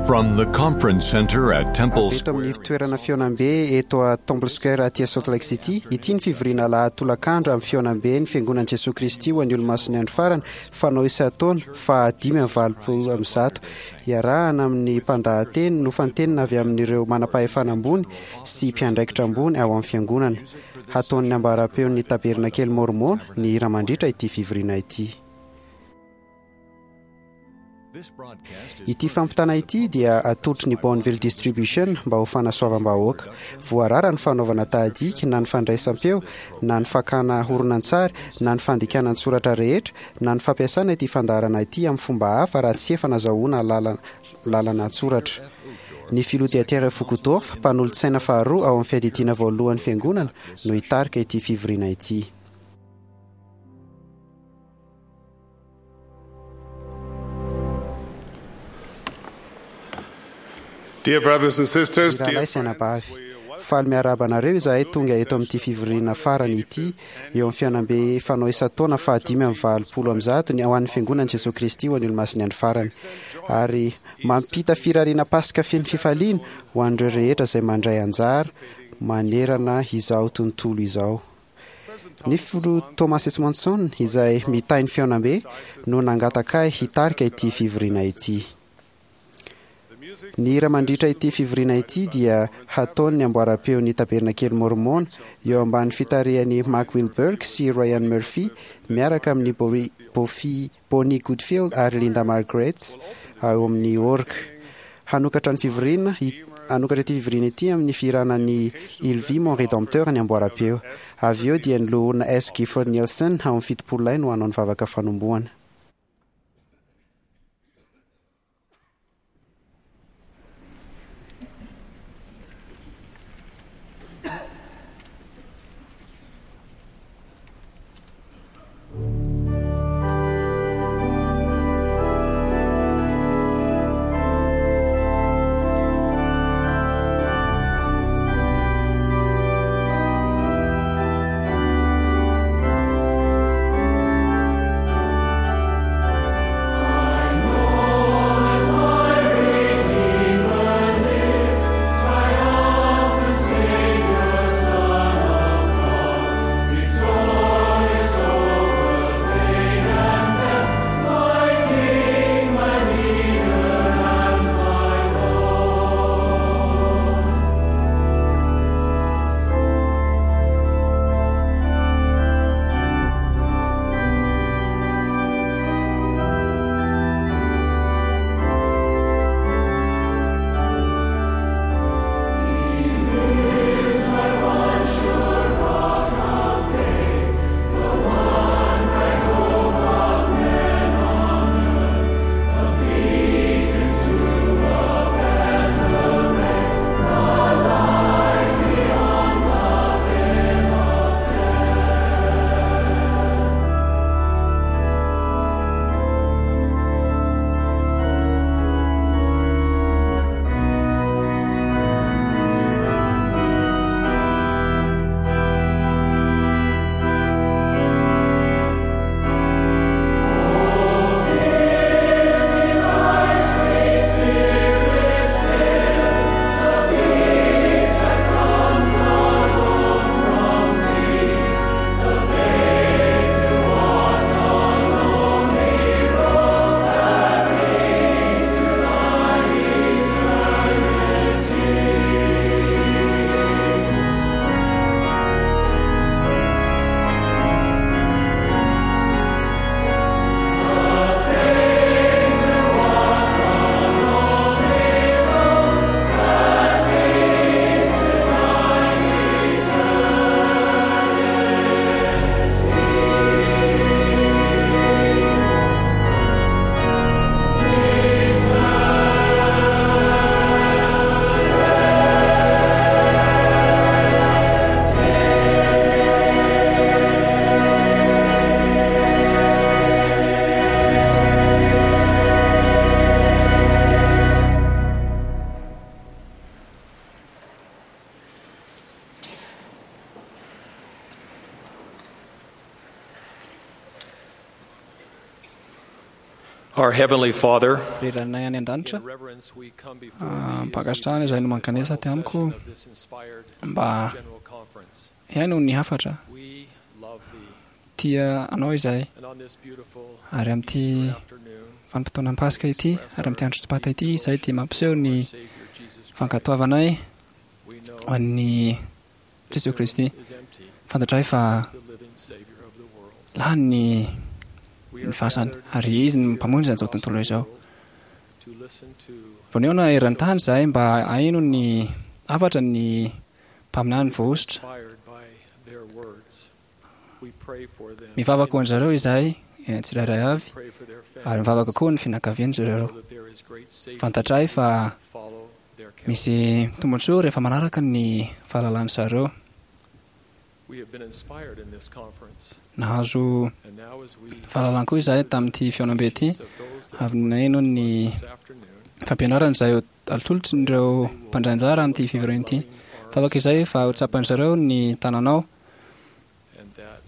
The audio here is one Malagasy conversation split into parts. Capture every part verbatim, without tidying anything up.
From the Conference Center at Temple Avy eto amin'ny Square. fitoerana fihaonambe eto a Temple Square aty Salt Lake City, ity ny fivoriana alahady tolakandro amin'ny fihaonambe ny Fiangonan'i Jesoa Kristy ho an'ny Olomasin'ny Andro Farany, fanao isan-taona faha dimy amby valopolo amby zato, iarahana amin'ny mpandahateny nofantenina avy amin'ireo manam-pahefana ambony sy mpiandraikitra ambony ao amin'ny fiangonana. Hataon'ny ambaram-peon'ny Tabernakely Mormona ny hira mandritra ity fivoriana ity. This broadcast is Ity fampitana ity dia atolotry ny Bonneville Distribution mba ho fanasoavam-bahoaka. Voarara ny fanaovana tahadiky na ny fandraisam-peo na ny fakana horonantsary na ny fandikana an-tsoratra rehetra na ny fampiasana ity fandaharana ity amin'ny fomba hafa raha tsy efa nazahoana lalana lalana an-tsoratra. Ny filoha Dieter Uchtdorf, mpanolotsaina faharoa ao amin'ny fiadidiana voalohan'ny fiangonana, no hitarika ity fivoriana ity. Dear brothers and sisters, Ny dear rahalahy sy friends, anabavy, we welcome faly miarahaba anareo izahay tonga eto amin'ity fivoriana farany ity eo amin'ny fihaonambe fanao isan-taona fahadimy amby valopolo amby zato ny ao an'ny Fiangonan'i Jesoa Kristy ho an'ny Olomasin'ny Andro Farany, ary mampita firariana Paska feno fifaliana ho an'ireo rehetra izay mandray anjara manerana izao tontolo izao. Ny filoha Thomas S. Monson izay mitahy ny fihaonambe no nangataka ahy hitarika ity fivoriana ity. Ny hira mandritra ity fivoriana ity dia hataon'ny amboaram-peon'ny Tabernakely Mormona eo ambany fitarihan'i Mark Wilberg sy Ryan Murphy miaraka amin'ny Bori- Bofi- Bonnie Goodfield ary Linda Margaret ao amin'ny org. Hanokatra ny fivoriana i- hanokatra ity fivoriana ity amin'ny fihirana ny Il vit mon rédempteur ny amboaram-peo. Avy eo dia ny loholona S. Gifford Nielsen ao amin'ny fitopolo lahy no hanao ny vavaka fanombohana. Thank Our Heavenly Father, Ry Rainay any an-danitra, in reverence we come before ah, thee as we mpankasitrahana izay no mankanesa aty final amiko session of this inspired mba general conference. hihaino ny hafatra. We love thee, Tia anao izahay and on this beautiful ary amin'ity Easter afternoon, vanim-potoanan'ny Paska ity ary amin'ity andro sabata ity izahay dia mampiseho ny our Savior Jesus Christ. fankatoavanay We know ho an'ny the Jesoa tomb Kristy. is empty, Fantatray fa the living Savior of the world. lany ny We ny are fasana gathered ary izy no here mpamonjy an'izao across tontolo the izao. world to listen to Voneona eran-tany izahay mba haino ny hafatra ny mpaminany voahosotra. inspired by their words. We pray for them. Mivavaka ho an-jareo izahay eh, tsirairay avy Pray for their ary mivavaka koa ny fianakavian-dry zareo. know that there is great safety Fantatray fa to follow their counsel. misy tombontsoa rehefa manaraka ny fahalalan'ny zareo. We have been inspired in this conference, Nahazo and now as we fahalalana koa izahay tamin'ity fihaonambe ity of those that avy naino ny this afternoon, fampianarana izay atolotrin'ireo mpandray anjara amin'ity fivoriana ity. Vavaka izay fa ho tsapan'ny zareo ny tananao and that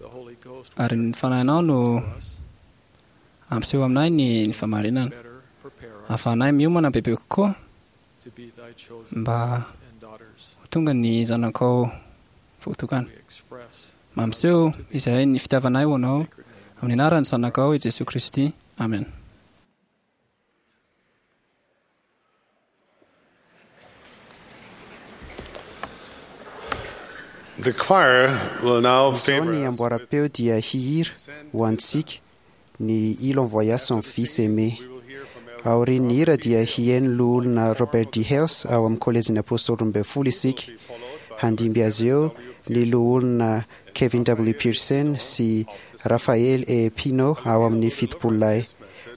the Holy Ghost will ary ny fanahinao no to us, ampiseho aminay ny ny famarinana. better prepare us Ahafahanay miomana bebe kokoa to be thy chosen mba sons and daughters. ho tonga ny zanakao voatokana. We express Mampiseho izahay ny fitiavanay ho anao sacred name. amin'ny anaran'ny zanakao i Jesoa Kristy. Amen. The choir will now Izao favor ny us amboara-peo dia hihira ho antsika ny Il envoya son fils aimé. We will hear from Elder Aorian'ny hira dia hihaino loholona Robert D. Hales ao amin'ny kolejin'ny Apôstôly roa ambin'ny folo isika. Handimby azy eo ny loholona Kevin W. Pearson sy Rafael E. Pino ao amin'ny fitopololahy.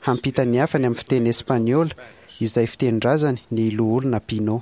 Hampita ny hafany amin'ny fiteny espaniola izay fitenin-drazany ny loholona Pino.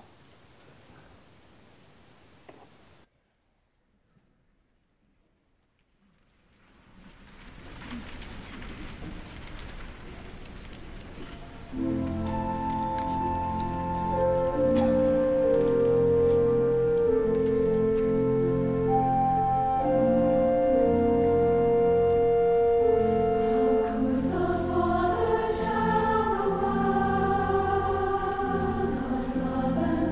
Could the Father tell the world of love and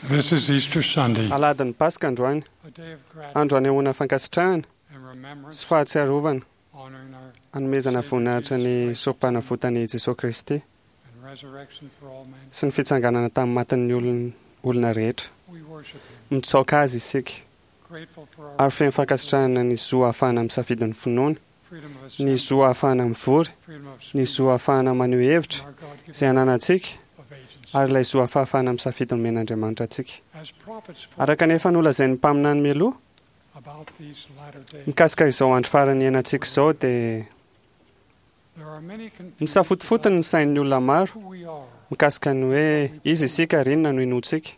This is Easter Sunday, Alahadin'ny Paska androany, a day of gratitude andro anehoana fankasitrahana and remembrance sy fahatsiarovana honoring our hanomezana voninahitra ny sorompanavotan'i Jesoa Kristy and resurrection for all men. sy ny fitsanganana tamin'ny matin'ny olon- olona rehetra. We worship Him, Mitsaoka azy isika grateful for our ary feno fankasitrahana ny zo ahafahana misafidy ny finoana, freedom of ny assembly, zo ahafahana mivory, freedom of ny speech, zo ahafahana maneho hevitra and our God-given izay ananantsika of agency. ary ilay zo ahafahana misafidy nomen'Andriamanitra antsika. As prophets Araka ny efa nolazain'ny mpaminany mialoha about these latter days, mikasika izao andro farany iainantsika izao dia there are many confused misafotofotony ny sain'ny olona maro who we are. mikasika ny hoe izy isika ary inona no inoantsika.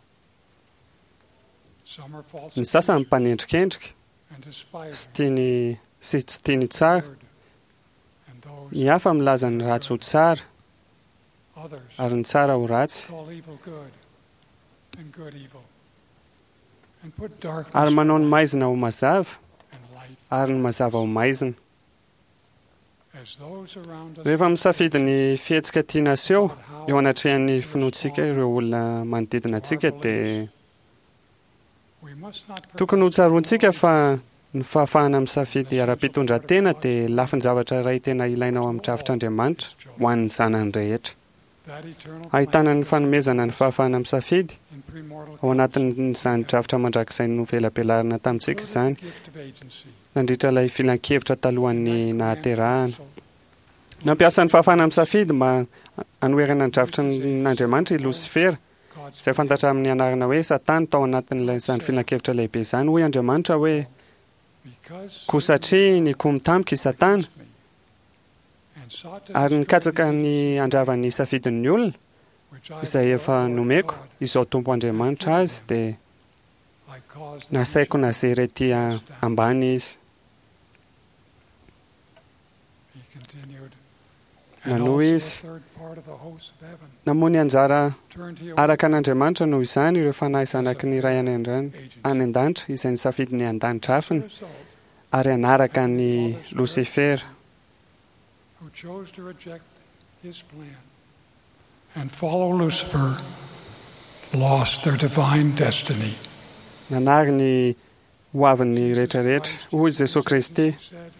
Some are false Ny sasany accusers mpanendrikendrika and despise sy tiany sy tsy tiany tsara, the word, and those ny hafa milaza ny ratsy ho tsara others ary ny tsara ho ratsy call evil good and good evil, and put darkness ary manao ny maizina ho mazava and light ary ny mazava ho maizina. as those around us Rehefa misafidy ny fihetsika tiana aseho about how eo anatrehan'ny finoantsika ireo olona manodidina antsika dia we must not forget tokony ho tsaroantsika fa ny fahafahana misafidy ara-pitondran-tena dia lafin-javatra iray tena ilaina ao amin'ny drafitr'Andriamanitra ho an'ny zanany rehetra. that eternal Ahitana ny plan fanomezana ny fahafahana misafidy in premortal ao anatin'izany drafitra mandrakizay novelabelarina tamintsika izany including the gift of agency. nandritra ilay filan-kevitra talohan'ny nahaterahana. Council Nampiasa ny fahafahana misafidy mba hanoherana ny drafitr'Andriamanitra i Losifera, God's izay fantatra amin'ny anarana hoe Satana tao anatin'ilay izany filan-kevitra lehibe izany. Hoy Andriamanitra hoe because koa satria nikomy tamiko i Satana me and sought to ary destroy nikatsaka the ny handravan'ny safidin'ny olona which I izay the efa Lord nomeko God, izao Tompo Andriamanitra azy dia I caused them nasaiko to nazery ety a- ambany izy. He continued, and Nanohy also a izy. third part of the hosts of heaven Namoa ny anjara turned he away araka an'Andriamanitra noho izany ireo fanahy zanaky ny ray any an-drano- agency. any an-danitra izay nisafidy ny an-danitra afiny Result, ary hanaraka ny Losifera who chose to reject his plan and follow Lucifer lost their divine destiny. Nanary ny hoavin'ny rehetrarehetra. Hoy Jesoa Kristy Said,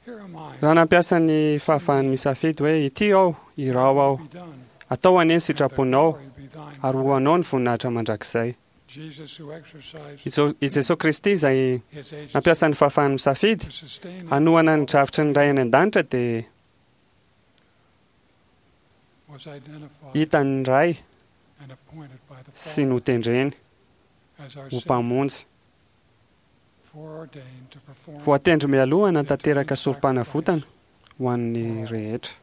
"Here am I, raha nampiasa ny fahafahany misafidy hoe ity aho, irao aho, be done, atao anie ny and the sitraponao glory be thine." ary ho anao ny voninahitra mandrakizay. Jesus, who exercised I Jo- I Jesoa Kristy izay his agency nampiasa ny fahafahany misafidy to sustain hanohana ny drafitry ny ray any an-danitra dia was identified hitan'ny ray and appointed by the sy Father notendreny as our ho Savior, mpamonjy. foreordained to perform Voatendry mialoha hanatanteraka sorompanavotana ho an'ny rehetra.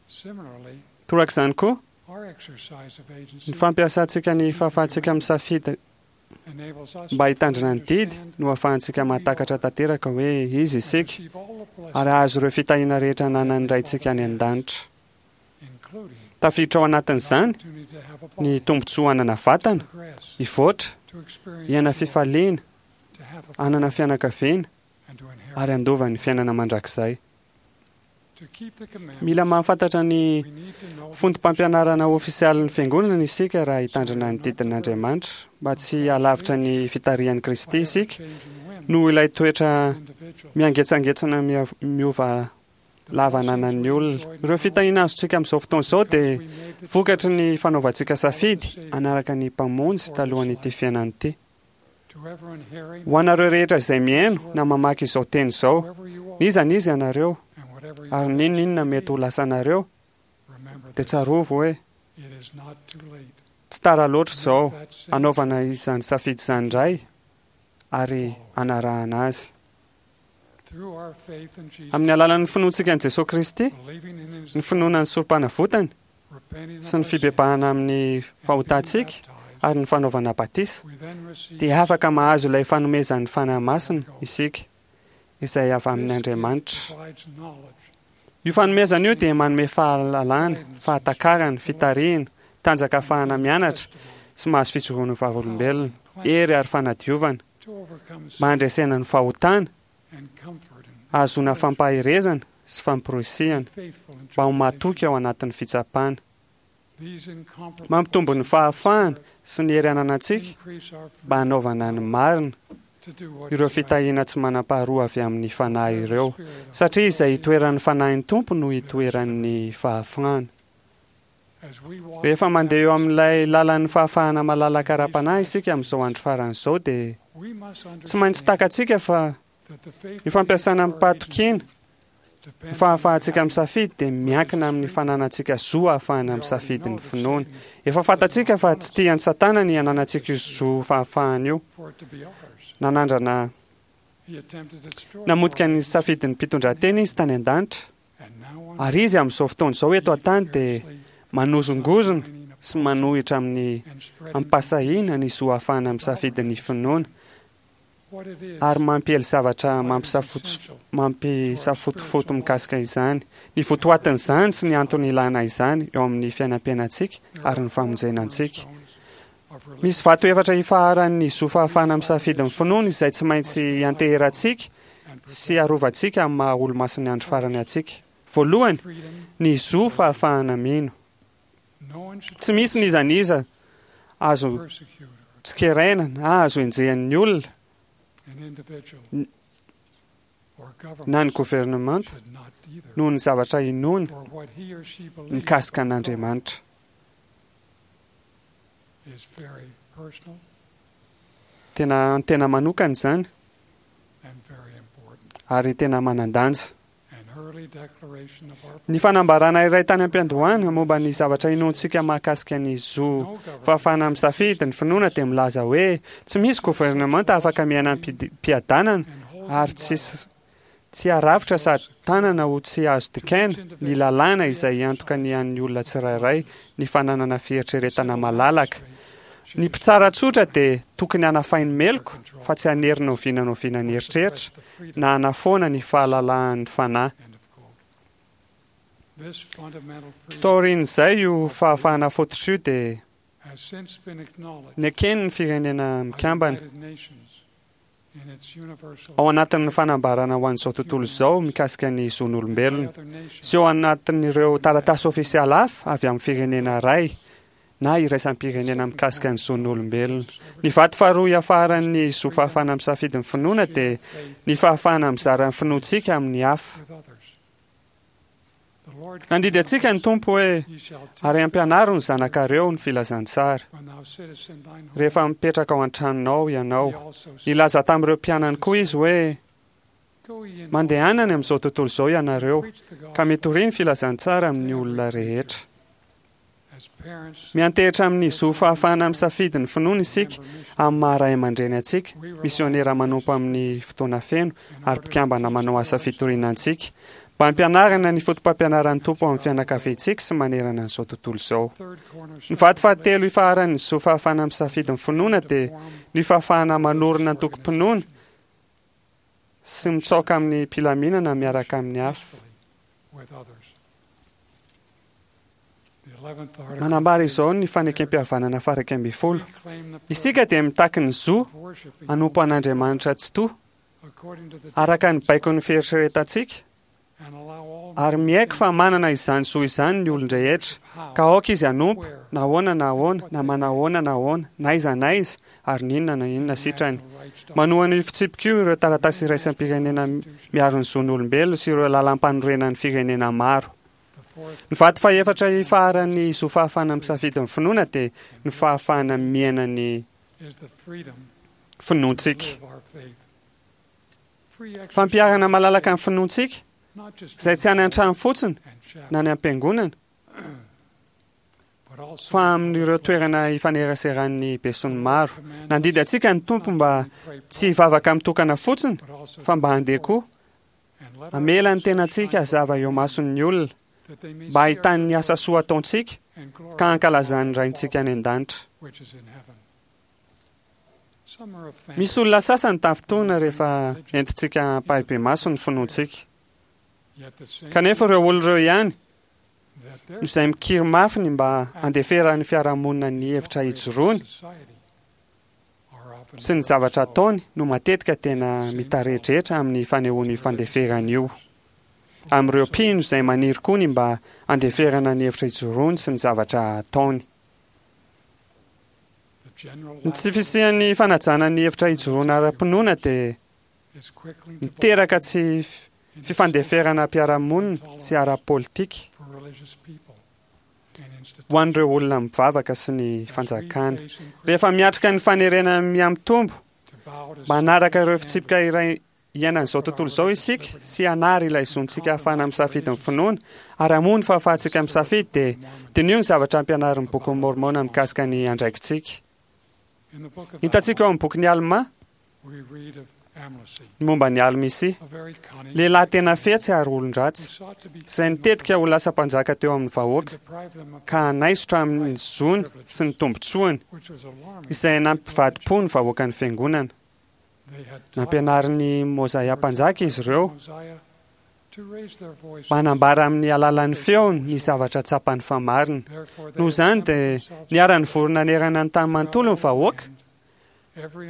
Similarly, Torak'izany koa, our exercise of agency ny fampiasantsika ny fahafahantsika misafidy enables us mba to hitandrina ny didy understand no ahafahantsika mahatakatra tanteraka hoe izy and isika receive all the blessings, ary hahazo ireo fitahiana rehetra ananan'ny raintsika any an-danitra. including Tafiditra ao the anatin'izany opportunity to have a ny body, tombontsoa hanana vatana, to progress, hivoatra, to experience hiaina joy, fifaliana, to have a hanana fianakaviana and to inherit. ary handova ny fiainana mandrakizay. To keep the commandments, Mila mahafantatra ny we need to know fotom-pampianarana ofisialin'ny fiangonana isika raha hitandrina ny didin'Andriamanitra mba tsy halavitra ny fitarihan'i Kristy by isika ever-changing whim noho ilay toetra of individual. miangetsangentsana mia- miova The lava blessings ananan'ny we olona. enjoy Ireo now fitahiana azontsika amin'izao fotoana izao because dia we made the vokatry choice ny fanaovantsika safidy hanaraka ny mpamonjy talohan'ity fiainana ity. to everyone hearing, Ho anareo rehetra izay mihaino na mamaky izao teny izao, whoever you are, n'iza n'iza ianareo and whatever your ary n'inon'inona mety ho lasanareo, remember dia this, tsarovy hoe it is not too late. tsy tara loatra izao Make that same hanaovana izany safidy izany indray ary hanarahana azy. through our faith in Jesus, Amin'ny alalan'ny finoantsika an'i Jesoa Kristy, believing in his ny finoana ny sorompanavotany repenting sy ny of our sins, fibebahana amin'ny and being fahotantsika baptized, ary ny fanaovana batisa, we then receive dia afaka mahazo ilay fanomezan'ny Fanahy Masina isika izay avy This amin'ny gift Andriamanitra. provides knowledge, Io fanomezana io dia manome fahalalana, fahatakarana, fitarihana, tanjaka ahafahana mianatra sy mahazo fijoroana ho vavolombelona, hery ary fanadiovana, to overcome sin mba handresena ny fahotana, and comfort and ahazoana fampaherezana sy famporisihana faithful in mba ho tribulation. mahatoky ao anatin'ny fitsapana. These incomparable Mampitombo ny blessings fahafahana sy ny hery ananantsika mba hanaovana ny marina, ireo fitahiana tsy manam-paharoa avy amin'ny Fanahy ireo, satria izay itoeran'ny Fanahin'ny Tompo no itoeran'ny fahafahana. Rehefa mandeha eo amin'ilay lalan'ny fahafahana malalaka ara-panahy isika amin'izao andro farany izao, dia tsy maintsy takatsika fa ny fampiasana amim-pahatokiana ny fahafahantsika misafidy dia miankina amin'ny fananantsika zo ahafahana misafidy ny finoana. Efa fantatsika fa tsy tian'i Satana ny hananantsika io zo fahafahana io. Nanandrana namotika ny safidin'ny mpitondratena izy tany an-danitra, ary izy amin'izao fotoana izao eto an-tany dia manozongozona sy manohitra amin'ny amim-pahasahiana ny zo ahafahana misafidy ny finoana, ary mampiely zavatra mampisafotofoto mikasika izany, ny votoatin'izany sy ny antony ilana izany eo amin'ny fiainam-piainantsika ary ny famonjena antsika. Misy vato efatra ifaharan'ny zo fahafahana misafidy ny finoana izay tsy maintsy ianteherantsika sy arovantsika amin'ny maha olomasin'ny andro farany antsika. Voalohany, ny zo fahafahana mino. Tsy misy n'iza n'iza azo tsikeraina na azo enjehin'ny olona na ny governemanta noho ny zavatra inoany mikasika an'Andriamanitra. Tena tena manokana izany ary tena manan-danja. Ny fanambarana iray tany am-piandohana momba ny zavatra inoantsika mahakasika ny zo fahafahana misafidy ny finoana dia milaza hoe tsy misy governemanta afaka miaina am-piadanana ary tsy tsy haravitra sady tanana ho tsy azo dikaina ny lalàna izay hiantoka ny an'ny olona tsirairay ny fananana fieritreretana malalaka. Ny mpitsara tsotra dia tokony hanafay ny meloka fa tsy hanery na oviana na oviana ny eritreritra na hanafoana ny fahalalahan'ny fanahy. Taorian'izay io fahafahana fototra io dia nekeny ny Firenena Mikambana ao anatin'ny fanambarana ho an'izao tontolo izao mikasika ny zon'olombelona sy ao anatin'ireo taratasy ofisialy hafa avy amin'ny firenena iray na iraisam-pirenena mikasika ny zon'olombelona. Ny vato faharoa iafaran'ny zo fahafahana misafidy ny finoana dia ny fahafahana mizara ny finoantsika amin'ny hafa. Nandidy antsika ny Tompo hoe, ary ampianaro ny zanakareo ny filazantsara. Rehefa mipetraka ao an-tranonao ianao. Nilaza tamin'ireo mpianany koa izy hoe, mandehana any amin'izao tontolo izao ianareo, ka mitoria ny filazantsara amin'ny olona rehetra. Miantehitra amin'ny zo fahafahana misafidy ny finoana isika amin'ny maha ray aman-dreny antsika, misionera manompo amin'ny fotoana feno ary mpikambana manao asa fitoriana antsika, mba hampianarana ny fotopampianaran'ny Tompo amin'ny fianakaviantsika sy manerana an'izao tontolo izao. Ny vato fahatelo ifaharan'ny zo fahafahana misafidy ny finoana dia ny fahafahana manorina antokom-pinoana sy mitsaoka amin'ny mpilaminana miaraka amin'ny hafa. Manambara izao ny fanekem-pihavanana faha iraika ambin'ny folo. Isika dia mitaky ny zo hanompo an'Andriamanitra Tsitoha, araka ny baikon'ny fieritreretantsika, ary miaiky fa manana izany zo izany ny olon-drehetra, ka aoka izy hanompo, na ahoana na ahoana, na manahoana na ahoana, na aiza na aiza, ary n'inona na inona sitrany. Manohana io fitsipika io ireo taratasy iraisam-pirenena miaro ny zon'olombelona sy ireo lalàm-panorenan'ny firenena maro. Ny vato fahefatra ifaharan'ny zo fahafahana misafidy ny finoana dia ny fahafahana miaina ny finoantsika. Fampiharana malalaka ny finoantsika, izay tsy any an-trano fotsiny na any am-piangonana, fa amin'ireo toerana ifaneraseran'ny besinimaro. Nandidy antsika ny Tompo mba tsy hivavaka mitokana fotsiny, fa mba handeha koa hamela ny tenantsika hazava eo mason'ny olona, mba hahitany ny asa soa ataontsika ka hankalazan'ny Raintsika any an-danitra. Misy olona sasany tafintohina rehefa entintsika ampahibemaso ny finoantsika. Kanefa ireo olona ireo ihany izay mikiry mafy ny mba handeferan'ny fiarahamonina ny hevitra ijoroany sy ny zavatra ataony no matetika tena mitaredretra amin'ny fanehoany io fandeferana io amin'ireo mpino izay maniry koa ny mba handeferana ny hevitra ijoroany sy ny zavatra ataony. Ny tsy fisian'ny fanajana ny hevitra ijoroana ara-pinoana dia miteraka tsy fifandeferana am-piarahamonina sy ara-politika ho an'ireo olona mivavaka sy ny fanjakana. Rehefa miatrika ny fanerena mihamitombo manaraka ireo fitsipika iray iainan'izao tontolo izao isika sy hanary ilay zontsika ahafahana misafidy ny finoana ary hamoha ny fahafahantsika misafidy, dia diniho ny zavatra ampianarin'ny bokin'i Môrmôna mikasika ny andraikitsika. Hitantsika ao amin'ny bokin'i Almà ny momba ny Almisia, lehilahy tena fetsy ary olon-dratsy, izay nitetika ho lasa mpanjaka teo amin'ny vahoaka ka hanaisotra amin'ny zony sy ny tombontsoany, izay nampivadi-po ny vahoakan'ny fiangonana. Nampianarin'i Môzaia mpanjaka izy ireo manambara amin'ny alalan'ny feony ny zavatra tsapany fa marina. Noho izany dia niara-nivory nanerana ny tany manontolo ny vahoaka.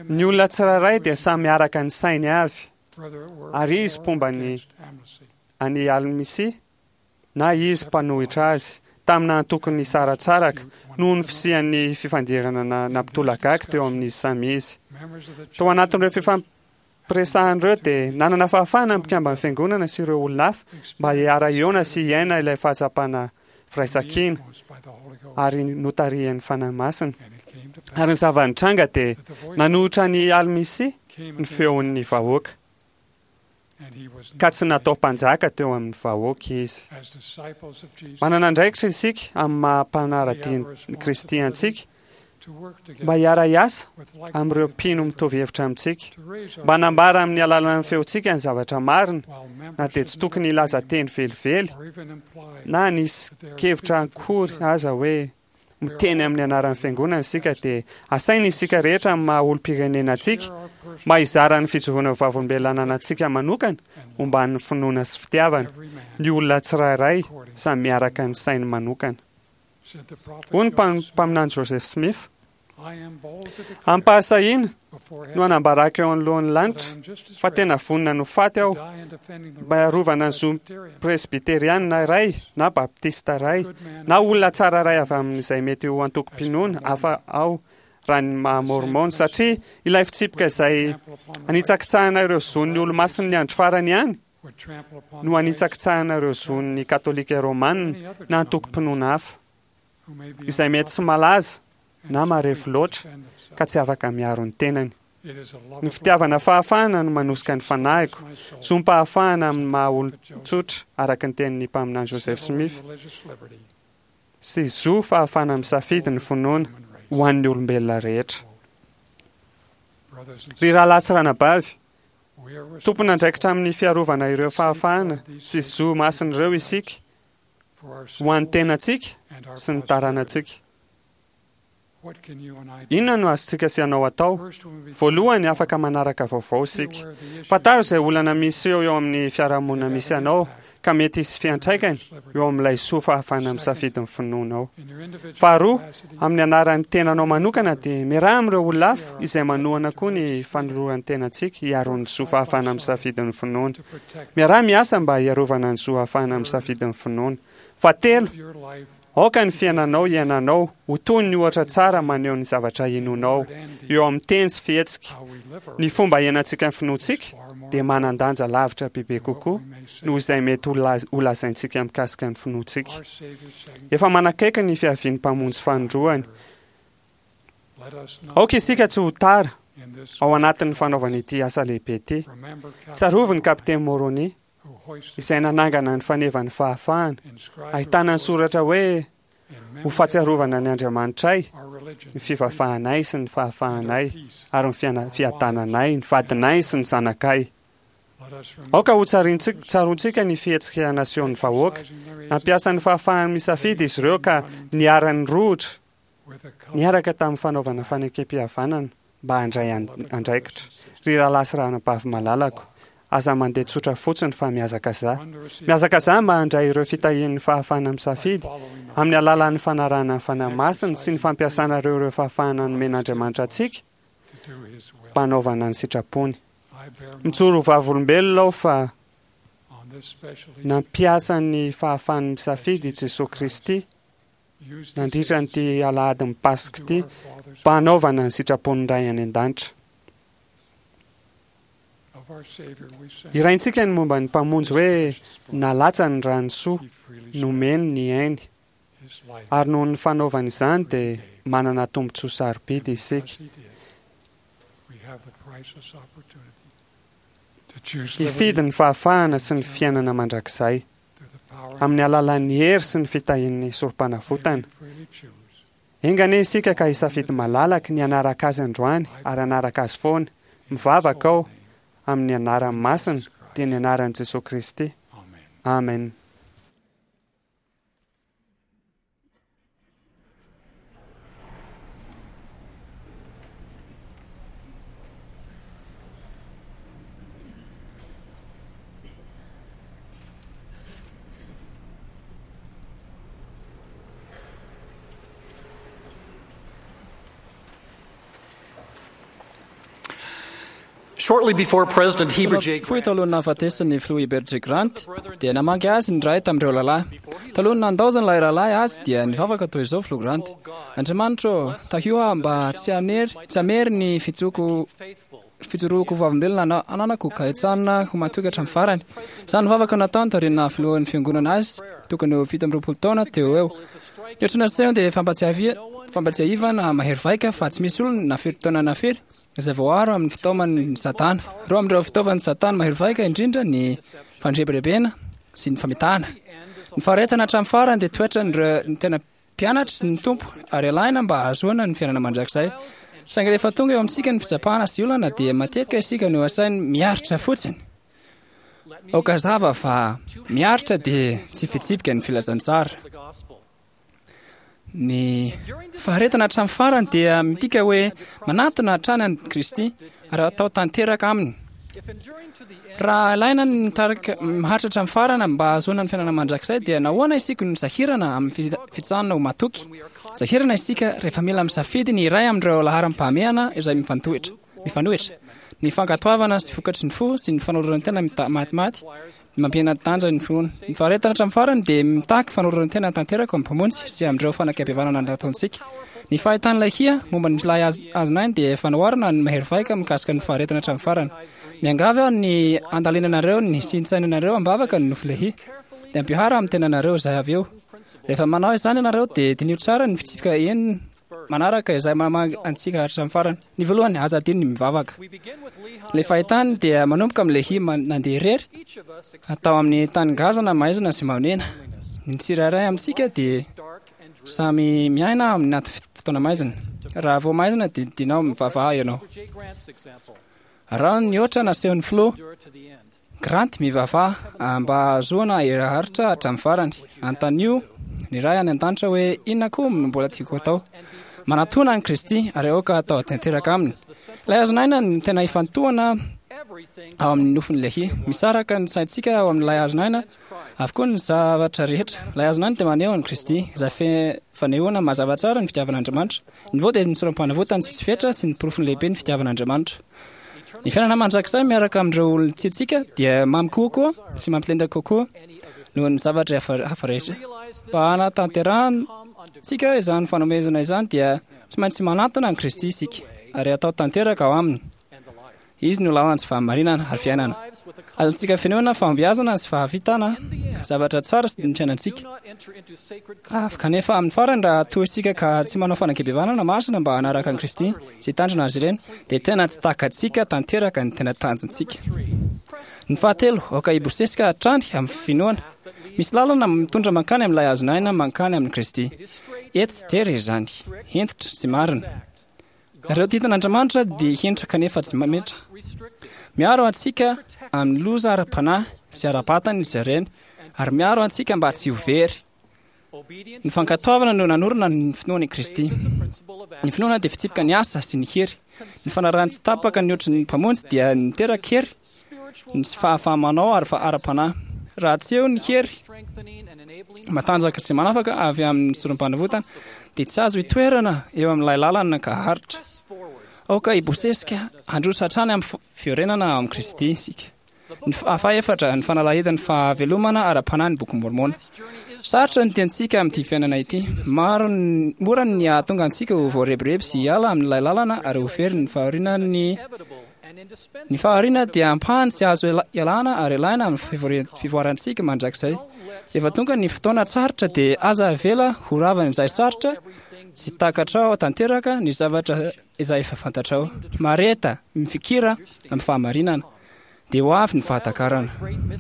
Ny olona tsirairay dia samy araka ny sainy avy, ary izy mpomba ny an'i Almisia na izy mpanohitra azy, tamina antokony nisaratsaraka noho ny fisian'ny fifandirana nampitolagaga teo amin'izy samy izy. Tao anatin'ireo fifampiresahana ireo dia nanana fahafahana ny mpikamban'ny fiangonana sy ireo olona hafa mba hiara-hiona sy hiaina ilay fahatsapana firaisankina ary notarihan'ny Fanahy Masina. Ary ny zava-nitranga dia nanohitra ny Almisia ny feon'ny vahoaka, ka tsy natao mpanjaka teo amin'ny vahoaka izy. Manana andraikitra isika amin'ny maha mpanara-dia ny Kristy antsika mba hiara-hiasa amin'ireo mpino mitovy hevitra amintsika, mba hanambara amin'ny alalan'ny feontsika ny zavatra marina, na dia tsy tokony hilaza teny velively na hanisy kevitra akory aza hoe miteny amin'ny anaran'ny fiangonana isika, dia asaina isika rehetra amin'ny maha olom-pirenena antsika mba hizara ny fijoroana ho vavolombelona ananantsika manokana momba ny finoana sy fitiavana, ny olona tsirairay samy miaraka ny sainy manokana. Hoy ny mpaminany Joseph Smith: Ampahasahiana no hanambarako eo anoloan'ny lanitra fa tena vonona no faty aho mba hiarovana ny zo presbyteriana iray na baptista iray na olona tsara iray avy amin'izay mety ho antokom-pinoana hafa aho raha ny maha môrmôna, satria ilay fitsipika izay anitsakitsahana ireo zon'ny olomasin'ny andro farany ihany no anitsakitsahana ireo zon'ny katolika romana na antokom-pinoana hafa izay mety tsy malaza na marefo loatra ka tsy afaka miaro ny tenany. Ny fitiavana fahafahana no manosika ny fanahiko, zom-pahafahana amin'ny maha olon-tsotra araka ny tenin'ny mpaminany Joseph Smith, sy zo fahafahana misafidy ny finoana ho an'ny olombelona rehetra. Ry rahalahy sy ranabavy, tompon'andraikitra amin'ny fiarovana ireo fahafahana sy zo masina ireo isika ho an'ny tenantsika sy ny taranantsika. Inona no azontsika sy ianao atao? Voalohany, afaka manaraka vaovao isika. Fantaro izay olana misy eo eo amin'ny fiarahamonina misy anao ka mety hisy fiantraikany eo amin'ilay soa fahafahana misafidy ny finoanao. Faharoa, amin'ny anaran'ny tenanao manokana dia miaraha amin'ireo olona hafa izay manohana koa ny fanoloran'ny tenantsika hiaro ny zo fahafahana misafidy ny finoana. Miaraha miasa mba hiarovana ny zo ahafahana misafidy ny finoana. Fahatelo, aoka ny fiainanao iainanao ho toy ny ohatra tsara maneho ny zavatra inoanao eo amin'ny teny sy fihetsika. Ny fomba iainantsika ny finoantsika dia manan-danja lavitra bebe kokoa noho izay mety ho lazaintsika mikasika ny finoantsika. Efa manakaiky ny fiavian'ny Mpamonjy fanindroany. Aoka isika tsy ho tara ao anatin'ny fanaovana ity asa lehibe ity. Tsarovy ny kapiteny Moroni izay nanangana ny fanevan'ny fahafahana, ahitana ny soratra hoe ho fahatsiarovana ny Andriamanitray, ny fivavahanay sy ny fahafahanay ary ny fiadananay, ny vadinay sy ny zanakay. Aoka ho tsaroantsika ny fihetsika nasehon'ny vahoaka. Nampiasa ny fahafahany misafidy izy ireo ka niara-nirohotra niaraka tamin'ny fanaovana fanekem-pihavanana mba handray andraikitra. Ry rahalahy sy ranabavy malalako, aza mandeha tsotra fotsiny fa mihazakazaha. Mihazakazaha mba handray ireo fitahian'ny fahafahana misafidy amin'ny alalan'ny fanarahana ny Fanahy Masina sy ny fampiasana ireo ireo fahafahana nomen'Andriamanitra antsika mba hanaovana ny sitrapony. Mijoro ho vavolombelona aho fa nampiasa ny fahafahany misafidy i Jesoa Kristy nandritra an'ity alahadin'ny Paska ity mba hanaovana ny sitrapon'ny Ray any an-danitra. Hiraintsika ny momba ny Mpamonjy hoe nalatsany ny rany soa, nomeny ny ainy, ary noho ny fanaovana izany dia manana tombontsoa sarobidy isika. Hifidy ny fahafahana sy ny fiainana mandrakizay amin'ny alalan'ny hery sy ny fitahian'ny sorom-panavotana. Enga anie isika ka hisafidy malalaka ny hanaraka azy androany ary hanaraka azy foana. Mivavaka aho amin'ny anarany masina, dia ny anaran'i Jesoa Kristy. Amen. Shortly before President Heber J. Fohy talohan'ny nahafatesan'ny filoha Heber J. Grant dia namangy azy ny iray tamin'ireo rahalahy. Talohan'ny nandaozan'ilay rahalahy azy dia nivavaka toy izao filoha Grant: Andriamanitra ô, tahio aho mba tsy hanery tsy hamery ny fijoko fijoroako vavolombelona ananako ka hitsanona ho matoky hatramin'ny farany. Izany vavaka nataony taorian'ny nahafilohan'ny fiangonana azy tokony ho fito amby roapolo taona teo eo. Ny otrona seho dia fampatsiavi- fampatsiahivana mahery vaika fa tsy misy olona na firy taona na firy izay voaaro amin'ny fitaoman'ny Satana. Roa amin'ireo fitaovan'ny Satana mahery vaika indrindra ny fandrebirebena sy ny famitahana. Ny faharetana hatramin'ny farany dia toetran'ireo ny tena mpianatry ny Tompo ary alaina mba hahazoana ny fiainana mandrakizay. Saingy rehefa tonga eo amintsika ny fitsapana sy olana dia matetika isika no asainy miaritra fotsiny. Aoka hazava fa miaritra dia tsy fitsipika ny filazantsara. Ny faharetana hatramin'ny farany dia midika hoe manatona hatrany an'i Kristy ary atao tanteraka aminy. Raha ilaina ny mitarika maharitra hatramin'ny farany mba hahazoana ny fiainana mandrakizay dia nahoana isika no sahirana amin'ny fitsanana ho matoky? Sahirana isika rehefa mila misafidy ny iray amin'ireo laharam-pahamehana izay mifantohitra, mifanohitra. Ny fankatoavana sy vokatry ny fo sy ny fanoloran-tena matimaty mampihena tanja ny finoana. Ny faharetana hatramin'ny farany dia mitaky fanoloran-tena tanteraka amin'ny Mpamonjy sy amin'ireo fanakam-pihavanana nataontsika. Ny fahitan'ilay hia momba ny ilay azon'ainy dia fanoharana ny mahery vaika mikasika ny faharetana hatramin'ny farany. Miangavy aho ny andalinanareo ny sintsainanareo am-bavaka ny nofy lehia. Dia ampihara amin'ny tenanareo izay avy eo. Rehefa manao izany ianareo dia diniho tsara ny fitsipika enina manaraka izay mamangy antsika hatramin'ny farany. Ny voalohany, aza adino ny mivavaka. Ilay fahitany dia manomboka amin'ny lehia nandeha irery atao amin'ny tany ngazana maizina sy mahonena. Ny tsirairay amintsika dia samy miaina amin'ny anaty fotoana maizina. Raha vao maizina dia dinao mivavaha ianao. Raha ny ohatra nasehon'ny filoha Grant mivavaha mba hahazoana hery haharitra hatramin'ny farany. Antanio ny Ray any an-danitra hoe inona koa no mbola tiako atao. Manatona an'i Kristy ary aoka atao tanteraka aminy. Ilay hazon'aina no tena ifantohana ao amin'ny nofin'ny lehia. Misaraka ny saintsika ao amin'ilay hazon'aina avokoa ny zavatra rehetra. Ilay hazon'aina dia maneho an'i Kristy, izay fanehoana mazava tsara ny fitiavan'Andriamanitra. Ny vao dia ny sorom-panavotany tsisy fetra sy ny porofony lehibe ny fitiavan'Andriamanitra. Ny fiainana mandrakizay miaraka amin'ireo olona tiantsika dia mamy kokoa sy mampilenda kokoa noho ny zavatra hafa rehetra. Mba hanatanterahantsika izany fanomezana izany dia tsy maintsy manatona an'i Kristy isika ary atao tanteraka ao aminy. Izy no lalana sy fahamarinana ary fiainana. Azontsika fenoina fahombiazana sy fahavitana zavatra tsara ny fiainantsika. Kanefa amin'ny farany raha toa isika ka tsy manao fanakebevana masina mba hanaraka an'i Kristy sy hitandrina azy ireny dia tena tsy takatsika tanteraka ny tena tanjontsika. Ny fahatelo, aoka hibosesika hatrany amin'ny finoana. Misy lalana mitondra mankany amin'ilay hazon'aina mankany amin'i Kristy. Etsy tery izany, hentitra sy marina. Ireo didin'Andriamanitra dia hentitra kanefa tsy mametra. Miaro antsika amin'ny loza ara-panahy sy ara-batana izy ireny ary miaro antsika mba tsy ho very. Ny fankatoavana no nanorina ny finoan'i Kristy. Ny finoana dia fitsipika ny asa sy ny hery. Ny fanarahana tsy tapaka ny ohatry ny Mpamonjy dia niteraka hery ny fahafaha-manao ary ara-panahy. Raha tsy eo ny hery matanjaka sy manafaka avy amin'ny sorom-panavotana dia tsy azo itoerana eo amin'ilay lalana ka haharitra. Aoka hibosesika handroso hatrany amin'ny fiorenana ao amin'i Kristy isika. Ny fahaefatra, ny fanalahidin'ny fahavelomana ara-panahy ny Boky Mormona. Sarotra ny tiantsika amin'ity fiainana ity. Maro mora ny hahatonga antsika ho voarebireby sy hiala amin'ilay lalana ary ho very ny fahoriana. Ny ny fahoriana dia ampahany tsy azo ialana ary ilaina amin'ny fivoarantsika mandrakizay. Rehefa tonga ny fotoana sarotra dia aza avela ho ravan'izay sarotra tsy takatrao tanteraka ny zavatra izay efa fantatrao. Mareta, mifikira amin'ny fahamarinana, dia ho avy ny fahatakarana.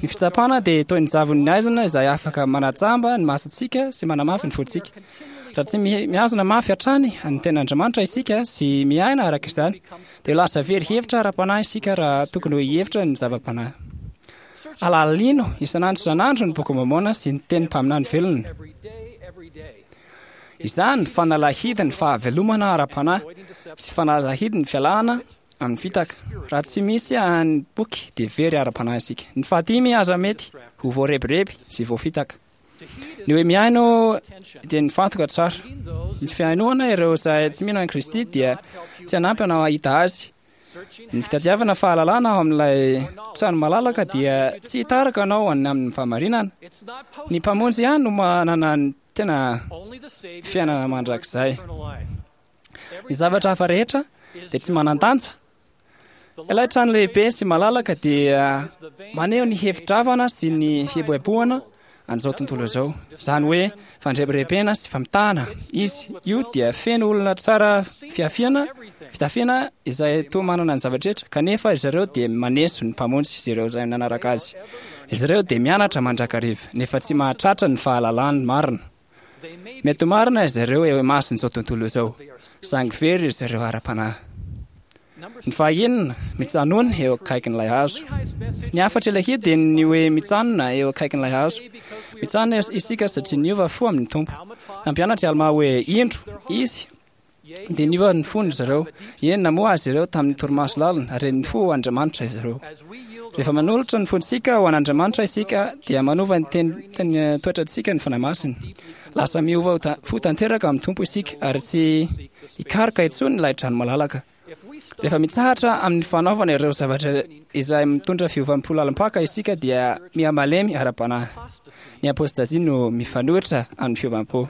Ny fitsapana dia toy ny zavon'ny aizina izay afaka manajamba ny masontsika sy manamafy ny fontsika. Raha tsy mihazona mafy hatrany ny tenin'Andriamanitra isika sy miaina araka izany, dia lasa very hevitra ara-panahy isika raha tokony ho hihevitra ny zava-panahy. Alalino isan'andro isan'andro ny Boky Môrmôna sy ny teny mpaminany velona. Izany fanalahidin'ny fahavelomana ara-panahy sy fanalahidin'ny fialana amin'ny fitaka. Raha tsy misy ny boky dia very ara-panahy isika. Ny fahadimy, aza mety ho voarebireby sy voafitaka. Ny hoe mihaino dia nifantoka tsara. Ny fihainoana ireo izay tsy mino an'i Kristy dia tsy hanampy anao hahita azy. Ny fitadiavana fahalalana ao amin'ilay trano malalaka dia tsy hitarika anao any amin'ny fahamarinana. Ny Mpamonjy ihany no manana ny tena fiainana mandrakizay. Ny zavatra hafa rehetra dia tsy manan-danja. Ilay trano lehibe sy malalaka dia maneho ny hevi-dravana sy ny fieboeboana an'izao tontolo izao. Izany hoe fandrebirebena sy famitahana. Izy io dia feno olona tsara fiafiana, fitafiana izay toa manana ny zavatra rehetra, kanefa izy ireo dia maneso ny Mpamonjy sy ireo izay nanaraka azy. Izy ireo dia mianatra mandrakariva, nefa tsy mahatratra ny fahalalany marina. Mety ho marina izy ireo eo imason'izao tontolo izao, saingy very izy ireo ara-panahy. Ny fahaenina, mitsanona eo akaikin'ilay hazo. Ny hafatr' ilay hira dia ny hoe mitsanona eo akaikin'ilay hazo. Mitsanona isika satria niova fo amin'ny Tompo. Nampianatra i Almà hoe indro izy dia niova ny fony izy ireo. Eny, namoha azy ireo tamin'ny torimaso lalina ary nifoha ho Andriamanitra izy ireo. Rehefa manolotra ny fontsika ho an'Andriamanitra isika dia manova ny teny teny toetrantsika ny Fanahy Masina. Lasa miova fo tanteraka amin'ny Tompo isika ary tsy hikaroka intsony ilay trano malalaka. Rehefa mitsahatra amin'ny fanaovana ireo zavatra izay mitondra fiovam-po lalim-paka isika dia mihamalemy ara-panahy. Ny apôstazia no mifanohitra amin'ny fiovam-po.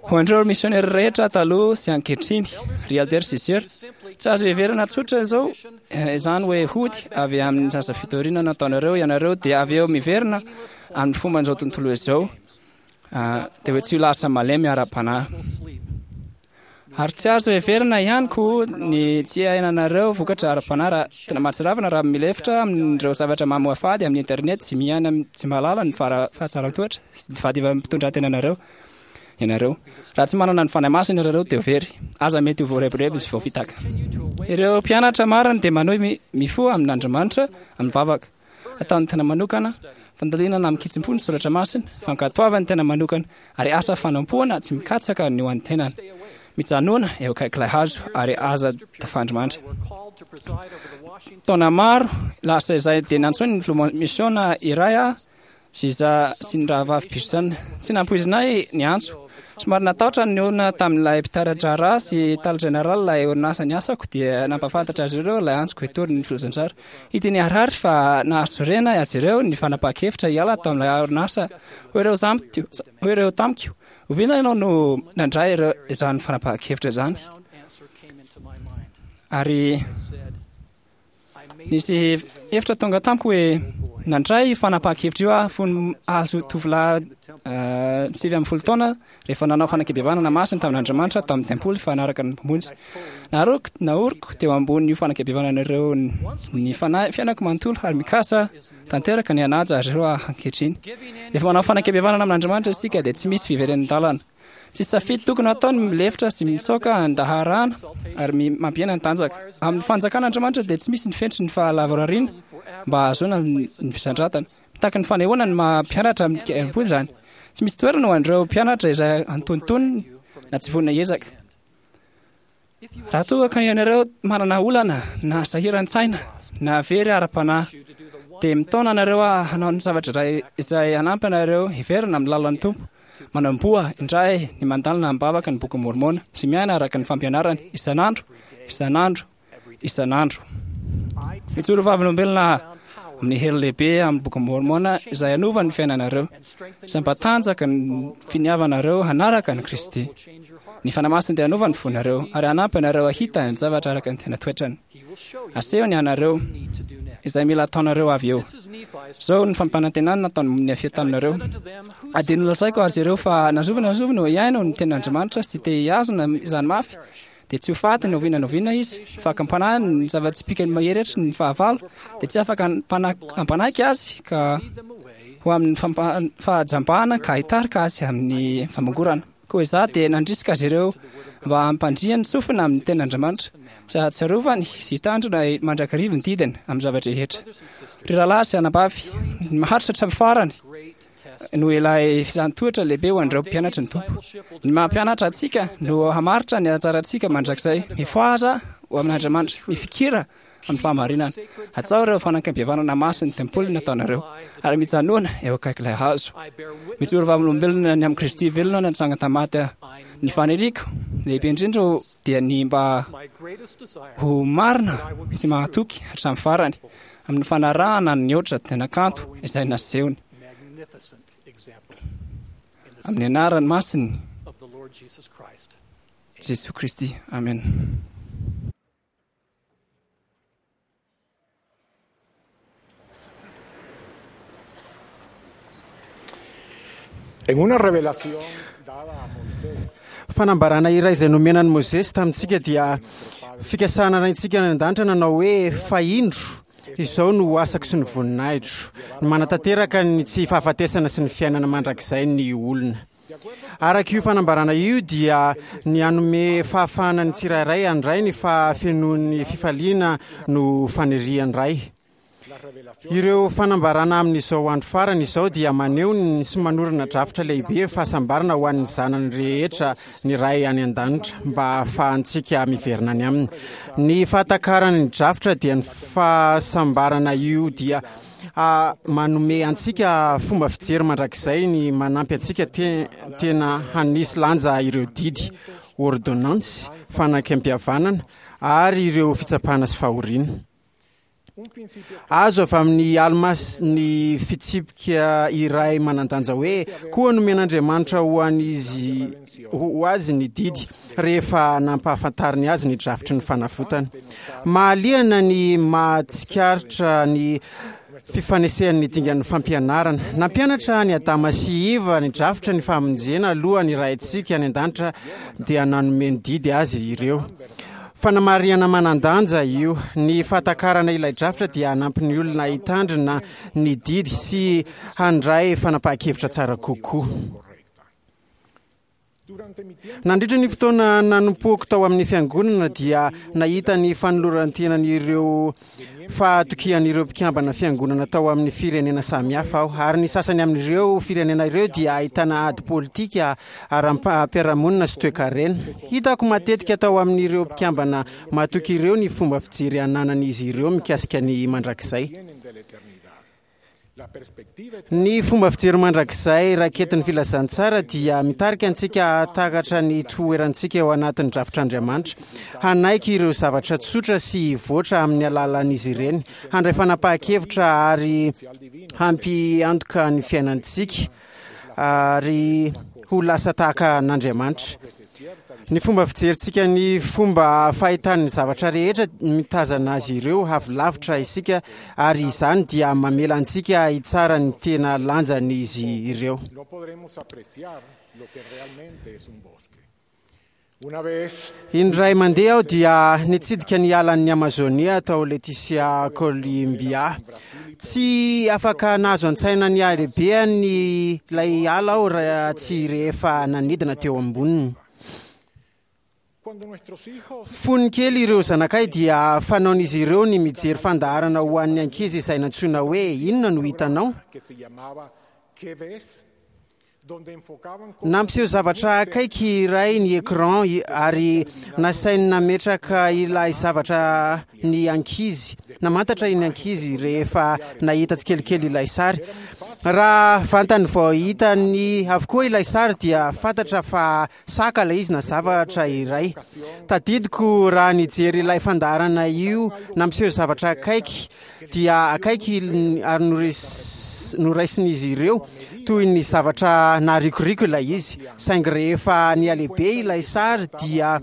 Ho an'ireo misionera rehetra taloha sy ankehitriny, ry Elder sy Sœur, tsy azo heverina tsotra izao izany hoe hody avy amin'ny asa fitoriana nataonareo ianareo dia avy eo miverina amin'ny fomban'izao tontolo izao, dia hoe tsy ho lasa malemy ara-panahy. Ary tsy azo heverina ihany koa ny tsy iainanareo vokatra ara-panahy raha tena mahatsiravina raha milefitra amin'ireo zavatra mamoafady amin'ny internet sy miaina tsy mahalala ny fahatsaran-toetra sy ny fahadivam-pitondran-tenanareo ianareo. Raha tsy manana ny Fanahy Masina ianareo dia very. Aza mety ho voarebireby sy voafitaka. Ireo mpianatra marina dia manohy mifoha amin'Andriamanitra amin'ny vavaka. Ataon'ny tena manokana, fandalinana amin-kitsim-po ny soratra masina, fankatoavan'ny tena manokana, ary asa fanompoana tsy mikatsaka ny ho an'ny tenany. Mijanona eo akaik'ilay hazo ary aza tafandrimandry. Taona maro lasa izay dia nantsoin'ny filoha misiona iray aho sy iza sy ny rahavavy Pearson. Tsy nampoizinay ny antso. Somary natahotra ny olona tamin'ilay mpitari-draharaha sy tale général ilay orinasa niasako dia nampahafantatra azy ireo ilay antsoko hitory ny filazantsara. Hita niharihary fa nahasorena azy ireo ny fanapahan-kevitra hiala tamin'ilay orinasa. Hoy ireo zamiko, hoy ireo tamiko, oviana ianao no nandray ireo izany fanapahan-kevitra izany? Ary nisy hevitra tonga tamiko hoe nandray io fanapahan-kevitra io aho fony azo tovolahy sivy ambin'ny folo taona rehefa nanao fanekempihavanana masina tamin'Andriamanitra tao amin'ny tempoly fa nanaraka ny Mpamonjy. Naroko, naoriko teo ambonin'io fanekempihavanana ireo ny fanahy fiainako manontolo ary mikasa tanteraka ny hanaja azy ireo aho ankehitriny. Rehefa manao fanekempihavanana amin'Andriamanitra isika dia tsy misy fiverenan-dalana. Tsy safidy tokony hatao ny milefitra sy mitsoaka an-daharana ary mampihena ny tanjaka. Amin'ny fanjakan'Andriamanitra dia tsy misy ny fenitry ny fahalavorariana mba hahazoana ny fisandratana. Mitaky ny fanehoana ny maha mpianatra amin-kerim-po izany. Tsy misy toerana ho an'ireo mpianatra izay antonontonony na tsy vonona hiezaka. Raha toa ka ianareo manana olana na sahiran-tsaina na very ara-panahy, dia mitaona anareo aho hanao ny zavatra iray izay hanampy anareo hiverina amin'ny lalan'ny Tompo. Manamboa indray ny mandalina am-bavaka ny Bokin'i Môrmôna sy miaina araka ny fampianarany isan'andro, isan'andro, isan'andro. Mijoro vavolombelona amin'ny hery lehibe amin'ny Boky Môrmôna izay hanova ny fiainanareo sy hampatanjaka ny finiavanareo hanaraka an'i Kristy. Ny Fanahy Masina dia hanova ny fonareo ary hanampy anareo hahita ny zavatra araka ny tena toetrany. Asehony anareo izay mila ataonareo avy eo. Izao ny fampanantenana nataon'i Nefia taminareo. Ary dia nolazaiko azy ireo fa na zovy na zovy no hiaino ny tenin'Andriamanitra sy te hihazona izany mafy, dia tsy ho faty na oviana na oviana izy. Ny fakam-panahy ny zava-tsipìkany mahery ny fahavalo dia tsy afaka hampanaiky azy ka ho amin'ny fahajambana ka hitarika azy amin'ny famongorana. Koa izaho dia nandrisika azy ireo mba hampandriany sofina amin'ny tenin'Andriamanitra sy hahatsiarovany sy hitandrina mandrakariva ny didiny amin'ny zava-drehetra. Ry rahalahy sy anabavy, ny maharitra hatramin'ny farany no ilay fizahàn-toetra lehibe ho an'ireo mpianatry ny Tompo. Ny maha-mpianatra antsika no hamaritra ny anjarantsika mandrakizay. Mifohaza ho amin'Andriamanitra, mifikira amin'ny fahamarinana. Hatsao ireo fanakam-pihavanana masin'ny tempoly nataonareo, ary mijanona eo akaik'ilay hazo. Mijoro vavolombelona ny amin'i Kristy velona natsangana tamin'ny maty aho. Ny faniriako lehibe indrindra dia ny mba ho marina sy mahatoky hatramin'ny farany amin'ny fanarahana ny ohatra tena kanto izay nasehony. Amin'ny anarany masiny Jesoa Kristy. Amen. En una revelación dada a Moisés, Fanambarana iray izay nomena an'i Mosesy tamintsika dia fikasana raintsika any an-danitra nanao hoe fa indro izao no asako sy ny voninahitro, ny manatanteraka ny tsy fahafatesana sy ny fiainana mandrakizay ny olona. Araka io fanambarana io dia ny hanome fahafahana ny tsirairay handray ny fahafenoan'ny fifaliana no fanirian'ny Ray. Ireo fanambarana amin'izao andro farany izao dia maneho ny sy manorina drafitra lehibe fahasambarana ho an'ny zanany rehetra ny Ray any an-danitra mba hahafahantsika miverina any aminy. Ny fahatakarana ny drafitra dia ny fahasambarana io dia manome antsika fomba fijery mandrakizay ny manampy antsika tena hanisy lanja ireo didy, ordonnance, fanakam-pihavanana ary ireo fitsapana sy fahoriana. Azo avy amin'ny Alma ny fitsipika iray manan-danja hoe koa nomen'Andriamanitra ho an'izy ho azy ny didy rehefa nampahafantariny azy ny drafitry ny fanavotana. Mahaliana ny mahatsikaritra ny fifanesehan'ny dingan'ny fampianarana. Nampianatra ny Adama sy Eva ny drafitra ny famonjena aloha ny Raintsika any an-danitra dia nanome ny didy azy ireo. Fanamarihana manan-danja io. Ny fahatakarana ilay drafitra dia hanampy ny olona hitandrina ny didy sy handray fanapahan-kevitra tsara kokoa. Nandritra ny fotoana nanompoako tao amin'ny fiangonana dia nahita ny fanoloran-tenan'ireo fahatokian'ireo mpikambana fiangonana tao amin'ny firenena samihafa aho, ary ny sasany amin'ireo firenena ireo dia ahitana ady politika ara-piarahamonina sy toekarena. Hitako matetika tao amin'ireo mpikambana matoky ireo ny fomba fijery ananan'izy ireo mikasika ny mandrakizay. Ny fomba fijery mandrakizay raketin'ny filazantsara dia mitarika antsika hahatakatra ny toerantsika eo anatin'ny drafitr'Andriamanitra, hanaiky ireo zavatra tsotra sy hivoatra amin'ny alalan'izy ireny, handray fanapahan-kevitra ary hampiantoka ny fiainantsika ary ho lasa tahaka an'Andriamanitra. Ny fomba fijerintsika ny fomba fahitan'ny zavatra rehetra mitazana azy ireo avy lavitra isika, ary izany dia mamela antsika hitsara ny tena lanjan'izy ireo. no podremos apreciar lo que realmente es un bosque. Una vez Indray mandeha aho dia nitsidika ny alan'ny Amazonia tao Leticia, Colombia. Tsy afaka nahazo an-tsaina ny halehibeany ilay ala aho raha tsy rehefa nanidina teo amboniny. cuando nuestros hijos Fony kely ireo zanakay dia fanaon'izy ireo ny mijery fandaharana ho an'ny ankizy izay nantsoina hoe inona no hitanao. que se llamaba ¿Qué ves? donde enfocaban cosas Nampiseho zavatra akaiky iray ny écran i- ary nasainy nametraka ilay zavatra ny ankizy. Namantatra ny ankizy rehefa nahita tsikelikely ilay sary. Raha vantany vao hitany avokoa ilay sary dia fantatra fa saka ilay izy na zavatra iray. Tadidiko raha nijery ilay fandaharana io nampiseho zavatra akaiky dia akaiky ary norais- noraisin'izy ireo toy ny zavatra narikoriko ilay izy. Saingy rehefa nihalehibe ilay sary dia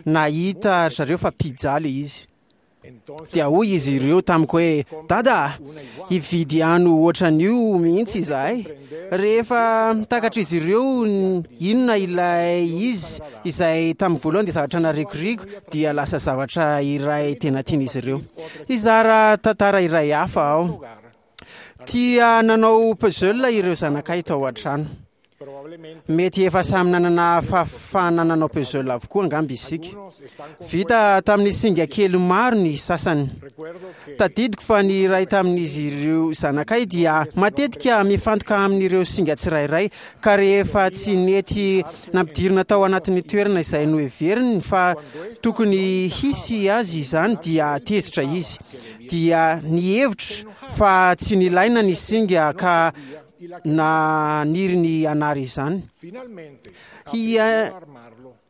nahita ry zareo fa pizza ilay izy. Dia hoy izy ireo tamiko hoe: "Dada, hividy ano ohatran'io mihitsy izahay." Rehefa takatr'izy ireo inona ilay izy izay tamin'ny voalohany dia zavatra narikoriko dia lasa zavatra iray tena tian'izy ireo. Hizara tantara iray hafa aho. Tia nanao puzzle ireo zanakay tao an-trano. Mety efa samy nanana fahafahana nanao puzzle avokoa angamba isika. Vita tamin'ny singa kely maro ny sasany. Tadidiko fa ny iray tamin'izy ireo zanakay dia matetika mifantoka amin'ireo singa tsirairay, ka rehefa tsy nety nampidirina tao anatin'ny toerana izay noheveriny fa tokony hisy azy izany dia tezitra izy. Dia nihevitra fa tsy nilaina ny singa ka naniry ny hanary izany. Hia-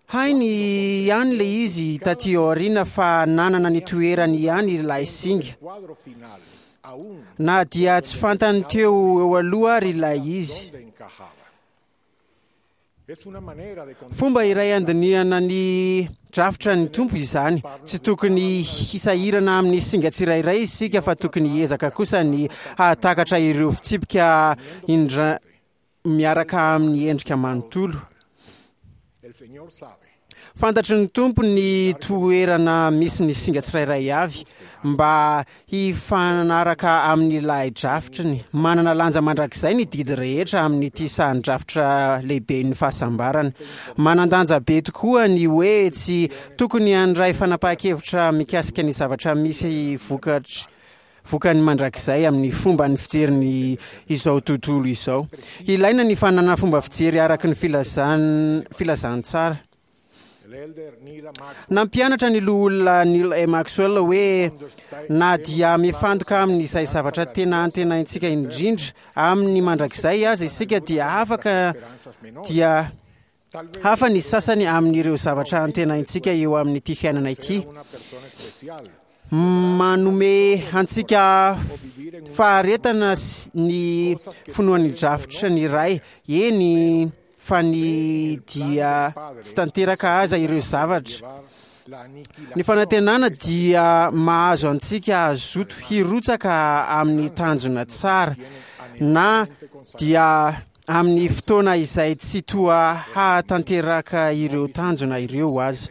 Hainy ihany ilay izy taty aoriana fa nanana ny toerany ihany ilay singa, na dia tsy fantany teo eo aloha ary ilay izy. Fomba iray handinihana ny drafitra ny Tompo izany. Tsy tokony hisahirana amin'ny singa tsirairay isika fa tokony hiezaka kosa ny hahatakatra ireo fitsipika indra miaraka amin'ny endrika manontolo. Fantatry ny Tompo ny toerana misy ny singa tsirairay avy mba hifanaraka amin'ilay drafitriny. Manana lanja mandrakizay ny didy rehetra amin'ity sahan-drafitra lehiben'ny fahasambarana. Manan-danja be tokoa ny hoe tsy tokony handray fanapahan-kevitra mikasika ny zavatra misy vokatra vokany mandrakizay amin'ny fomba ny fijeriny izao tontolo izao. Ilaina ny fananana fomba fijery araka ny filazan- filazantsara. Nampianatra ny loholona Neal A. Maxwell hoe na dia mifantoka amin'izay zavatra tena antenaintsika indrindra amin'ny mandrakizay aza isika dia afaka dia hafa ny sasany amin'ireo zavatra antenaintsika eo amin'ity fiainana ity. Manome antsika faharetana ny finoan'ny drafitra ny Ray, eny fa ny dia tsy tanteraka aza ireo zavatra. Ny fanantenana dia mahazo antsika hazoto hirotsaka amin'ny tanjona tsara, na dia amin'ny fotoana izay tsy toa hahatanteraka ireo tanjona ireo aza.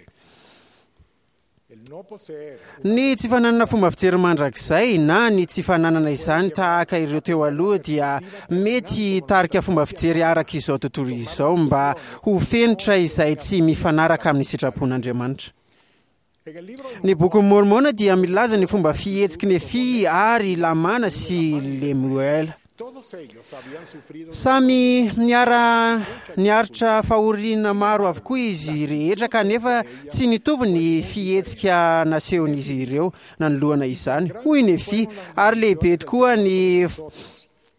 Ny tsy fananana fomba fijery mandrakizay na ny tsy fananana izany tahaka ireo teo aloha dia mety hitarika fomba fijery araka izao tontolo izao mba ho fenitra izay tsy mifanaraka amin'ny sitrapon'Andriamanitra. Ny bokin'i Môrmôna dia milaza ny fomba fihetsiky Nefia ary Lamana sy Lemoela. Samy niara niaritra fahoriana maro avokoa izy rehetra kanefa tsy nitovy ny fihetsika nasehon'izy ireo nanoloana izany. Hoy Nefia: "Ary lehibe tokoa ny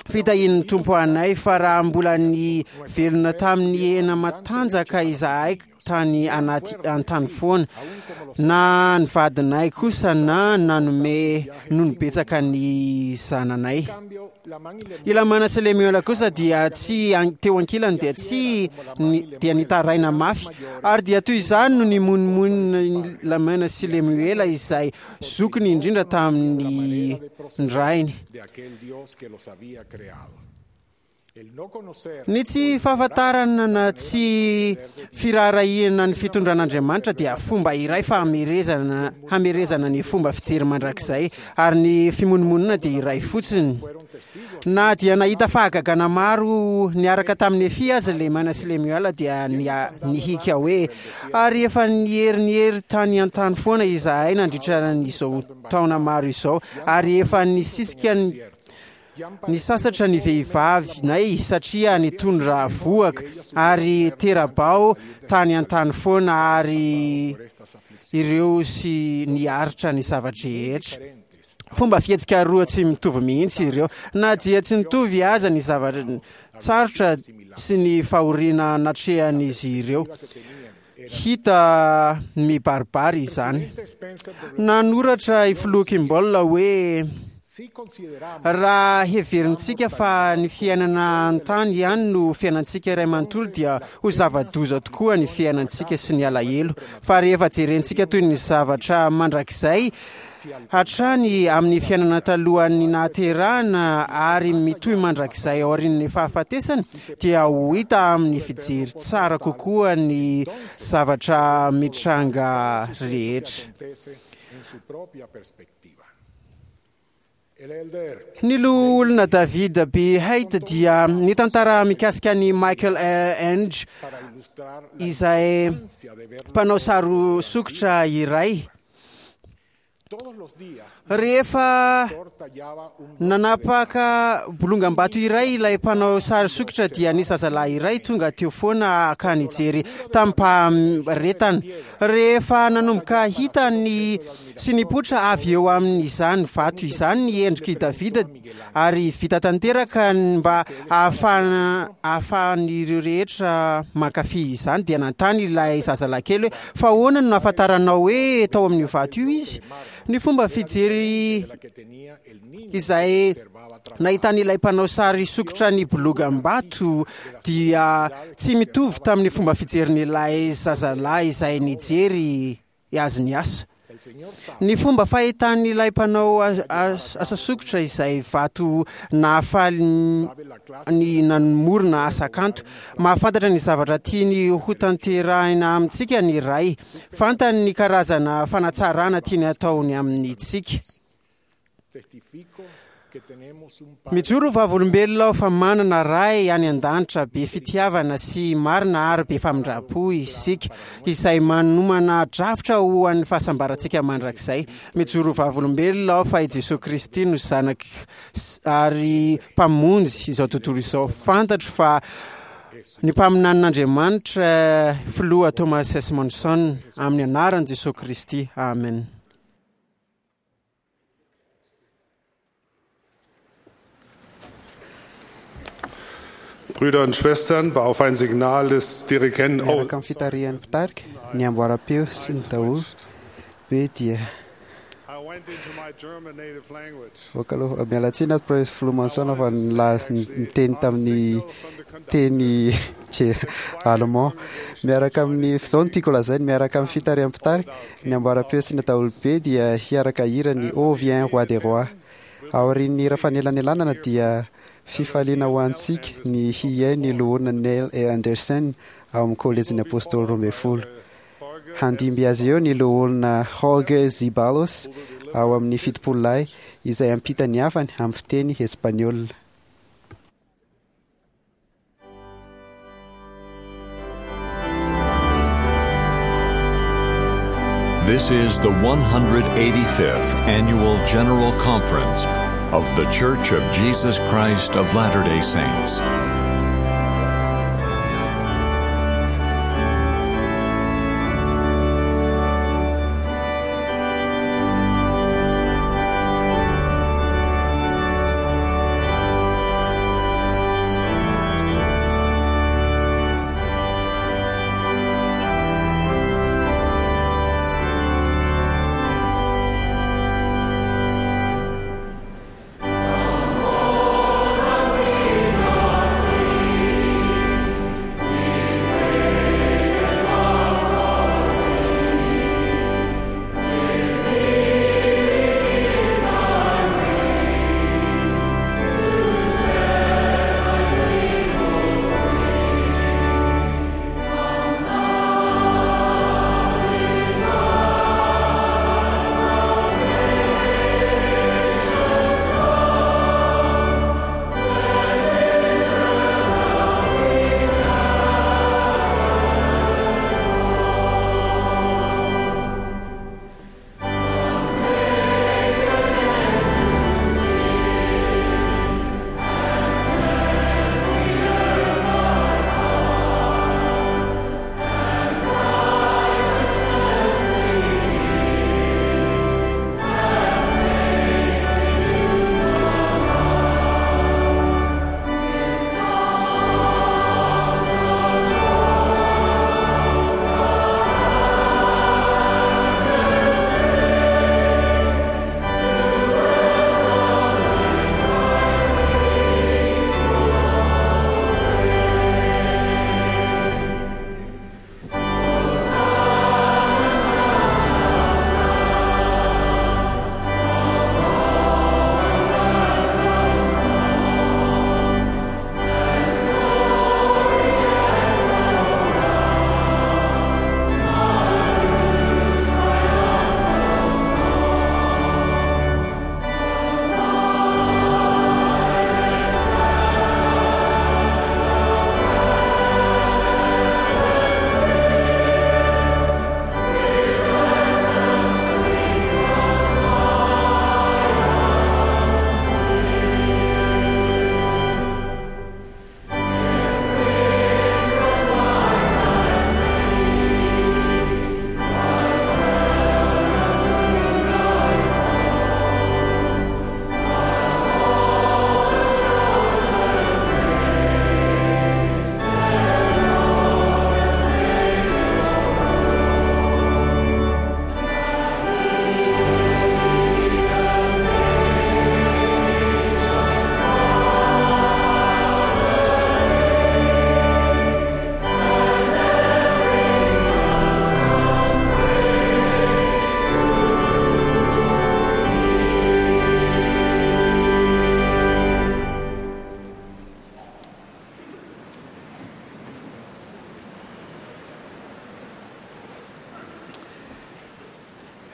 fitahian'ny Tompo anay, fa raha mbola ny velona tamin'ny hena matanjaka izahay tany anaty an-tany foana, na ny vadinay kosa na nanome nono betsaka ny zananay." I Lamana sy Lemuela kosa dia tsy teo ankilany dia tsy dia nitaraina mafy, ary dia toy izany no nimonomonona Lamana sy Lemuela izay zokiny indrindra tamin'ny rainy. Ny tsy fahafantarana na tsy firaharahiana ny fitondran'Andriamanitra dia fomba iray fahamerezana hamerezana ny fomba fijery mandrakizay, ary ny fimonomonona dia iray fotsiny. Na dia nahita fahagagana maro niaraka tamin'ny Nefia aza Lemana sy Lemuela dia nihika hoe: "Ary efa nieriniery tany an-tany foana izahay nandritra izao taona maro izao, ary efa nisisika nisasatra ny vehivavinay satria nitondra vohoka, ary tera-bao tany an-tany foana, ary ireo sy niaritra ny zava-drehetra." Fomba fihetsika roa tsy mitovy mihitsy ireo, na dia tsy nitovy aza ny zavatra tsarotra sy ny fahoriana natrehan'izy ireo. Hita mibaribary izany. Nanoratra i Filoha Kimball hoe: "Raha heverintsika fa ny fiainana an-tany ihany no fiainantsika iray manontolo dia ho zava-doza tokoa ny fiainantsika sy ny alahelo. Fa rehefa jerentsika toy ny zavatra mandrakizay hatrany amin'ny fiainana talohan'ny nahaterahana ary mitohy mandrakizay aorian'ny fahafatesana, dia ho hita amin'ny fijery tsara kokoa ny zavatra mitranga rehetra." Ny loholona David B. Haight dia nitantara mikasika an'i Michael Enge, izay mpanao sary sokitra iray. Rehefa nanapaka bolongam-bato iray ilay mpanao sary sokitra dia nisy zazalahy iray tonga teo foana ka nijery tamim-paharetana. Rehefa nanomboka hita ny sy nipoitra avy eo amin'izany vato izany ny endrik'i Davida ary vita tanteraka mba ahafahana ahafahan'ireo rehetra mankafy izany, dia nanontany ilay zazalahy kely hoe: "Fa ahoana no nahafantaranao hoe tao amin'io vato io izy?" Ny fomba fijery izay nahitan'ilay mpanao sary sokitra ny bolongam-bato dia tsy mitovy tamin'ny fomba fijerin'ilay zazalahy izay nijery azy niasa. Ny fomba fahitan'ilay mpanao asa sokitra izay vato nahafaly ny namorona asa kanto. Mahafantatra ny zavatra tiany hotanterahina amintsika ny Ray. Fantany ny karazana fanatsarana tiany ataony amintsika. Mijoro ho vavolombelona aho fa manana Ray any an-danitra be fitiavana sy marina ary be famindram-po isika, izay manomana drafitra ho an'ny fahasambarantsika mandrakizay. Mijoro ho vavolombelona aho fa i Jesoa Kristy no Zanak ary Mpamonjy izao tontolo izao. Fantatro fa ny mpaminanin'Andriamanitra Filoha Thomas S. Monson, amin'ny anaran'i Jesoa Kristy. Amen. Brüder und Schwestern, auf ein Signal des Dirigenten. Oh, Miaraka amin'ny fitarihan'ny mpitarika, ny amboaram-peo sy ny daholo be dia I went into my German native language. Voaka aloha, miala tsiny ato Prince Filoha Manson fa nila- niteny tamin'ny teny allemand. Miaraka amin'ny izao no tiako lazaina, miaraka amin'ny fitarihan'ny mpitarika, ny amboaram-peo sy ny daholobe dia hiaraka hira ny Ô viens roi des rois. Aorian'ny hira fanelanelanana dia fifaliana ho antsika ny hihaino ny loholona Neil E. Andersen ao amin'ny kolejin'ny Apôstôly roa ambin'ny folo. Handimby azy eo ny loholona Jorge Zeballos ao amin'ny fitopolo lahy izay hampita ny hafany amin'ny fiteny espaniola. This is the one hundred eighty-fifth Annual General Conference of The Church of Jesus Christ of Latter-day Saints. Amen.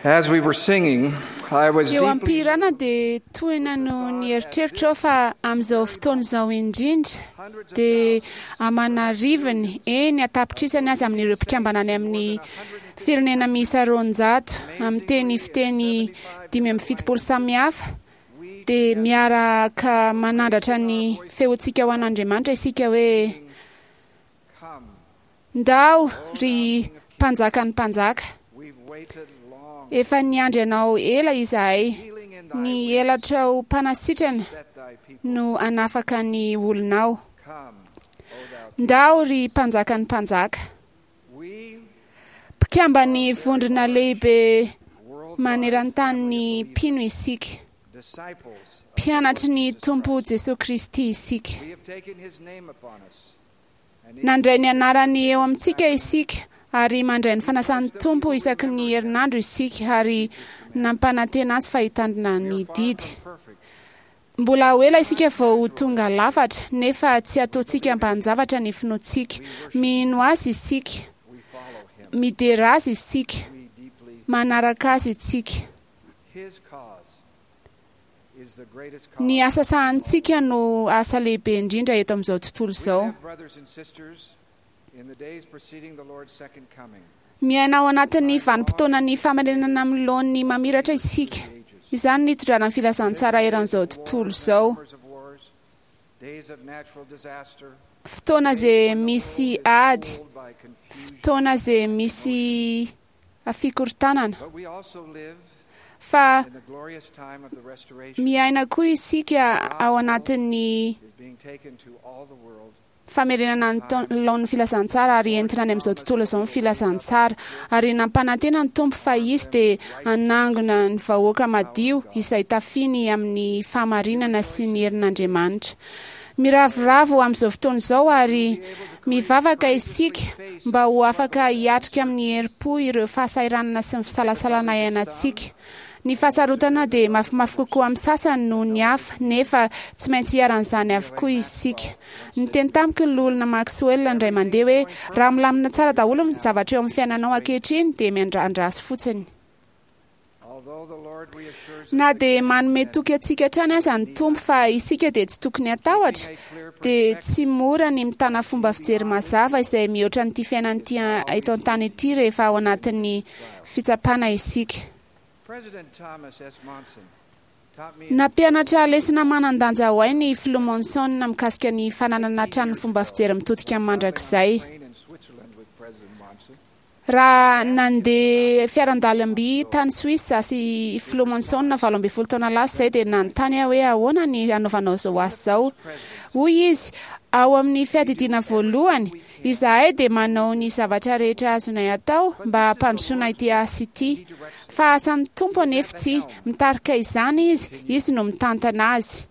As we were singing, I was Eo deeply am-pihirana dia tohina no ny eritreritra aho fa amin'izao fotoana izao indrindra dia aman'arivony eny an-tapitrisany aza amin'ireo mpikambana any amin'ny firenena miisa roanjato amin'ny teny fiteny dimy amby fitopolo samihafa dia miaraka manandratra ny feontsika ho an'Andriamanitra isika hoe ndao ry mpanjakan'ny mpanjaka, efa niandry anao ela izahay, ny elatrao mpanasitrana no hanafaka ny olonao. Ndao ry mpanjakan'ny mpanjaka. Mpikamban'ny vondrona lehibe maneran-tany mpino isika, mpianatry ny Tompo Jesoa Kristy isika. We have taken his name upon us. Nandray ny anarany eo amintsika isika ary mandray ny fanasan'ny Tompo isaky ny herinandro isika ary nampanantena azy fa hitandrina ny didy. Mbola ho ela isika vao ho tonga lafatra nefa tsy ataontsika ambanin-javatra ny finoantsika. Mino azy isika, midera azy isika, manaraka azy isika. His cause is the greatest cause. Ny asa sahanintsika no asa lehibe indrindra eto amin'izao tontolo izao. We have brothers and sisters in the days preceding the Lord's second coming. Miaina ao anatin'ny vanim-potoanan'ny famarinana amin'ny laoniny mamiratra isika. Izany ny hitondrana ny filazantsara eran'izao tontolo izao. Rumors of wars, days of natural disaster, Fotoana izay misy ady, fotoana izay misy fikorontanana. but we also live Fa in the glorious time of the restoration miaina koa isika ao anatin'ny is being taken to all the world. famerenana ny taon- laon'ny filazantsara ary entina any amin'izao tontolo izao ny filazantsara. Ary nampanantena ny Tompo fa izy dia hanangona ny vahoaka madio izay tafiny amin'ny fahamarinana sy ny herin'Andriamanitra. Miravoravo amin'izao fotoana izao ary mivavaka isika mba ho afaka hiatrika amin'ny herim-po ireo fahasahiranana sy ny fisalasalana iainantsika. Ny fahasarotana dia mafimafy kokoa amin'ny sasany noho ny hafa, nefa tsy maintsy iharan'izany avokoa isika. Niteny tamiko ny loholona Maxwell indray mandeha hoe raha milamina tsara daholo ny zavatra eo amin'ny fiainanao ankehitriny dia miandrandraso fotsiny. Although the Lord reassures us Na dia manome toky antsika hatrany aza ny Tompo fa isika dia tsy tokony hatahotra, dia tsy mora ny mitana fomba fijery mazava izay mihoatra an'ity fiainana ity eto an-tany ity rehefa ao anatin'ny fitsapana isika. President Thomas S. Monson taught me Nampianatra lesona manan-danja ho ahy ny filoha Monson mikasika ny fananana hatrany fomba fijery mitodika amin'ny mandrakizay. train in Switzerland with President Monson. Raha nandeha fiaran-dalamby tany Suisse sy filoha Monson valo ambin'ny folo taona lasa izay dia nanontany aho hoe ahoana ny hanaovanao izao asa izao. Hoy izy, ao amin'ny fiadidiana voalohany, izahay dia manao ny zavatra rehetra azonay atao mba hampandrosoana ity asa ity. Fa asan'ny Tompo anefa ity, mitarika izany izy, izy no mitantana azy.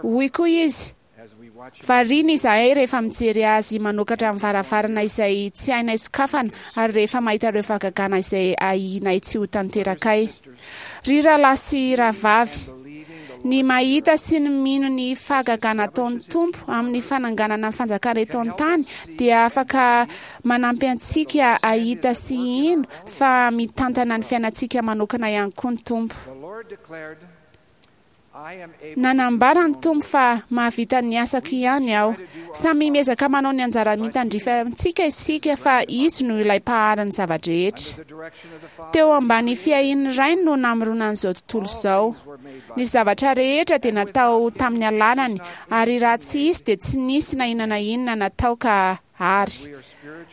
Hoy koa izy, As we watch Variana izahay rehefa mijery azy manokatra ny varavarana izay tsy hainay sokafana ary rehefa mahita ireo fahagagana izay ahianay tsy ho tanterakay. Ry rahalahy sy rahavavy, ny mahita sy ny mino ny fahagagana ataon'ny Tompo amin'ny fananganana ny fanjakana eto an-tany dia afaka manampy antsika hahita sy hino fa mitantana ny fiainantsika manokana ihany koa ny Tompo. the Lord declared, I am able Nanambara ny Tompo fa mahavita ny asako ihany aho. Samy miezaka manao ny anjara mitandrify amintsika isika fa izy no ilay mpahary ny zava-drehetra. the direction of the Father. Teo ambany fiahian'ny Rainy no namoronana izao tontolo izao. Ny zavatra rehetra dia natao tamin'ny alanany ary raha tsy izy dia tsy nisy na inona na inona natao ka ary.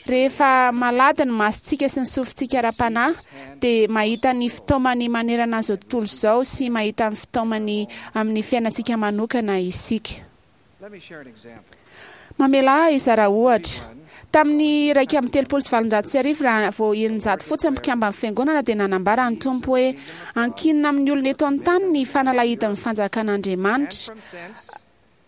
Rehefa malady ny masontsika sy ny sofintsika ara-panahy dia mahita ny fitaomany manerana izao tontolo izao sy mahita ny fitaomany amin'ny fiainantsika manokana isika. Let me share an example. Mamela ahy hizara ohatra. Tamin'ny iraika amby telopolo sy valonjato sy arivo raha vao eninjato fotsiny mpikamban'ny fiangonana dia nanambara ny Tompo hoe ankinina amin'ny olona eto an-tany ny fanalahidin'ny fanjakan'Andriamanitra.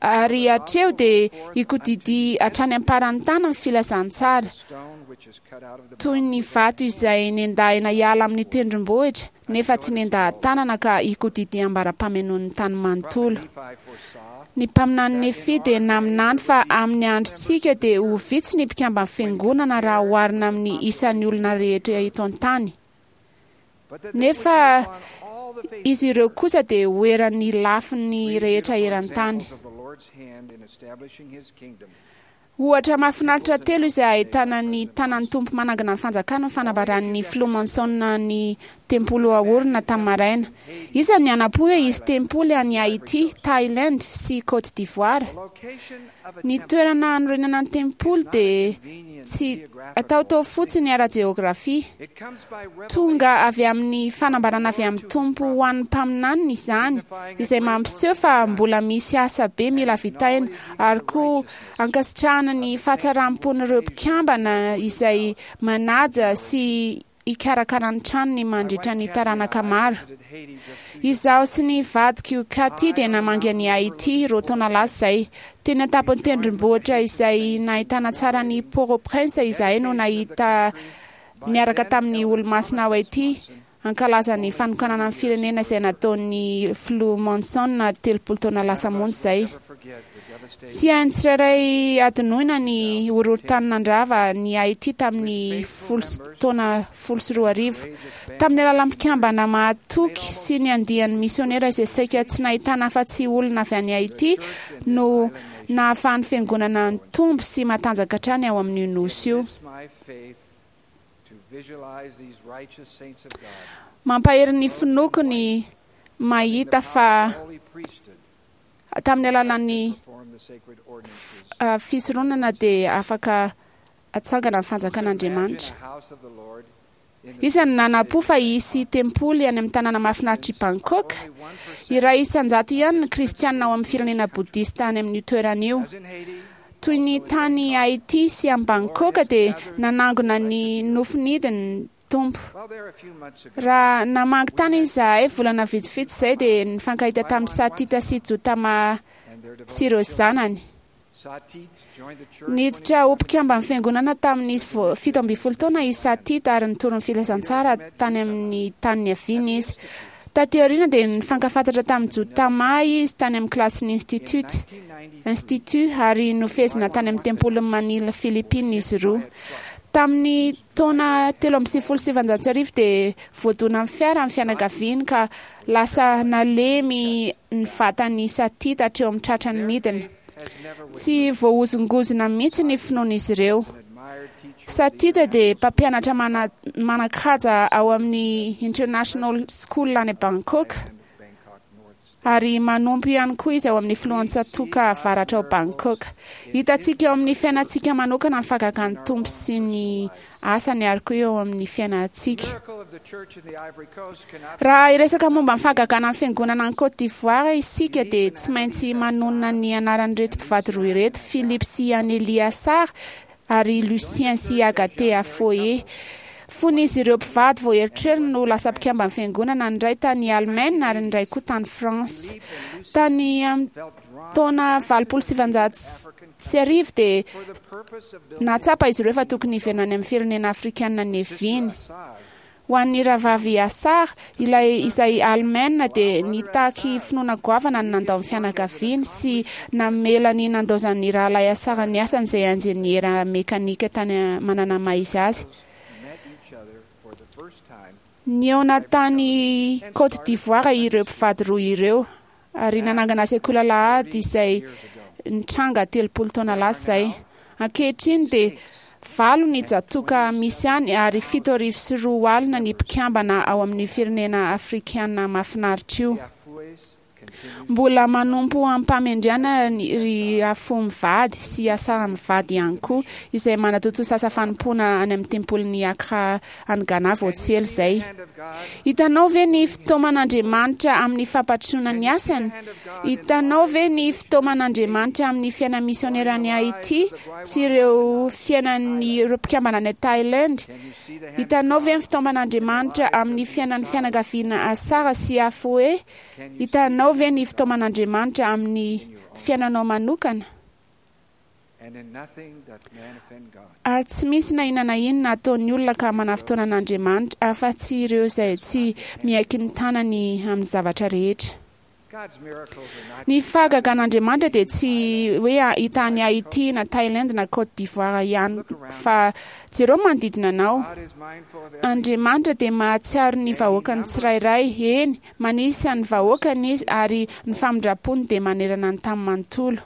Ary hatreo dia ikodidy hatrany am-paran'ny tany ny filazantsara. Stone which is cut out of the Toy ny vato izay nendahina hiala amin'ny tendrombohitra nefa tsy nendaha-tanana ka ikodidy ambara-pamenoan'ny tany manontolo. Nephi foresaw Ny mpaminany Nefy dia naminany fa amin'ny androntsika dia ho vitsy ny mpikamban'ny fiangonana raha oharina amin'ny isan'ny olona rehetra eto an-tany. Nefa izy ireo kosa dia ho eran'ny lafiny rehetra eran-tany. Ohatra mahafinaritra telo izay ahitana ny tanan'ny Tompo manangana ny fanjakana ny fanambaran'ny filoha Monson ny tempoly ho aorina tamin'ny maraina. Iza ny hanam-po hoe hisy tempoly any Haiti, Thailand sy Côte d'Ivoire? Ny toerana hanorenana ny tempoly dia tsy ataotao fotsiny ara-jeografia. Tonga avy amin'ny fanambarana avy amin'ny Tompo ho an'ny mpaminaniny izany, izay mampiseho fa mbola misy asa be mila vitaina, ary koa ankasitrahana ny fahatsaram-pon'ireo mpikambana izay manaja sy hikarakara ny tranony mandritra ny taranaka maro. Izaho sy ny vadiko Katy dia namangy an'i Haiti roa taona lasa izay. Teny an-tampon'ny tendrombohitra izay nahitana tsara ny Port-au-Prince izahay no nahita niaraka tamin'ny olomasina ao Haiti hankalaza ny fanokanana ny firenena izay nataon'ny filoha Monson telopolo taona lasa monja izay. Tsy hain'ny tsirairay adinoina ny horohorontany nandrava ny Haiti tamin'ny folo taona folo sy roa arivo. Tamin'ny alalan'ny mpikambana mahatoky sy ny andian'ny misionera izay saika tsy nahitana afa-tsy olona avy any Haiti no nahafahan'ny fiangonana nitombo sy matanjaka hatrany ao amin'io nosy io. Mampahery ny finoako ny mahita fa tamin'ny alalan'ny fisoronana dia afaka atsangana ny fanjakan'Andriamanitra. Iza no nanam-po fa hisy tempoly any amin'ny tanàna mahafinaritr'i Bangkok? Iray isan-jato ihany ny kristianina ao amin'ny firenena bodista any amin'io toerana io. Toy ny tany Haiti sy any Bangkok dia nanangona ny nofinidiny ny Tompo. Raha namangy tany izahay volana vitsivitsy izay dia nifankahita tamin'ny Satita sy Jotama sy ireo zanany. Niditra ho mpikamban'ny fiangonana tamin'ny fito ambin'ny folo taona i Satita ary nitory ny filazantsara tany amin'ny tany niaviany izy. Taty aoriana dia nifankafantatra tamin'ny Jotama izy tany amin'ny kilasin'ny institut institut ary nofehezina tany amin'ny tempolin'i Manila, Philippines izy roa. Tamin'ny taona telo amby sivifolo sy sivanjato sy arivo dia voadona amin'ny fiara ny fianakaviany ka lasa nalemy ny vatan'i Satita hatreo amin'ny tratrany midina. Tsy voahozongozona mihitsy ny finoan'izy ireo. Satita dia mpampianatra mana- manan-kaja ao amin'ny International School any Bangkok ary manompo ihany koa izy ao amin'ny filohantsatoka avaratra ao Bangkok. Hitantsika eo amin'ny fiainantsika manokana ny fahagagan'ny Tompo sy ny asany ary koa eo amin'ny fiainantsika. Raha hiresaka momba ny fahagagana ny fiangonana any Côte d'Ivoire isika dia tsy maintsy manonona ny anaran'ireto mpivady roa ireto, Philippe sy Anélie Assar ary Lucien sy Agathe Afoé. Fony izy ireo mpivady vao eritreriny no lasa mpikamban'ny fiangonana, ny iray tany Allemagne ary ny iray koa tany France. Tany amin'ny taona valopolo sy sivanjato sy arivo dia nahatsapa izy ireo fa tokony hiverina any amin'ny firenena afrikanina niaviany. Ho an'ny rahavavy Assar, ilay izay Allemagne dia nitaky finoana goavana ny nandao ny fianakaviany sy namela ny nandaozan'ny rahalahy Assar ny asany izay injeniera mekanika tany manana maha izy azy. Nihaona tany Côte d'Ivoire ireo mpivady roa ireo ary nanangana sekoly alahady izay nitranga telopolo taona lasa izay. Ankehitriny dia valo ny tsatòka misy any ary fito arivo sy roa alina ny mpikambana ao amin'ny firenena afrikana mahafinaritra io. Mbola manompo am-pamendrehana ry Afo mivady sy Assar mivady ihany koa, izay manatontosa asa fanompoana any amin'ny tempolin'i Accra any Ghana vao tsy ela izay. Hitanao ve ny fitaoman'Andriamanitra amin'ny fampandrosoana ny asany? Hitanao ve ny fitaoman'Andriamanitra amin'ny fiainan'ny misionera any Haiti sy ireo fiainan'ireo mpikambana any Thailand? Hitanao ve ny fitaoman'Andriamanitra amin'ny fiainan'ny fianakaviana Assar sy Afoé? Hitanao ve ny fitaoman'Andriamanitra amin'ny fiainanao manokana? Ary tsy misy na inona na inona ataon'ny olona ka manafotoana an'Andriamanitra afa-tsy ireo izay tsy miaiky ny tanany amin'ny zavatra rehetra. Ny fahagagan'Andriamanitra dia tsy hoe hita any Haiti na Thaïlande na Côte d'Ivoire ihany, fa jereo manodidina anao. Andriamanitra dia mahatsiaro ny vahoakany tsirairay, eny, manisy an'ny vahoakany izy, ary ny famindrampony dia manerana ny tany manontolo.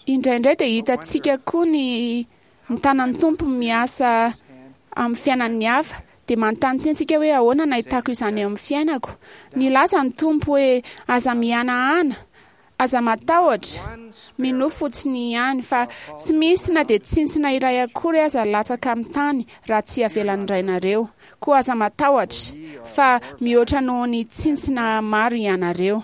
Indraindray dia hitantsika koa ny ny tanan'ny Tompo miasa amin'ny fiainan'ny hafa, dia manontany tena isika hoe ahoana no ahitako izany eo amin'ny fiainako. Nilaza ny Tompo hoe aza mihanahana, aza matahotra, minoa fotsiny ihany, fa tsy misy na dia tsintsina iray akory aza latsaka amin'ny tany raha tsy avelan'ny Rainareo. Koa aza matahotra, fa mihoatra noho ny tsintsina maro ianareo.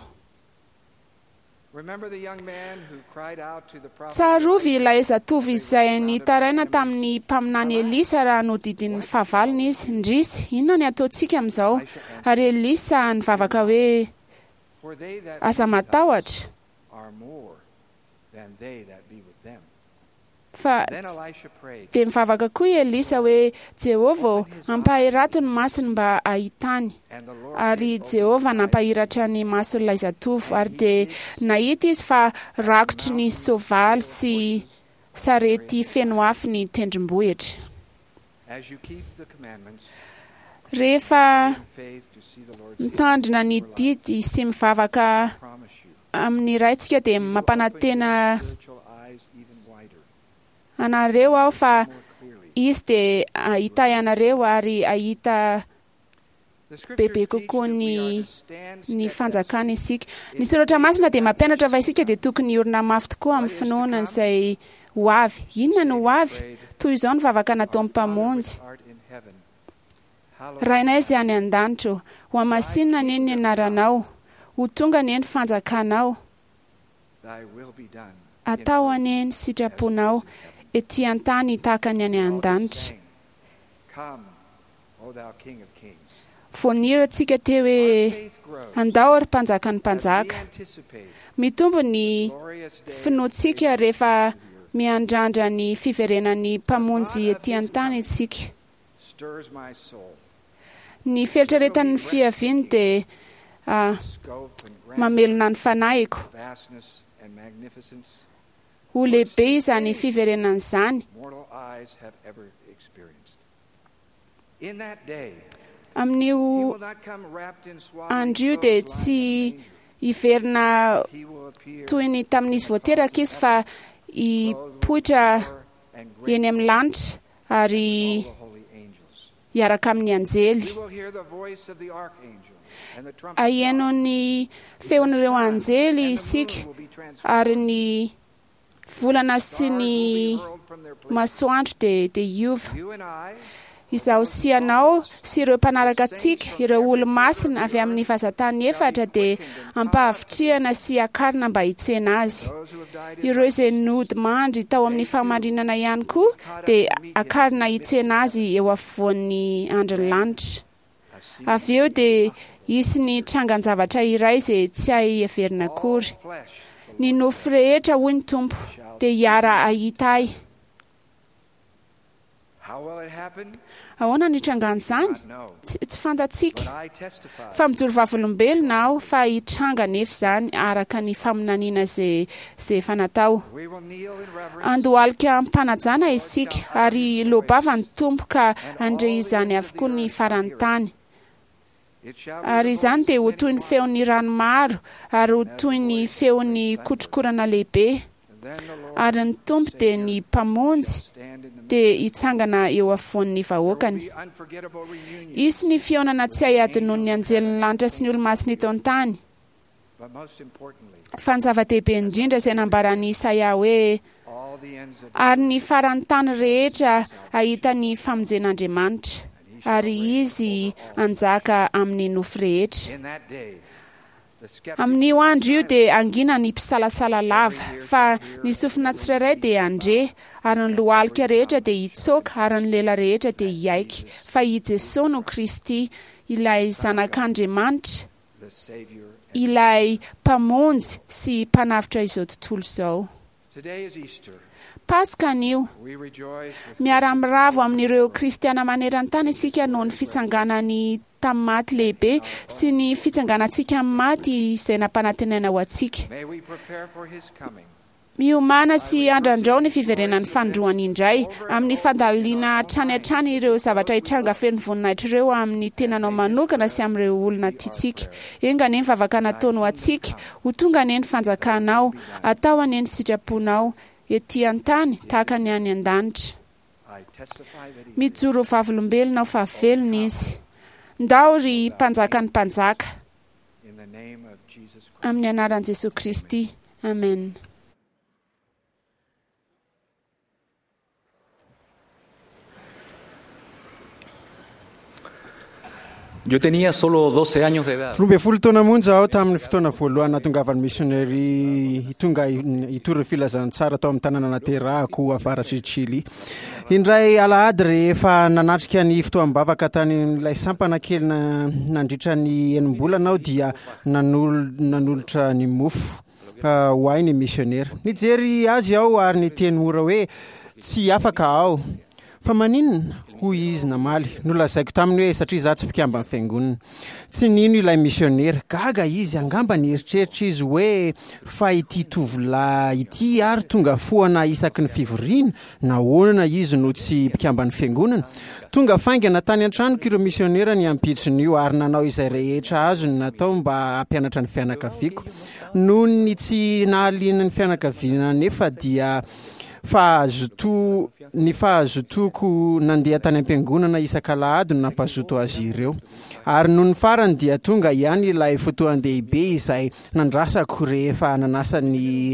Tsarovy ilay zatovo izay nitaraina tamin'ny mpaminany Elisa raha nodidin'ny fahavalony izy. Ndrisy, inona ny ataontsika amin'izao? Ary Elisa nivavaka hoe aza matahotra, fa dia mivavaka koa i Elisa hoe Jehovah, ampahirato ny masony mba hahitany. Ary Jehovah nampahiratra ny mason'ilay zatovo, ary dia nahita izy fa rakotry ny soavaly sy sarety feno afo ny tendrombohitra. Rehefa mitandrina ny didy sy mivavaka amin'ny Raintsika dia mampanantena anareo aho fa izy dia hahita anareo ary hahita bebe kokoa ny ny fanjakana isika. Ny soratra masina dia mampianatra fa isika dia tokony hiorina mafy tokoa amin'ny finoana izay ho avy. Inona no ho avy? Toy izao ny vavaka nataon'ny Mpamonjy: Rainay izay any an-danitra, ho hamasinina anie ny anaranao, ho tonga anie ny fanjakanao, atao anie ny sitraponao ety an-tany tahaka ny any an-danitra. Voanira antsika teo hoe andao ry mpanjakan'ny mpanjaka. Mitombo ny finoantsika rehefa miandrandra ny fiverenan'ny Mpamonjy ety an-tany isika. Ny fieritreretan'ny fiaviany dia mamelona ny fanahiko. Ho lehibe izany fiverenana izany. Amin'io andro io dia tsy hiverina toy ny tamin'izy voateraka izy, fa hipoitra eny amin'ny lanitra ary hiaraka amin'ny anjely. Aheno ny feon'ireo anjely isika, ary ny volana sy ny masoandro dia dia hiova. Izaho sy ianao sy ireo mpanaraka antsika, ireo olo-masina avy amin'ny vazantany efatra, dia ampahavitrihana sy akarina mba hitsena azy. Ireo izay nody mandry tao amin'ny fahamarinana ihany koa dia akarina hitsena azy eo afovoan'ny andrin'ny lanitra. Avy eo dia hisy ny trangan-javatra iray izay tsy hay heverina akory. Ny nofo rehetra, hoy ny Tompo, dia hiara hahita ahy. Ahoana no hitrangan'izany? Tsy fantatsika. Fa mijoro vavolombelona aho fa hitranga nefa izany araka ny faminaniana izay izay efa natao. Andohalika am-panajana isika ary loabava ny Tompo ka handre izany avokoa ny faran'ny tany. Ary izany dia ho toy ny feon'ny rano maro ary ho toy ny feon'ny kotrokorana lehibe. Ary ny Tompo dia ny Mpamonjy dia hitsangana eo afovoan'ny vahoakany. Hisy ny fihaonana tsy hay adinoin'ny anjelin'ny lanitra sy ny olo-masina eto an-tany. Fa ny zava-dehibe indrindra izay nambaran'i Isaia hoe ary ny faran'ny tany rehetra hahita ny famonjen'Andriamanitra, ary izy hanjaka amin'ny nofo rehetra. Amin'io andro io dia hangina ny mpisalasala lava, fa ny sofina tsirairay dia handre, ary ny lohalika rehetra dia hitsoaka, ary ny lela rehetra dia hiaiky fa i Jesoa no Kristy, ilay Zanak'Andriamanitra, ilay Mpamonjy sy Mpanavotra izao tontolo izao. Paska anio. Miara-miravo amin'ireo kristiana maneran-tany isika noho ny fitsanganany tamin'ny maty lehibe sy ny fitsanganantsika amin'ny maty izay nampanantenaina ho antsika. Miomàna sy andrandrao ny fiverenan'ny fanindroany indray amin'ny fandalina hatrany hatrany ireo zavatra hitranga feno voninahitra ireo amin'ny tenanao manokana sy amin'ireo olona tiantsika. Enga anie ny vavaka nataony ho antsika, ho tonga anie ny fanjakanao, atao anie ny sitraponao ety an-tany tahaka ny any an-danitra. Mijoro ho vavolombelona aho fa velona izy. Ndao ry mpanjakan'ny mpanjaka. Amin'ny anaran'i Jesoa Kristy. Amen. Yo tenía solo doce años de edad. Roa ambin'ny folo taona monja aho tamin'ny fotoana voalohany nahatongavan'ny misionary tonga hitory filazantsara tao amin'ny tanàna naterahako avaratr'i Chili. Indray alahady rehefa nanatrika ny fotoam-bavaka tany amin'ilay sampana kely nandritra ny enim-bolana aho dia nanol- nanolotra ny mofo ho ahy ny misionera. Nijery azy aho ary niteny mora hoe tsy afaka aho. Fa maninona? Hoy izy namaly. Nolazaiko taminy hoe satria izaho tsy mpikamban'ny fiangonana. Tsy nino ilay misionera. Gaga izy, angamba nieritreritra izy hoe fa ity tovolahy ity ary tonga foana isaky ny fivoriana, nahoana izy no tsy mpikamban'ny fiangonana? Tonga faingana tany an-tranoko ireo misionera ny ampitson'io ary nanao izay rehetra azony natao mba hampianatra ny fianakaviako. Noho ny tsy nahaliana ny fianakaviana anefa dia fahazoto ny fahazotoko nandeha tany am-piangonana isak'alahady no nampazoto azy ireo. Ary noho ny farany dia tonga ihany ilay fotoan-dehibe izay nandrasako rehefa nanasa ny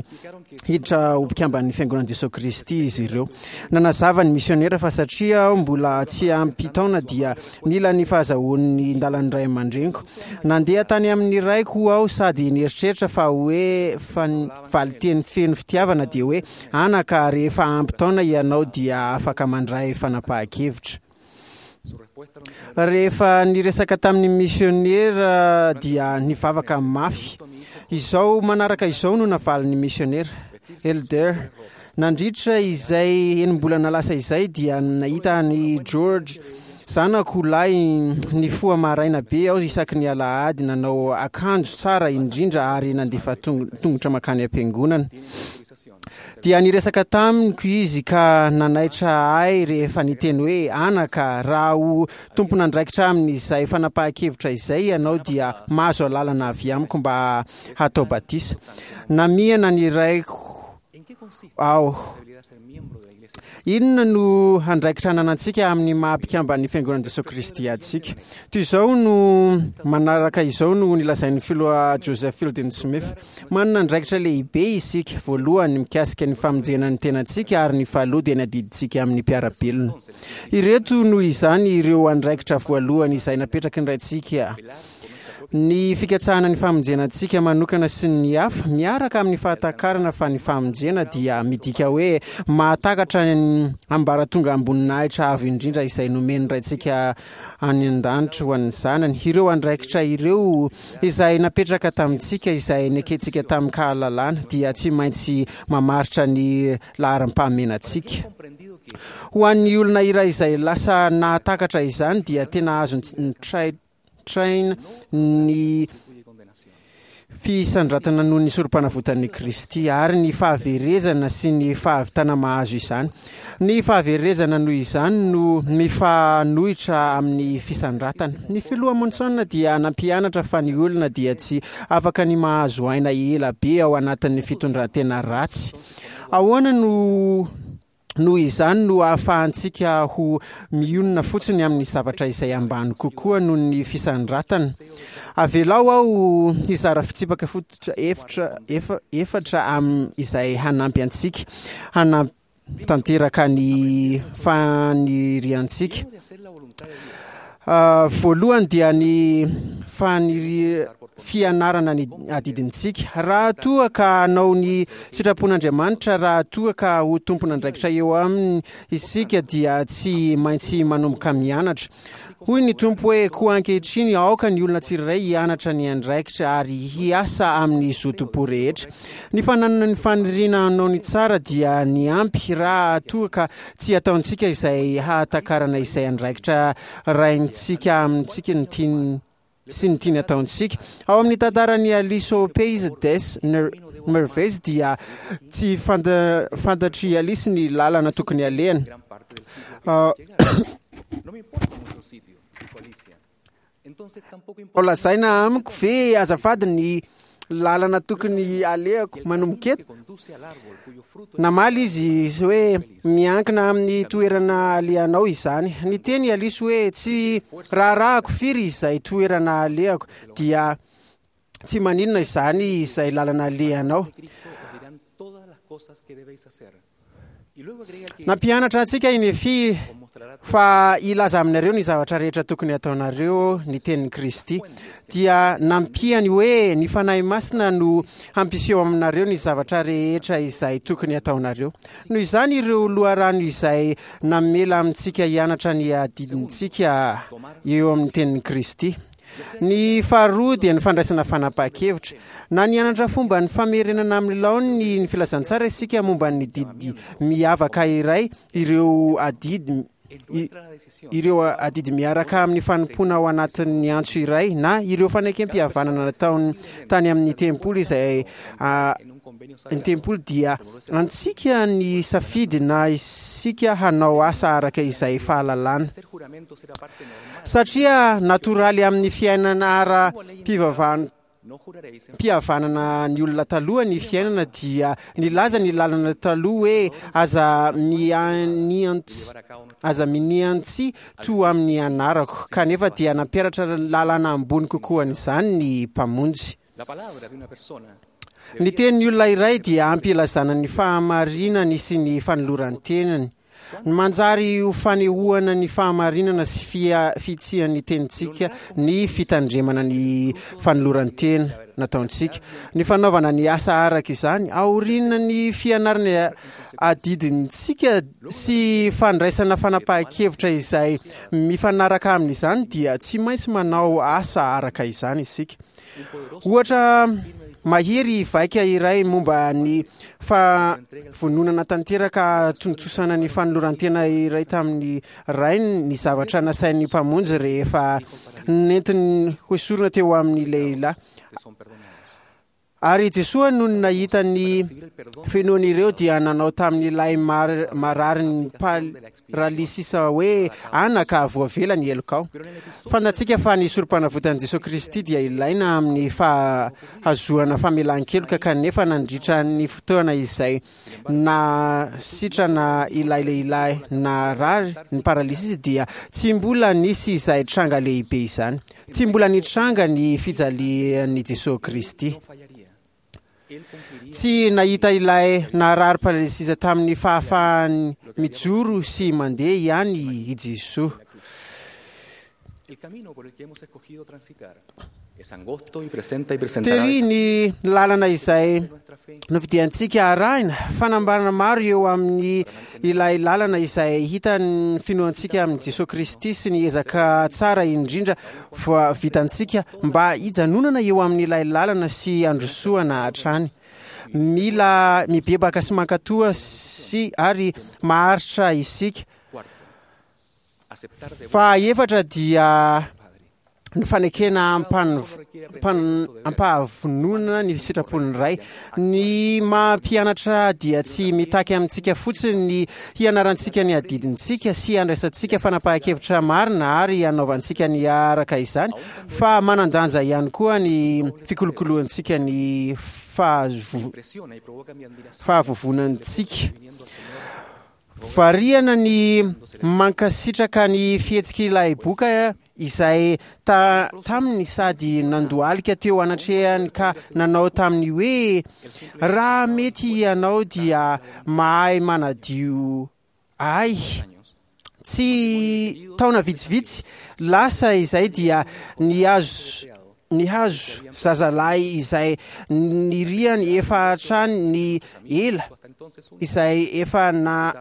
hiditra ho mpikamban'ny fiangonan'i Jesoa Kristy izy ireo. Nanazava ny misionera fa satria aho mbola tsy ampy taona dia nila ny fahazahoan'ny ndalan'ny ray aman-dreniko. Nandeha tany amin'ny raiko aho sady nieritreritra fa hoe fa valinteny feno fitiavana dia hoe anaka rehefa ampy taona ianao dia afaka mandray fanapahan-kevitra. Rehefa niresaka tamin'ny misionera dia nivavaka mafy. Izao manaraka izao no navalin'ny misionera. Elder, nandritra izay enim-bolana lasa izay dia nahita an'i George zanako lahy nifoha maraina be aho isaky ny alahady nanao akanjo tsara indrindra ary nandefa tongotra mankany am-piangonana. Dia niresaka tamiko izy ka nanaitra ahy rehefa niteny hoe anaka raha ho tompon'andraikitra amin'izay fanapahan-kevitra izay ianao dia mahazo alalana avy amiko mba hatao batisa. Namihana ny raiko aho. Inona no andraikitra ananantsika amin'ny maha mpikamban'ny fiangonan'i Jesoa Kristy antsika? Toy izao no manaraka izao no nilazain'ny filoha Joseph Fielding Smith. Manana andraikitra lehibe isika, voalohany mikasika ny famonjena ny tenantsika ary ny faharoa dia ny adidintsika amin'ny mpiara-belona. Ireto noho izany ireo andraikitra voalohany izay napetraky ny Raintsika. Ny fikatsahana ny famonjena antsika manokana sy ny hafa miaraka amin'ny fahatakarana fa ny famonjena dia midika hoe mahatakatra ny ambaratonga amboninahitra avo indrindra izay nomen'ny Raintsika any an-danitra ho an'ny zanany. Ireo andraikitra ireo izay napetraka tamintsika izay nekentsika tamin-kahalalana dia tsy maintsy mamaritra ny laharam-pahamenantsika. Ho an'ny olona iray izay lasa nahatakatra izany dia tena azo trai train ny fisandratana noho ny sorom-panavotan'i Kristy ary ny fahaverezana sy ny fahavitana mahazo izany. Ny fahaverezana noho izany no mifanohitra amin'ny fisandratana. Ny filoha Monson dia nampianatra fa ny olona dia tsy afaka ny mahazo aina ela be ao anatin'ny fitondran-tena ratsy. Ahoana no noho izany no ahafahantsika ho mionona fotsiny amin'ny zavatra izay ambany kokoa noho ny fisandratana? Avelao aho hizara fitsipaka fototra efatra efatra am izay hanampy antsika hanatanteraka ny faniriantsika. Voalohany dia ny faniri fianarana ny adidintsika. Raha toa ka hanao ny sitrapon'Andriamanitra, raha toa ka ho tompon'andraikitra eo aminy isika, dia tsy maintsy manomboka mianatra. Hoy ny Tompo hoe: "Koa ankehitriny aoka ny olona tsirairay hianatra ny andraikitra ary hiasa amin'ny zotom-po rehetra." Ny fananana ny faniriana hanao ny tsara dia ny ampy raha toa ka tsy ataontsika izay hahatakarana izay andraikitra raintsika amintsika ny tiany sy ny tiany ataontsika. Ao amin'ny tantaran'i Alice au Pays des Merveilles dia tsy fanta- fantatr'i Alice ny lalana tokony alehany. Ah, Ao lazaina amiko ve azafady ny lalana tokony alehako manomboka eto? Namaly izy hoe: "Miankina amin'ny toerana alehanao izany." Niteny i Alice hoe: "Tsy raharahako firy izay toerana alehako, dia tsy maninona izany izay lalana alehanao." Nampianatra antsika i Nefia fa hilaza aminareo ny zavatra rehetra tokony hataonareo ny tenin'i Kristy. Dia nampiany hoe: "Ny Fanahy Masina no hampiseho aminareo ny zavatra rehetra izay tokony hataonareo." Noho izany, ireo loharano izay namela amintsika hianatra ny adidintsika eo amin'ny tenin'i Kristy. Ny faharoa dia ny fandraisana fanapahan-kevitra. Na nianatra fomba ny famerenana amin'ny laoniny ny filazantsara isika momba ny didy miavaka iray, ireo adidy ireo adidy miaraka amin'ny fanompoana ao anatin'ny antso iray, na ireo fanekem-pihavanana nataony tany amin'ny tempoly izay ny tempoly, dia antsika ny safidy na isika hanao asa araka izay fahalalana. Satria natoraly amin'ny fiainana ara-pivavahana mpihavanana ny olona taloha ny fiainana, dia nilaza ny lalana taloha hoe: aza mianiantsy aza miniantsy to amin'ny anarako." Kanefa dia nampiaratra lalana ambony kokoa an'izany ny Mpamonjy. Ny tenin'ny olona iray dia ampy ilazana ny fahamarinany sy ny fanoloran-tenany. Ny manjary ho fanehoana ny fahamarinana sy fia- fitsian'ny tenintsika ny fitandremana ny fanoloran-tena nataontsika. Ny fanaovana ny asa araka izany aorian'ny fianarana adidintsika sy fandraisana fanapahan-kevitra izay mifanaraka amin'izany, dia tsy maintsy manao asa araka izany isika. Ohatra mahery vaika iray momba ny fahavononana tanteraka tontosana ny fanoloran-tena iray tamin'ny rainy ny zavatra nasain'ny Mpamonjy rehefa nentiny hoesorina teo amin'ny lehilahy. Ary Jesoa no nahita ny finoan'ireo dia nanao tamin'ilay mar- marary paralysisa hoe: "Anaka, voavela ny helokao." Fantatsika fa ny sorom-panavotan'i Jesosy Kristy dia ilaina amin'ny fahazoana famelan-keloka, kanefa nandritra ny fotoana izay na sitrana ilay lehilahy narary ny paralysisa dia tsy mbola nisy izay tranga lehibe izany. Tsy mbola nitranga ny fijalian'i Jesosy Kristy. Tsy nahita ilay narary paralysisa tamin'ny fahafahany mijoro sy mandeha ihany i Jesoa. Tery ny lalana izay nofidiantsika arahina. Fanambarana maro eo amin'ny ilay lalana izay hitan'ny finoantsika amin'i Jesosy Kristy sy ny ezaka tsara indrindra voa vitantsika mba hijanonana eo amin'ilay lalana sy androsoana hatrany. Mila mibebaka sy mankatoa sy ary maharitra isika. Fa efatra dia ny fanekena ampahavononana ny sitrapon'ny Ray. Ny mampianatra dia tsy mitaky amintsika fotsiny ny hianarantsika ny adidintsika sy handraisantsika fanapahan-kevitra marina ary hanaovantsika ny araka izany, fa manan-danja ihany koa ny fikolokoloantsika ny fahavovonantsika. Variana ny mankasitraka ny fihetsik'ilay boka izay ta taminy sady nandohalika teo anatrehany ka nanao taminy hoe: "Raha mety ianao dia mahay manadio ahy." Tsy taona vitsivitsy lasa izay dia nihazo Nihazo zazalahy izay niriany efa hatrany ny ela, izay efa na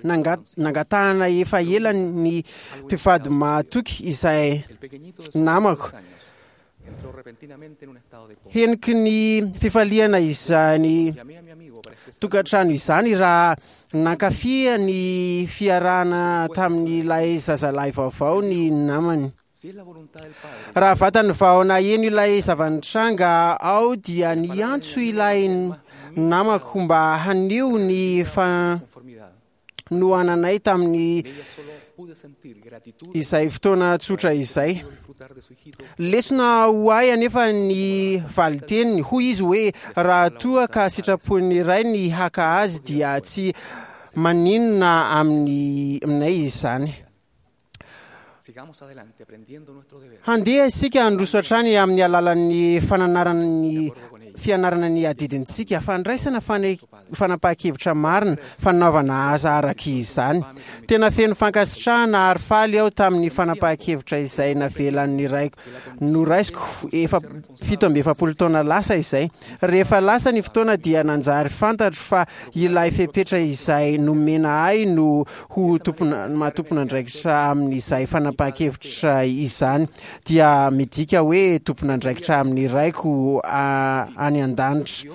nangatahana efa ela ny mpivady mahatoky izay namako. Heniky ny fifaliana izany tokantrano izany raha nankafy ny fiarahana tamin'ilay zazalahy vaovao ny namany. Raha vatany vao naheno ilay zava-nitranga aho dia niantso ilay namako mba haneho ny fanohananay tamin'ny izay fotoana tsotra izay. Lesona ho ahy anefa ny valiteniny. Hoy izy hoe raha toa ka sitrapon'ny Ray ny haka azy dia tsy maninona amin'ny aminay izany. Handeha isika handroso hatrany amin'ny alalan'ny fananarana ny fianarana ny adidintsika, fandraisana fanapahan-kevitra marina, fanaovana asa araka izany. Tena feno fankasitrahana ary faly aho tamin'ny fanapahan-kevitra izay navelan'ny raiko noraisiko efa fito amby efapolo taona lasa izay. Rehefa lasa ny fotoana dia nanjary fantatro fa ilay fepetra izay nomena ahy no ho tompona maha-tompon'andraikitra amin'izay fanapahan-kevitra izany dia midika hoe tompon'andraikitra amin'ny Raiko any an-danitra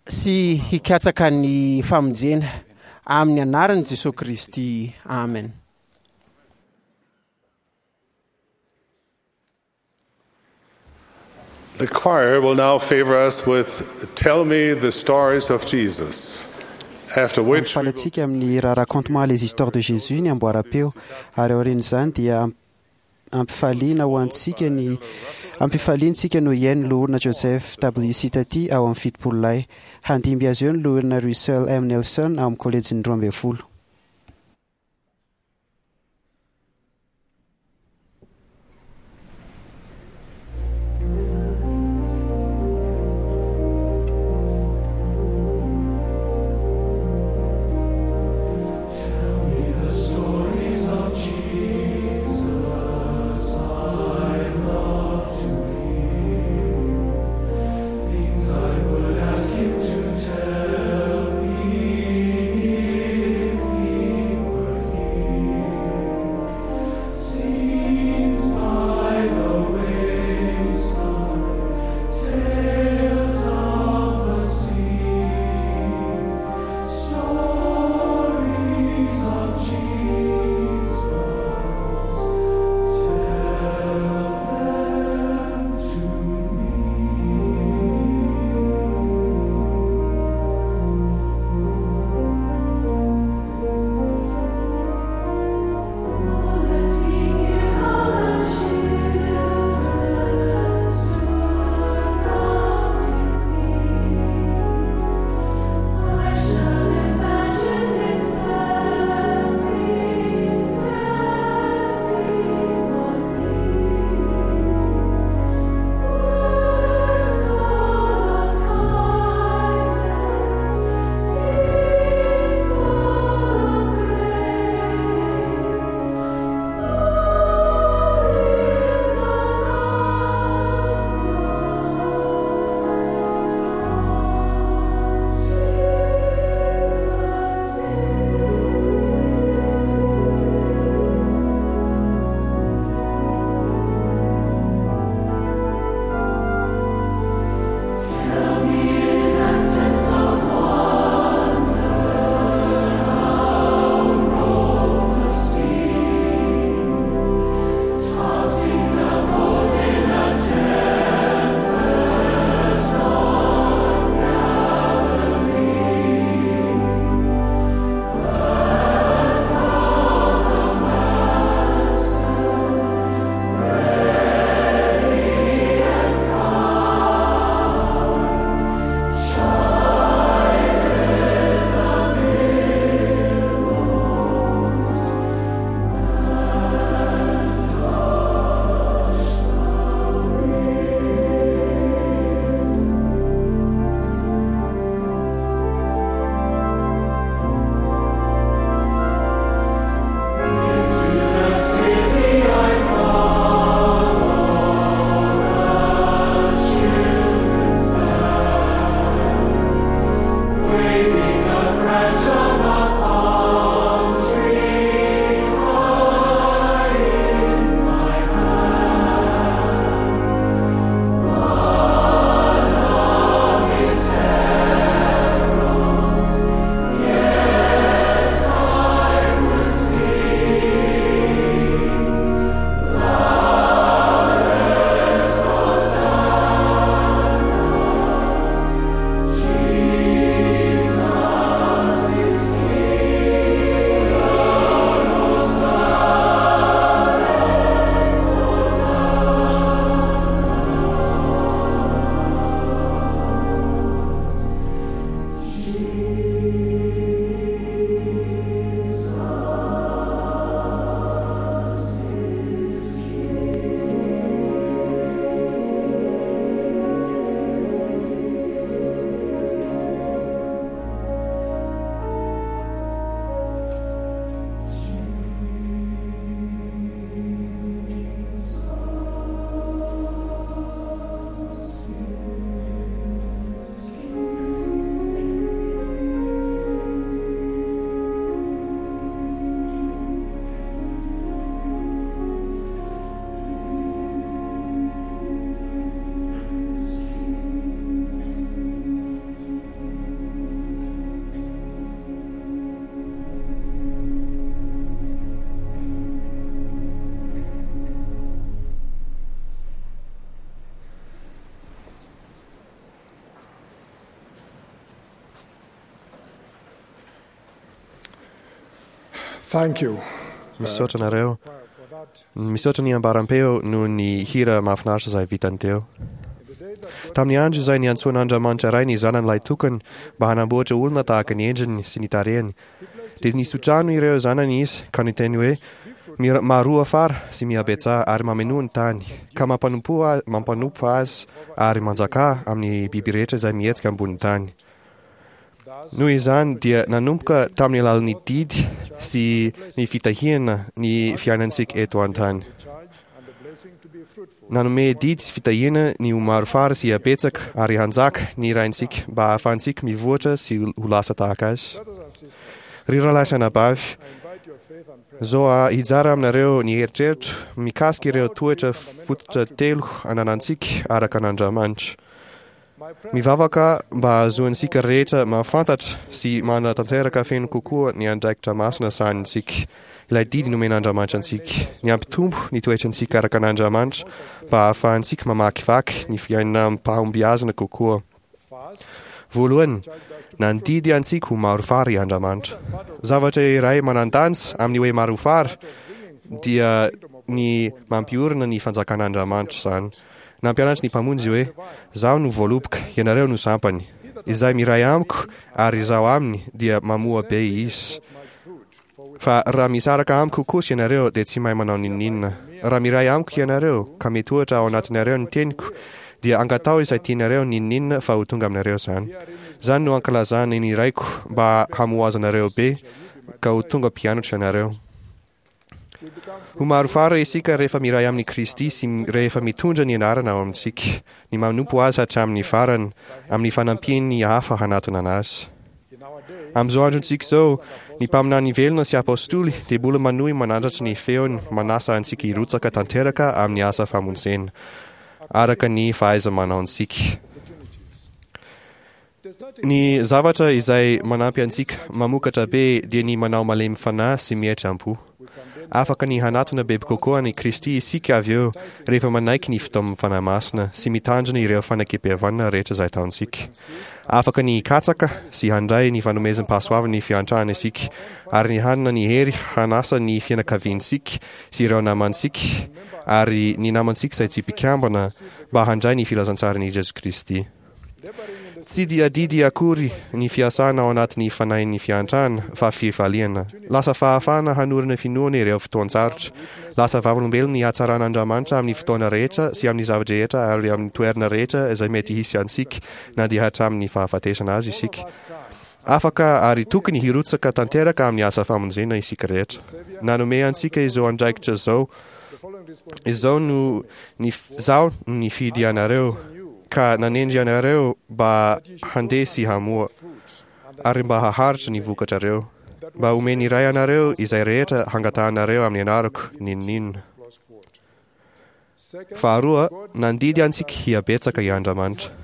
sy hikatsaka ny famonjena amin'ny anaran'i Jesosy Kristy. Amen. The choir will now favor us with Tell Me the Stories of Jesus. After which Mampifaly antsika amin'ny raha Raconte-moi les histoires de Jésus ny amboaram-peo, ary aorian'izany dia ampifaliana ho antsika ny ampifaliantsika no hihaino loholona Joseph W. Sitati ao amin'ny fitopolo lahy. Handimby azy eo ny loholona Russell M. Nelson ao amin'ny kolejin'ny roa ambin'ny folo. Tell me the stories of Jesus I love to hear, things I would ask him to tell me if Thank you. Misaotra anareo. Misaotra ny ambaram-peo noho ny hira mahafinaritra izay vitany teo. Tamin'ny andro izay niantsoan'Andriamanitra Ray ny zanany lahitokany mba hanamboatra olona tahaka ny endriny sy ny tarehiny, dia nisotrano ireo zanany izy ka niteny hoe, Maroa fara sy mihabetsaha ary mamenoa ny tany, ka mampanompoa mampanompo azy ary manjakà amin'ny biby rehetra izay mihetsika ambonin'ny tany. Noho izany dia nanomboka tamin'ny alalan'ny didy sy ny fitahiana ny fiainantsika eto an-tany. Nanome didy sy fitahiana ny ho maro fara sy habetsaka ary hanjaka ny Raintsika mba hahafahantsika mivoatra sy ho lasa tahaka Azy. Ry rahalahy sy anabavy, zo hijara aminareo ny eritreritro mikasika ireo toetra fototra telo ananantsika araka an'Andriamanitra. Mivavaka mba hahazoantsika rehetra mahafantatra sy manatanteraka feno kokoa ny andraikitra masina sahanintsika, ilay didy nomen'Andriamanitra antsika, ny hampitombo ny toetrantsika araka an'Andriamanitra mba hahafahantsika mamakivaky ny fiainana amim-pahombiazana kokoa. Voalohany, nandidy antsika ho maro fara i Andriamanitra. Zavatra iray manan-danja amin'ny hoe maro fara dia ny mampiorina ny fanjakan'Andriamanitra izany. Nampianatra ny Mpamonjy hoe, Zaho no voaloboka, ianareo no sampany. Izay miray amiko ary izaho aminy dia mamoa be izy. Fa raha misaraka amiko kosa ianareo dia tsy mahay manao n'inon'inona. Raha miray amiko ianareo ka mitoetra ao anatinareo ny teniko dia angataho izay tianareo n'inon'inona fa ho tonga aminareo izany. Izany no ankalazany ny Raiko mba hamoazanareo be ka ho tonga mpianatro ianareo. Ho maro fara isika rehefa miray amin'i Kristy sy rehefa mitondra ny anarana ao amintsika, ny manompo Azy hatramin'ny farany, amin'ny fanampian'ny hafa hanatona Azy. Amin'izao androntsika izao, ny mpaminany velona sy apostoly dia mbola manohy manandratra ny feony manasa antsika hirotsaka tanteraka amin'ny asa famonjena, araka ny fahaiza-manaontsika. Ny zavatra izay manampy antsika mamokatra be dia ny manao malemy fanahy sy mietry am-po. Afaka ny hanatona bebe kokoa an'i Kristy isika avy eo rehefa manaiky ny fitaoman'ny Fanahy Masina sy mitandrina ireo fanekempihavanana rehetra izay ataontsika. Afaka ny hikatsaka sy handray ny fanomezam-pahasoavan'ny fiantrana isika ary ny hanana ny hery hanasa ny fianakaviantsika sy ireo namantsika ary ny namantsika izay tsy mpikambana mba handray ny filazantsaran'i Jesoa Kristy. Tsy dia adidy akory ny fiasana ao anatin'ny fanahin'ny fiantrana fa fifaliana. Lasa fahafahana hanorina finoana ireo fotoan-tsarotra. Lasa vavolombelon'ny hatsaran'Andriamanitra amin'ny fotoana rehetra sy amin'ny zava-drehetra ary amin'ny toerana rehetra izay mety hisy antsika na dia hatramin'ny fahafatesana aza isika. Afaka ary tokony hirotsaka tanteraka amin'ny asa famonjena isika rehetra. Nanome antsika izao andraikitra izao Izao no Izaho no nifidy anareo ka nanendry anareo mba handeha sy hamoa, ary mba haharitra ny vokatrareo, mba homen'ny Ray anareo izay rehetra hangatahanareo amin'ny anarako, n'inon'inona. Faharoa, nandidy antsika hihabetsaka i Andriamanitra.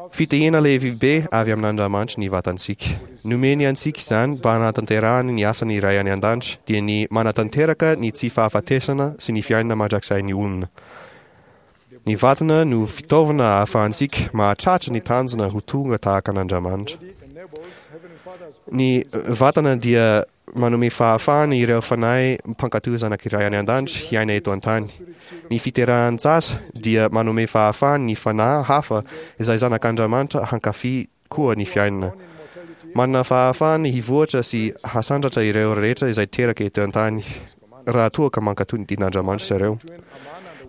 Fitahiana lehibe avy amin'Andriamanitra ny vatantsika. Nomeny antsika izany mba hanatanterahany ny asany Ray any An-danitra, dia ny manatanteraka ny tsy fahafatesana sy ny fiainana mandrakizay ny olona. Ny vatana no fitaovana ahafahantsika mahatratra ny tanjona ho tonga tahaka an'Andriamanitra. Ny vatana dia Manome fahafahana ireo fanahy mpankatò zanak'i Ray any An-danitra hiaina eto an-tany. Ny fiterahan-jaza dia manome fahafahana ny fanahy hafa izay zanak'Andriamanitra hankafy koa ny fiainana. Manana fahafahana hivoatra sy hasandratra ireo rehetra izay teraka eto an-tany raha toa ka mankatò ny didin'Andriamanitra zareo.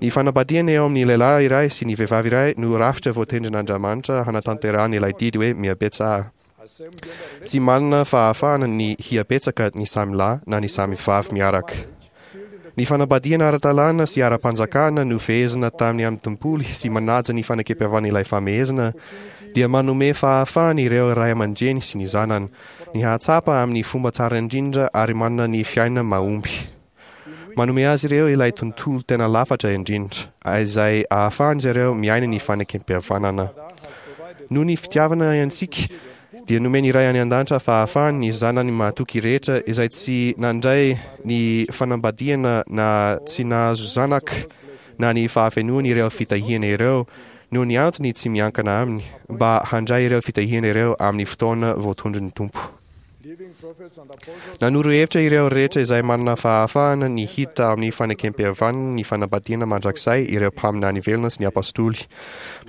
Ny fanambadiana eo amin'ny lehilahy iray sy ny vehivavy iray no rafitra voatendrin'Andriamanitra hanatanterahana ilay didy hoe mihabetsaha. Tsy manana fahafahana ny hihabetsaka ny samy lahy na ny samy vavy miaraka. Ny fanambadiana ara-dalàna sy ara-panjakana nofehezina tamin'ny amin'ny tempoly sy manaja ny fanekempihavan'ilay famehezana dia manome fahafahana ireo ray aman-dreny sy ny zanany ny hahatsapa amin'ny fomba tsara indrindra ary manana ny fiainana mahomby. Manome azy ireo ilay tontolo tena lafatra indrindra, izay ahafahan'izy ireo miaina ny fanekempihavanana. Noho ny fitiavana antsika, dia nomen'ny Ray any An-danitra fahafahany ny zanany mahatoky rehetra izay tsy nandray ny fanambadiana na tsy nahazo zanaka na ny fahafenoany ireo fitahiana ireo noho ny antony tsy miankina aminy, mba handray ireo fitahiana ireo amin'ny fotoana voatondron'ny Tompo. Nanoro hevitra ireo rehetra izay manana fahafahana ny hiditra amin'ny fanekempihavanana ny fanambadiana mandrakizay ireo mpaminany velona sy ny apostoly,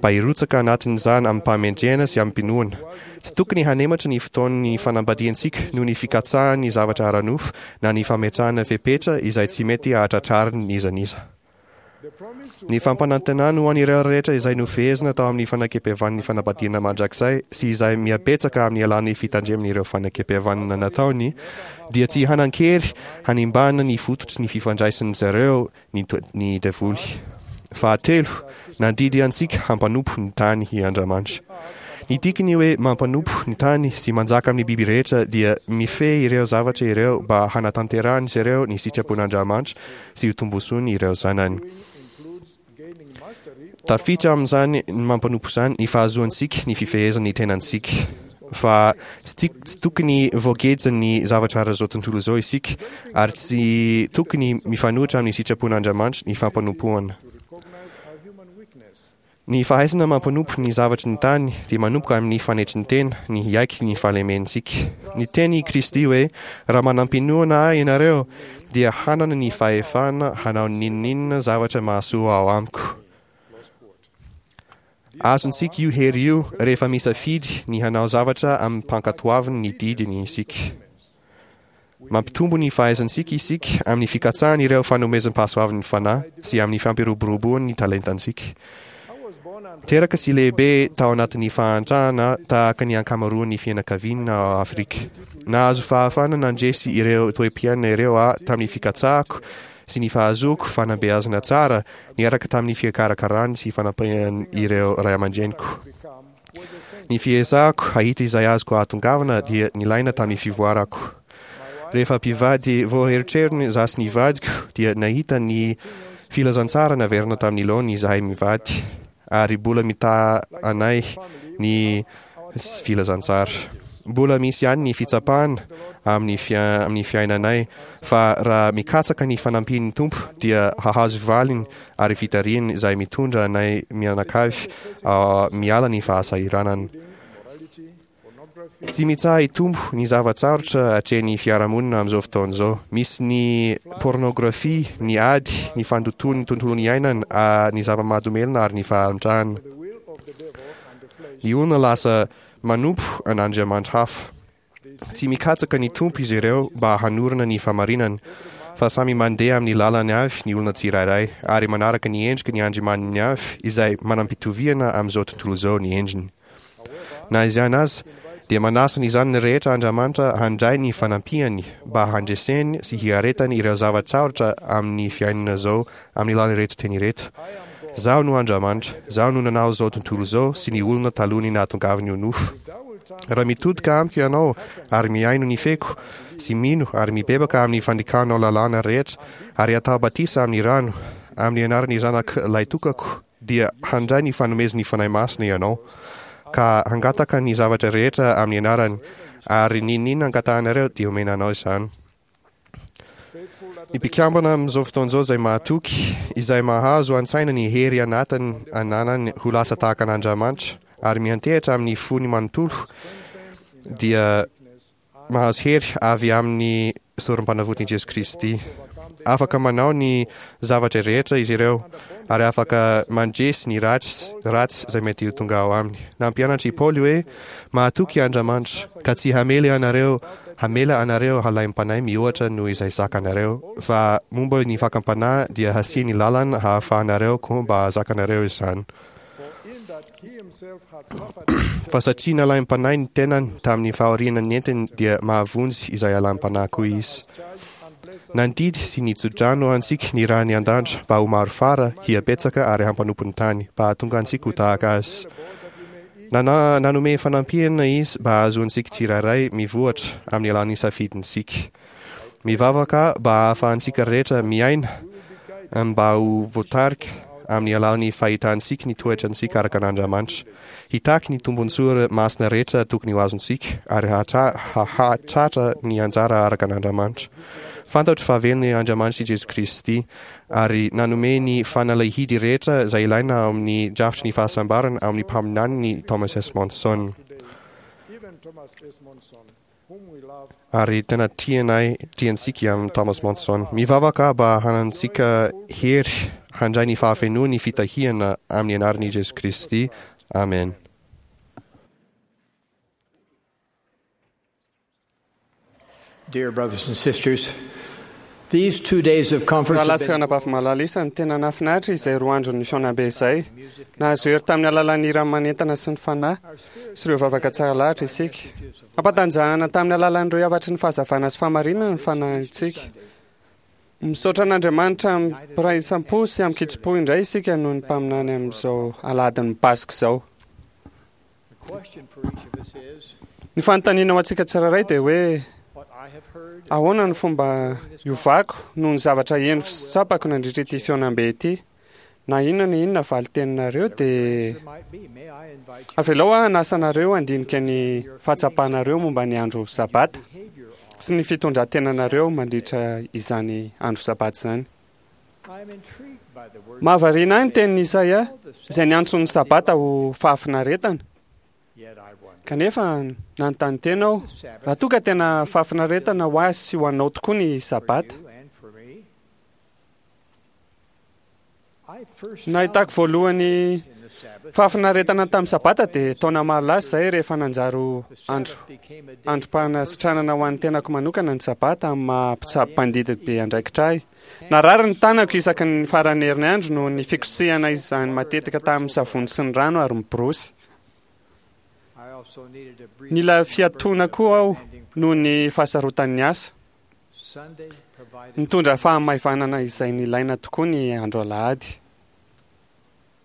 mba hirotsaka anatin'izany amim-pahamendrehana sy amim-pinoana. Tsy tokony hanematra ny fotoan'ny fanambadiantsika noho ny fikatsahana ny zavatra ara-nofo na ny fametrahana fepetra izay tsy mety hahatratrariny n'iza n'iza. Ny fampanantenany ho an'ireo rehetra izay nofehezina tao amin'ny fanekempihavanan'ny fanambadiana mandrakizay sy izay mihabetsaka amin'ny alalan'ny fitandremana ireo fanekempihavanana nataony dia tsy hanan-kery hanimbana ny fototry ny fifandraisan'izy ireo ny, ny devoly. Fahatelo, nandidy antsika hampanompo ny tany i Andriamanitra. Ny dikany hoe mampanompo ny tany sy manjaka amin'ny biby rehetra dia mifehy ireo zavatra ireo mba hanatanterahan'izy ireo ny sitrapon'Andriamanitra sy ho tombontsoany ireo zanany. Tafiditra amin'izany ny mampanompo izany ny fahazoantsika ny fifehezana ny tenantsika. Fa tsy tsy tokony voagejan'ny zavatra ara-izao tontolo izao isika ary tsy tokony mifanohitra amin'ny sitrapon'Andriamanitra ny fampanompoana. Ny fahaizana mampanompo ny zavatry ny tany dia manomboka amin'ny fanetren-tena, ny hiaiky ny fahalementsika. Niteny i Kristy hoe, Raha manam-pinoana Ahy ianareo, dia hanana ny fahefana hanao n'inon'inona zavatra mahasoa ao amiko. Azontsika io hery io rehefa misafidy ny hanao zavatra amim-pankatoavana ny didiny isika. Mampitombo ny fahaizantsika isika amin'ny fikatsahana ireo fanomezam-pahasoavan'ny Fanahy sy amin'ny fampiroboroboany ny talentantsika. Teraka sy lehibe tao anatin'ny fahantrana tahaka ny ankamaroan'ny fianakaviana ao Afrika. Nahazo fahafahana nandresy ireo toe-piainana ireo aho tamin'ny fikatsahako sy ny fahazoako fanabeazana tsara niaraka tamin'ny fikarakarany sy fanampian'ireo ray aman-dreniko. Ny fiezahako hahita izay azoko ahatongavana dia nilaina tamin'ny fivoarako. Rehefa mpivady vao herotrerony izaho sy ny vadiko dia nahita ny filazantsara naverina tamin'ny laoniny izahay mivady ary mbola mitaha anay ny filazantsara. Mbola misy ihany ny fitsapana amin'ny amin'ny fiainanay fa raha mikatsaka ny fanampian'ny Tompo dia hahazo valiny ary fitarihany izay mitondra anay mianakavy miala ny fahasahiranana. Tsy mitsaha-hitombo ny zava-tsarotra atrehin'ny fiarahamonina amin'izao fotoana izao. Misy ny pôrnôgrafia, ny ady, ny fandotoan'ny tontolo iainana, ny zava-mahadomelina ary ny fahantrana. Ny olona lasa manompo an'andriamanitra hafa. Tsy mikatsaka ny Tompo izy ireo mba hanorina ny fahamarinany, fa samy mandeha amin'ny lalany avy ny olona tsirairay, ary manaraka ny endriky ny andriamaniny avy izay manam-pitoviana amin'izao tontolo izao ny endriny. Na izany aza, dia manasa ny zanany rehetra Andriamanitra handray ny fanampiany mba handreseny sy hiaretany ireo zava-tsarotra amin'ny fiainana izao amin'ny alalan'ireto teny ireto, Zaho no Andriamanitra, Zaho no nanao izao tontolo izao sy ny olona talohan'ny nahatongavany ho nofo. Raha mitodika amiko ianao ary mihaino ny feko, sy mino ary mibebaka amin'ny fandikanao lalàna rehetra, ary atao batisa amin'ny rano, amin'ny anaran'ny Zanak Lahitokako, dia handray ny fanomezan'ny Fanahy Masina ianao, ka hangataka ny zavatra rehetra amin'ny anarany, ary n'inon'inona angatahanareo dia omena anao izany. Ny mpikambana amin'izao fotoana izao izay mahatoky, izay mahazo an-tsaina ny hery anatiny ananany ho lasa tahaka an'Andriamanitra ary miantehitra amin'ny fony manontolo dia mahazo hery avy amin'ny sorom-panavotan'i Jesoa Kristy. Afaka manao ny zavatra rehetra izy ireo ary afaka mandresy ny ratsy ratsy izay mety ho tonga ao aminy. Nampianatra i Paoly hoe, Mahatoky Andriamanitra, ka tsy hamely anareo, hamela anareo halaim-panahy mihoatra noho izay zakanareo, fa momba ny fakam-panahy dia hasiany lalana hahafahanareo koa mba zakanareo izany. Fa satria nalaim-panahy ny tenany tamin'ny fahoriana nentiny dia mahavonjy izay alaim-panahy koa izy. Nandidy sy nitso-drano antsika ny rany an-danitra mba ho maro fara, hihabetsaka ary hampanompo ny tany, mba hahatonga antsika ho tahaka azy. Nana, nanome fanampiana izy mba hahazoantsika tsirairay mivoatra amin'ny alalan'ny safidintsika. Mivavaka mba hahafahantsika rehetra miaina mba ho voatarika amin'ny alalan'ny fahitantsika ny toetrantsika araka an'Andriamanitra. Hitaky ny tombontsoa masina rehetra tokony ho azontsika ary hahatratra ny anjara araka an'Andriamanitra. Fantatro fa velona Andriamanitra i Jesoa Kristy ary nanome ny fanalahidy rehetra izay ilaina ao amin'ny drafitry ny fahasambarana ao amin'ny mpaminaniny Thomas S. Monson. Ary tena tianay tiantsika amin'i Thomas Monson. Mivavaka mba hanantsika hery handray ny fahafenoan'ny fitahiana amin'ny anaran'i Jesoa Kristy. Amen. Dear brothers and sisters, these two days of conference Rahalahy have sy been anabavy malala isany, tena nahafinaritra izay roa andron'ny fihaonambe izay. Nahazo hery tamin'ny alalan'ny hira manentana sy ny fanahy sy ireo vavaka tsara lahatra isika. Ampatanjahana tamin'ny alalan'ireo hafatry ny fahazavana sy fahamarinana ny fanahintsika. Misaotra an'Andriamanitra amim-piraisampo sy amin-kitsim-po indray isika noho ny mpaminany amin'izao alahadin'ny Paska izao. The question for each of us is Ny fanontaniana ho antsika tsirairay dia hoe what I have heard ahoana ny fomba iovako noho ny zavatra henoko sy tsapako nandritra ity fihaonambe ity. Na inona na inona valin-teninareo dia might be. May I invite you avelao aho hanasa anareo handinika ny fahatsapanareo momba ny andro sabata sy ny fitondran-tenanareo mandritra izany andro sabata izany. I am intrigued by the words Mahavariana ahy ny tenin'i Isaia izay niantso ny sabata ho fahafinaretana. yet I wonder. Kanefa nanontany tena aho raha toa ka tena fahafinaretana ho azy sy ho anao tokoa ny sabata. You and for me. I first Nahitako voalohany in the Sabbath fahafinaretana tamin'ny sabata dia taona maro lasa izay rehefa nanjary andro became a day androm-panasitranana ho an'ny tenako manokana ny sabata amin'ny maha mpitsabo mpandidy be andraikitra ahy. Narary ny tanako isaky ny faran'ny herinandro noho ny fikosehana izany matetika tamin'ny savony sy ny rano ary ny borosy. I also needed a brief Nila fiatoana koa aho noho ny fahasarotan'ny asa. Sunday provided Nitondra fahamaivanana izay nilaina tokoa ny andro alahady.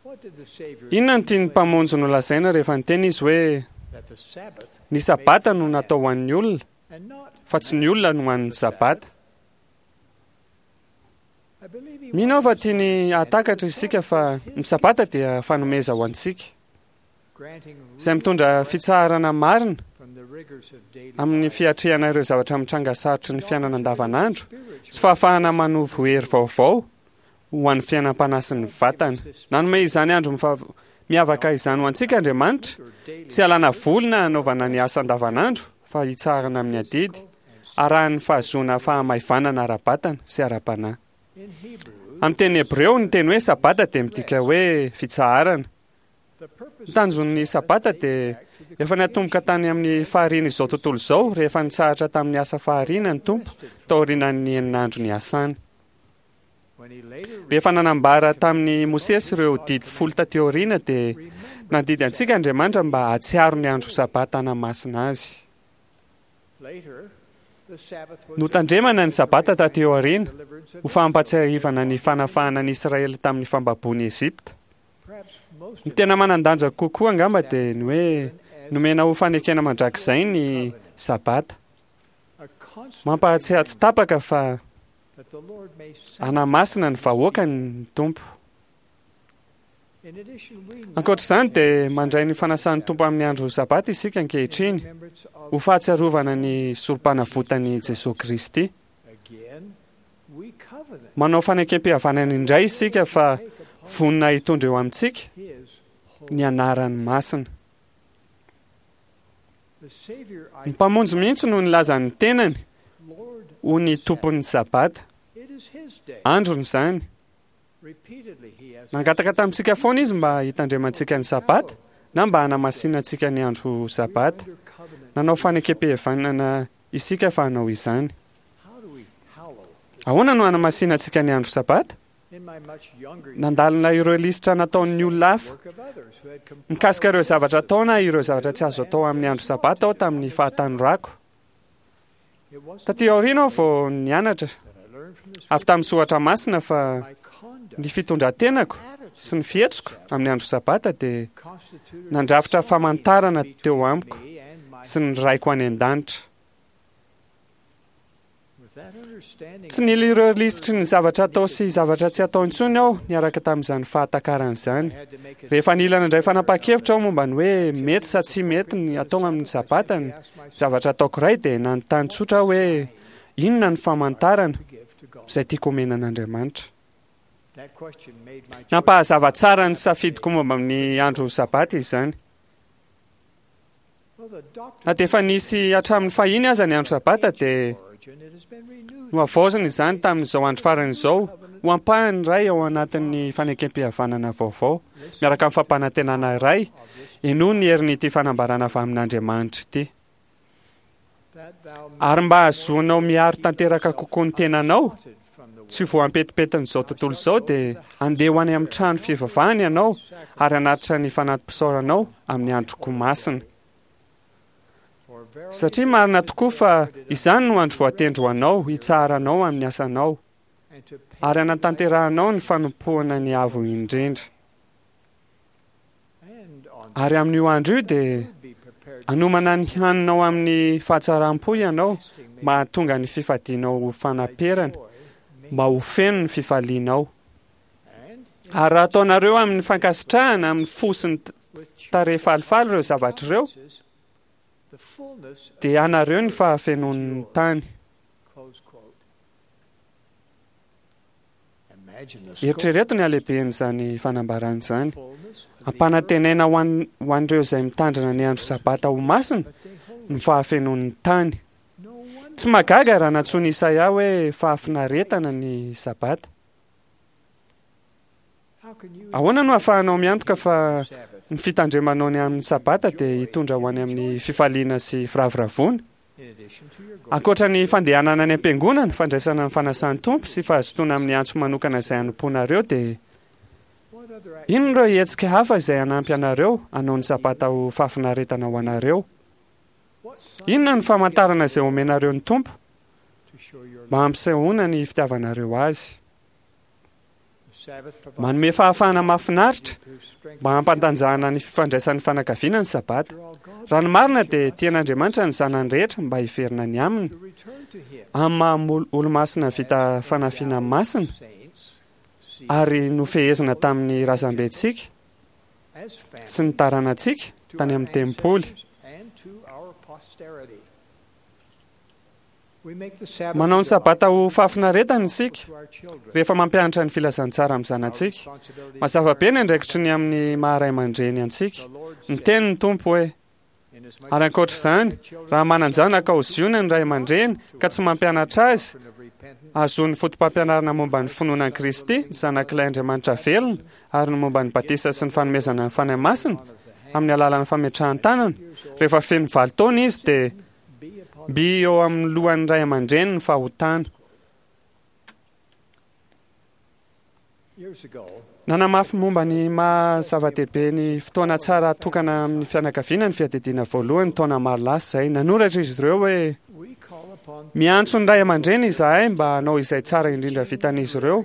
What did the Savior Inona no tian'ny mpamonjy nolazaina rehefa niteny izy hoe that the Sabbath ny sabata no natao ho an'ny olona and not fa tsy ny olona no ho an'ny sabata. I believe he Mino aho fa tiany hahatakatra isika fa ny sabata dia fanomeza ho antsika granting izay mitondra fitsaharana marina from the rigors of daily amin'ny fiatrehana ireo zavatra mitranga sarotry ny fiainana andavanandro sy fahafahana manovo hery vaovao ho an'ny fiainam-panahy sy ny vatana. Nanome izany andro mifa- miavaka izany ho antsika Andriamanitra, tsy alana voly na hanaovana ny asa andavanandro fa hitsaharana amin'ny adidy, arahan'ny fahazoana fahamaivanana ara-batana sy ara-panahy. in Hebrew Amin'ny teny hebreo ny teny hoe sabata dia midika hoe fitsaharana. the purpose Ny tanjon'ny sabata dia efa niatomboka tany amin'ny fahariana izao tontolo izao rehefa nitsahatra tamin'ny asa fahariana ny Tompo taorian'ny eninandro niasany. when he later Rehefa nanambara tamin'ny Mosesy ireo didy folo taty aoriana dia nandidy antsika Andriamanitra mba hahatsiaro ny andro sabata hanamasina azy. later the Sabbath was Notandremana ny sabata taty aoriana deliverance of ho fampahatsiahivana ny fanafahana ny Israely tamin'ny fambaboan'i Egypta. perhaps most Ny tena manan-danja kokoa angamba dia ny hoe nomena ho fanekena mandrakizay ny sabata. a constant Mampahatsiahy tsy tapaka fa that the Lord may hanamasina ny vahoakany ny Tompo. In addition we now Ankoatra izany dia mandray ny fanasan'ny Tompo amin'ny andro sabata isika ankehitriny remembrance of ho fahatsiarovana ny sorom-panavotan'i Jesoa Kristy. again we covenant Manao fanekempihavanana indray isika fa vonona hitondra eo amintsika his ny anarany masina. the Savior Ny mpamonjy mihitsy no nilaza ny tenany Lord ho ny tompon'ny sabata. it is his day Androny izany. repeatedly he has Nangataka tamintsika foana izy mba hitandremantsika ny sabata na mba hanamasinantsika ny andro sabata. under covenant Nanao fanekempihavanana isika fa hanao izany. how do we hallow Ahoana no hanamasinantsika ny andro sabata? in my much younger years Nandalina ireo lisitra nataon'ny olona hafa work of others who had compiled mikasika ireo zavatra atao na ireo zavatra tsy azo atao amin'ny andro sabata aho tamin'ny fahatanorako. it wasn't Taty aoriana aho vao nianatra that I learned from the avy tamin'ny soratra masina fa my conduct ny fitondran-tenako sy ny fihetsiko amin'ny andro sabata dia constituted nandrafitra famantarana teo amiko me and my sy ny raiko any an-danitra. with that understanding Tsy nila ireo lisitry ny zavatra atao sy zavatra tsy atao intsony aho niaraka tamin'izany fahatakarana izany. I had to make a Rehefa nila nandray fanapahan-kevitra aho momba ny hoe mety sa tsy mety ny atao amin'ny sabata ny zavatra ataoko iray dia nanontany tsotra aho hoe inona ny famantarana to give to God izay tiako omena an'Andriamanitra. that question made my choice Nampahazava tsara ny safidiko momba amin'ny andro sabata izany. Na dia efa nisy hatramin'ny fahiny aza ny andro Sabata dia nohavaozina izany tamin'izao andro farany izao ho ampahany iray ao anatin'ny fanekem-pihavanana vaovao miaraka amin'ny fampanantenana iray. Henoy ny herin'ity fanambarana avy amin'Andriamanitra ity. Ary mba hahazoanao miaro tanteraka kokoa ny tenanao tsy ho voampetipetin'izao tontolo izao dia andeha ho any amin'ny trano fivavahana ianao ary hanatitra ny fanati-pisaoranao amin'ny androko masina. Satria marina tokoa fa izany no andro voatendry ho anao hitsaharanao amin'ny asanao ary hanatanterahanao ny fanompoana ny Avo Indrindra. Ary amin'io andro io dia hanomana ny haninao amin'ny fahatsaram-po ianao mba hahatonga ny fifadianao ho fanaperana, mba ho feno ny fifalianao. Ary raha ataonareo amin'ny fankasitrahana amin'ny fo sy ny tarehy falifaly ireo zavatra ireo, dia anareo ny fahafenoan'ny tany. Eritrereto ny halehiben'izany fanambarana izany. Ampanantenaina ho an- ho an'ireo izay mitandrina ny andro Sabata ho masina ny fahafenoan'ny tany. Tsy mahagaga raha nantsoin'i Isaia hoe fahafinaretana ny Sabata. Ahoana no ahafahanao miantoka fa ny fitandremanao ny amin'ny Sabata dia hitondra ho any amin'ny fifaliana sy firavoravoana? Ankoatra ny fandehanana any am-piangonana, fandraisana ny fanasan'ny Tompo sy fahazotoana amin'ny antso manokana izay hanompoanareo dia inona ireo hetsika hafa izay hanampy anareo hanao ny Sabata ho fahafinaretana ho anareo? Inona no famantarana izay omenareo ny Tompo mba hampisehoana ny fitiavanareo Azy? Manome fahafahana mahafinaritra mba hampantanjahana ny fifandraisan'ny fanakaviana ny Sabata. Raha ny marina dia tian'Andriamanitra ny zanany rehetra mba hiverina any aminy. Amin'ny maha olomasina vita fanafiana masina ary nofehezina tamin'ny razambentsika sy ny taranantsika tany amin'ny tempoly. Manao ny Sabata ho fahafinaretana isika rehefa mampianatra ny filazantsara amin'ny zanatsika. Mazava be ny andraikitry ny amin'ny maha ray aman-dreny antsika. Niteny ny Tompo hoe, Ary ankoatra izany, raha manan-janaka ao Ziona ny ray aman-dreny ka tsy mampianatra azy hahazoany fotopampianarana momba ny finoana an'i Kristy, ny Zanak'ilay Andriamanitra velona, ary ny momba ny batisa sy ny fanomezana ny Fanahy Masina amin'ny alalan'ny fametrahan-tanana, rehefa feno valo taona izy dia Mby eo amin'ny lohan'ny ray aman-dreny ny fahotana. Nanamafy momba ny maha zava-dehibe ny fotoana tsara atokana amin'ny fianakaviana ny fiadidiana voalohany taona maro lasa izay. Nanoratra izy ireo hoe, Miantso ny ray aman-dreny izahay mba hanao izay tsara indrindra vitan'izy ireo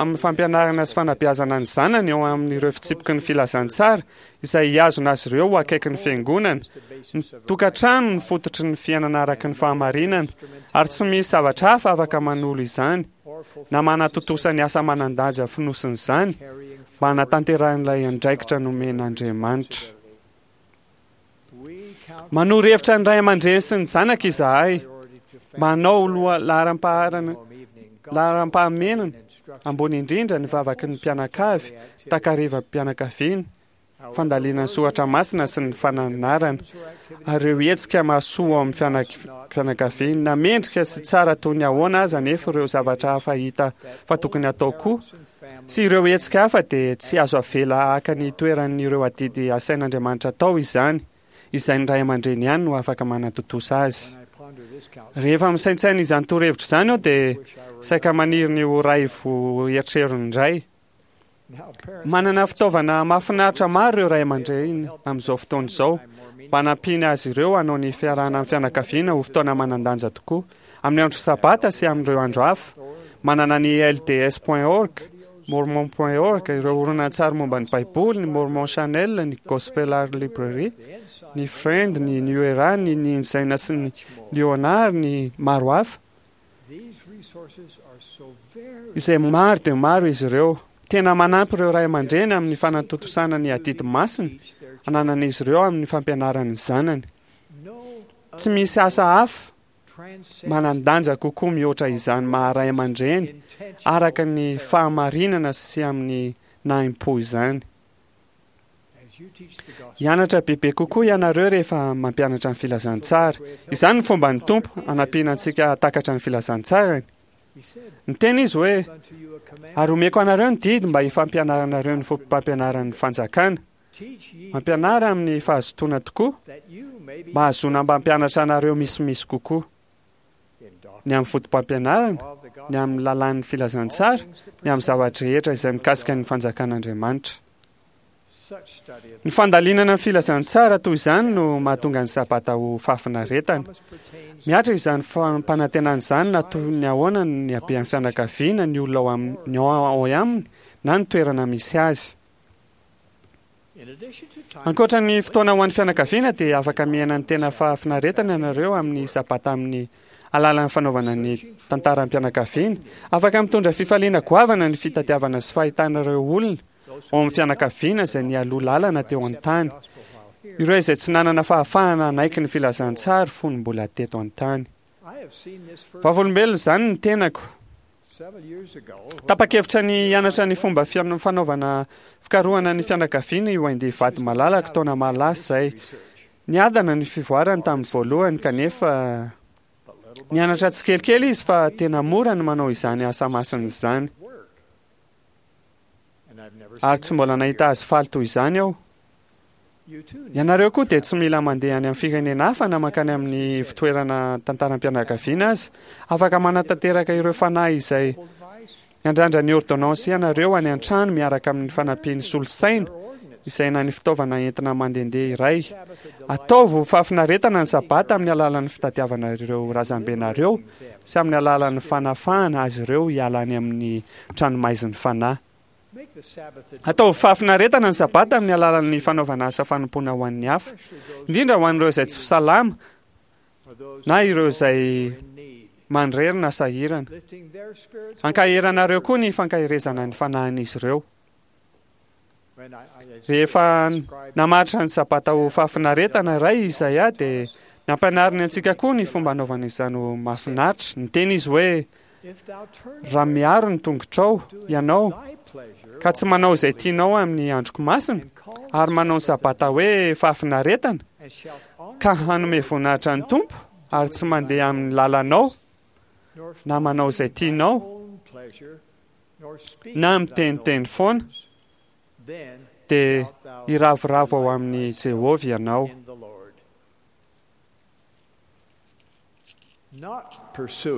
amin'ny fampianarana sy fanabeazana ny zanany eo amin'ireo fitsipiky ny filazantsara izay hihazona azy ireo ho akaiky ny Fiangonana. Ny tokantrano no fototry ny fiainana araka ny fahamarinana, ary tsy misy zavatra hafa afaka manolo izany, na manatontosa ny asa manan-danja fonosin'izany, mba hanatanterahan'ilay andraikitra nomen'Andriamanitra. Manoro hevitra ny ray aman-dreny sy ny zanaka izahay mba hanao loha laharam-paharana laharam-pahamenana ambony indrindra ny vavaky ny mpianakavy, takarivam-pianakaviana, fandalinana soratra masina sy ny fananarana, ary ireo hetsika mahasoa ao amin'ny fianakaviana. Na mendrika sy tsara toy ny ahoana aza anefa ireo zavatra hafa hita fa tokony hatao koa, sy ireo hetsika hafa dia tsy azo avela haka ny toeran'ireo adidy asain'Andriamanitra atao izany, izay ny ray aman-dreny ihany no afaka manatontosa azy. Rehefa misaintsaina izany torohevitra izany aho dia saika maniry ny ho ray vo eritreriny indray. Manana fitaovana mahafinaritra maro ireo ray aman-dreny amin'izao fotoana izao mba hanampiana azy ireo hanao ny fiarahana amin'ny fianakaviana ho fotoana manan-danja tokoa. Amin'ny andro Sabata sy amin'ireo andro hafa. Manana ny L D S point org, Mormon point org, ireo horonantsary momba ny Baiboly, ny Mormon Channel, ny Gospel Art Library, ny Friend, ny New Era, ny ny Inzaina sy ny Liona ary ny maro hafa. Izay maro dia maro izy ireo. Tena manampy ireo ray aman-dreny amin'ny fanatontosana ny adidy masina ananan'izy ireo amin'ny fampianarany ny zanany. Tsy misy asa hafa manan-danja kokoa mihoatra izany maha ray aman-dreny araka ny fahamarinana sy amin'ny nahim-po izany. Hianatra bebe kokoa ianareo rehefa mampianatra ny filazantsara. Izany ny fomban'ny Tompo hanampiana antsika hahatakatra ny filazantsarany. Niteny izy hoe, ary omeko anareo ny didy mba hifampianaranareo ny foto-pampianaran'ny fanjakana. Mampianara amin'ny fahazotoana tokoa, mba hahazoana mba hampianatra anareo misimisy kokoa. Ny amin'ny foto-pampianarana, ny amin'ny lalàn'ny filazantsara, ny amin'ny zavatra rehetra izay mikasika ny fanjakan'Andriamanitra. Ny fandalinana ny filazantsara toy izany no mahatonga ny sabata ho fahafinaretana. Mihatra izany fampanantenana izany na toy ny ahoana ny habean'ny fianakaviana, ny olona ao aminy, ao aminy na ny toerana misy azy. Ankoatra ny fotoana ho an'ny fianakaviana dia afaka miaina ny tena fahafinaretana ianareo amin'ny sabata amin'ny alalan'ny fanaovana ny tantaram-pianakaviana. Afaka mitondra fifaliana goavana ny fitadiavana sy fahitana ireo olona ao amin'ny fianakaviana izay nialoha lalana teo an-tany, ireo izay tsy nanana fahafahana hanaiky ny filazantsara fony mbola teto an-tany. Vavolombelona izany ny tenako. Tapa-kevitra ny hianatra ny fomba fanaovana fikarohana ny fianakaviana i Wendy vady malalako taona maro lasa izay. Niadana ny fivoarany tamin'ny voalohany kanefa nianatra tsikelikely izy fa tena mora ny manao izany asa masina izany. Ary tsy mbola nahita azy faly toy izany aho. Ianareo koa dia tsy mila mandeha any amin'ny firenena hafa na mankany amin'ny fitoerana tantaram-pianakaviana aza. Afaka manatanteraka ireo fanahy izay miandrandra ny ordonnance ianareo any an-trano miaraka amin'ny fanampian'ny solosaina izay na ny fitaovana entina mandehandeha iray. Ataovy ho fahafinaretana ny sabata amin'ny alalan'ny fitadiavana ireo razambenareo sy amin'ny alalan'ny fanafahana azy ireo hiala any amin'ny tranomaizin'ny fanahy. Ataovy fahafinaretana ny sabata amin'ny alalan'ny fanaovana asa fanompoana ho an'ny hafa, indrindra ho an'ireo izay tsy salama na ireo izay manirery na sahirana. Ankaheranareo koa ny fankaherezana ny fanahin'izy ireo. Rehefa namaritra ny sabata ho fahafinaretana iray Izaia dia nampianariny antsika koa ny fomba anaovana izany ho mahafinaritra. Niteny izy hoe, raha miaro ny tongotrao ianao ka tsy manao izay tianao amin'ny androko masina ary manao ny sabata hoe fahafinaretana ka hanome voninahitra ny Tompo ary tsy mandeha amin'ny lalanao na manao izay tianao na miteniteny foana dia hiravoravo ao amin'i Jehovah ianao.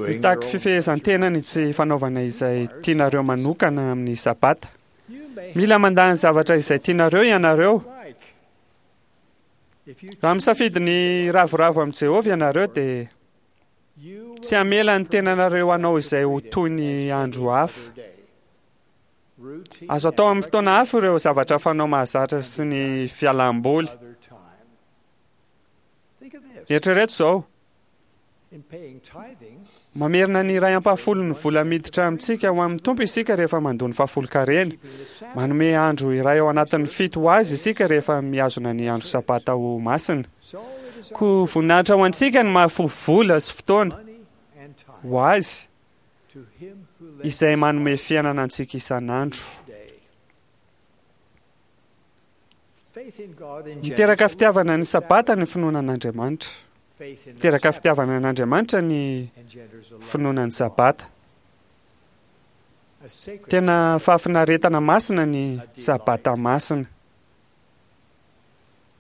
Mitaky fifehezan-tena ny tsy fanaovana izay tianareo manokana amin'ny sabata. Mila mandà ny zavatra izay tianareo ianareo. Raha misafidy ny hiravoravo amin'i Jehovah ianareo dia tsy hamela ny tenanareo hanao izay ho toy ny andro hafa. Azo atao amin'ny fotoana hafa ireo zavatra fanao mahazatra sy ny fialam-boly. Eritrereto izao, mamerina ny iray ampahafolon'ny vola miditra amintsika ho amin'ny Tompo isika rehefa mandoa ny fahafolon-karena. Manome andro iray ao anatin'ny fito ho azy isika rehefa mihazona ny andro sabata ho masina. Koa voninahitra ho antsika ny mahafoy vola sy fotoana ho azy izay manome fiainana antsika isan'andro. Miteraka fitiavana ny sabata ny finoana an'Andriamanitra. Miteraka fitiavana an'Andriamanitra ny finoana ny sabata. Tena fahafinaretana masina ny sabata masina.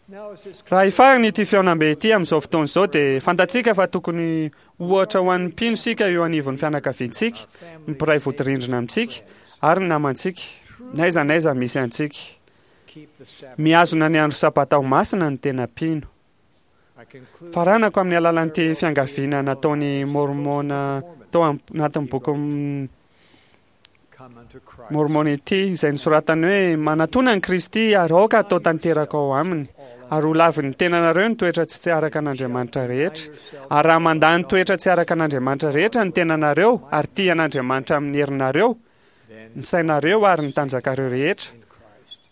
Raha hifarana ity fihaonambe ity amin'izao fotoana izao dia fantatsika fa tokony ohatra ho an'ny mpino isika eo anivon'ny fianakaviantsika, ny mpiray vodirindrina amintsika ary ny namantsika, n'aiza n'aiza misy antsika. Mihazona ny andro sabata ho masina ny tena mpino. Faranako amin'ny alalan'ity fiangaviana nataon'i Môrmôna tao anatin'ny boky Môrmôna ity, izay nosoratany hoe, Manatòna an'i Kristy ary aoka hatao tanteraka ao aminy, ary ho lavin'ny tenanareo ny toetra tsy tsy araka an'Andriamanitra rehetra. Ary raha mandà ny toetra tsy araka an'Andriamanitra rehetra ny tenanareo ary tia an'Andriamanitra amin'ny herinareo, ny sainareo ary ny tanjakareo rehetra,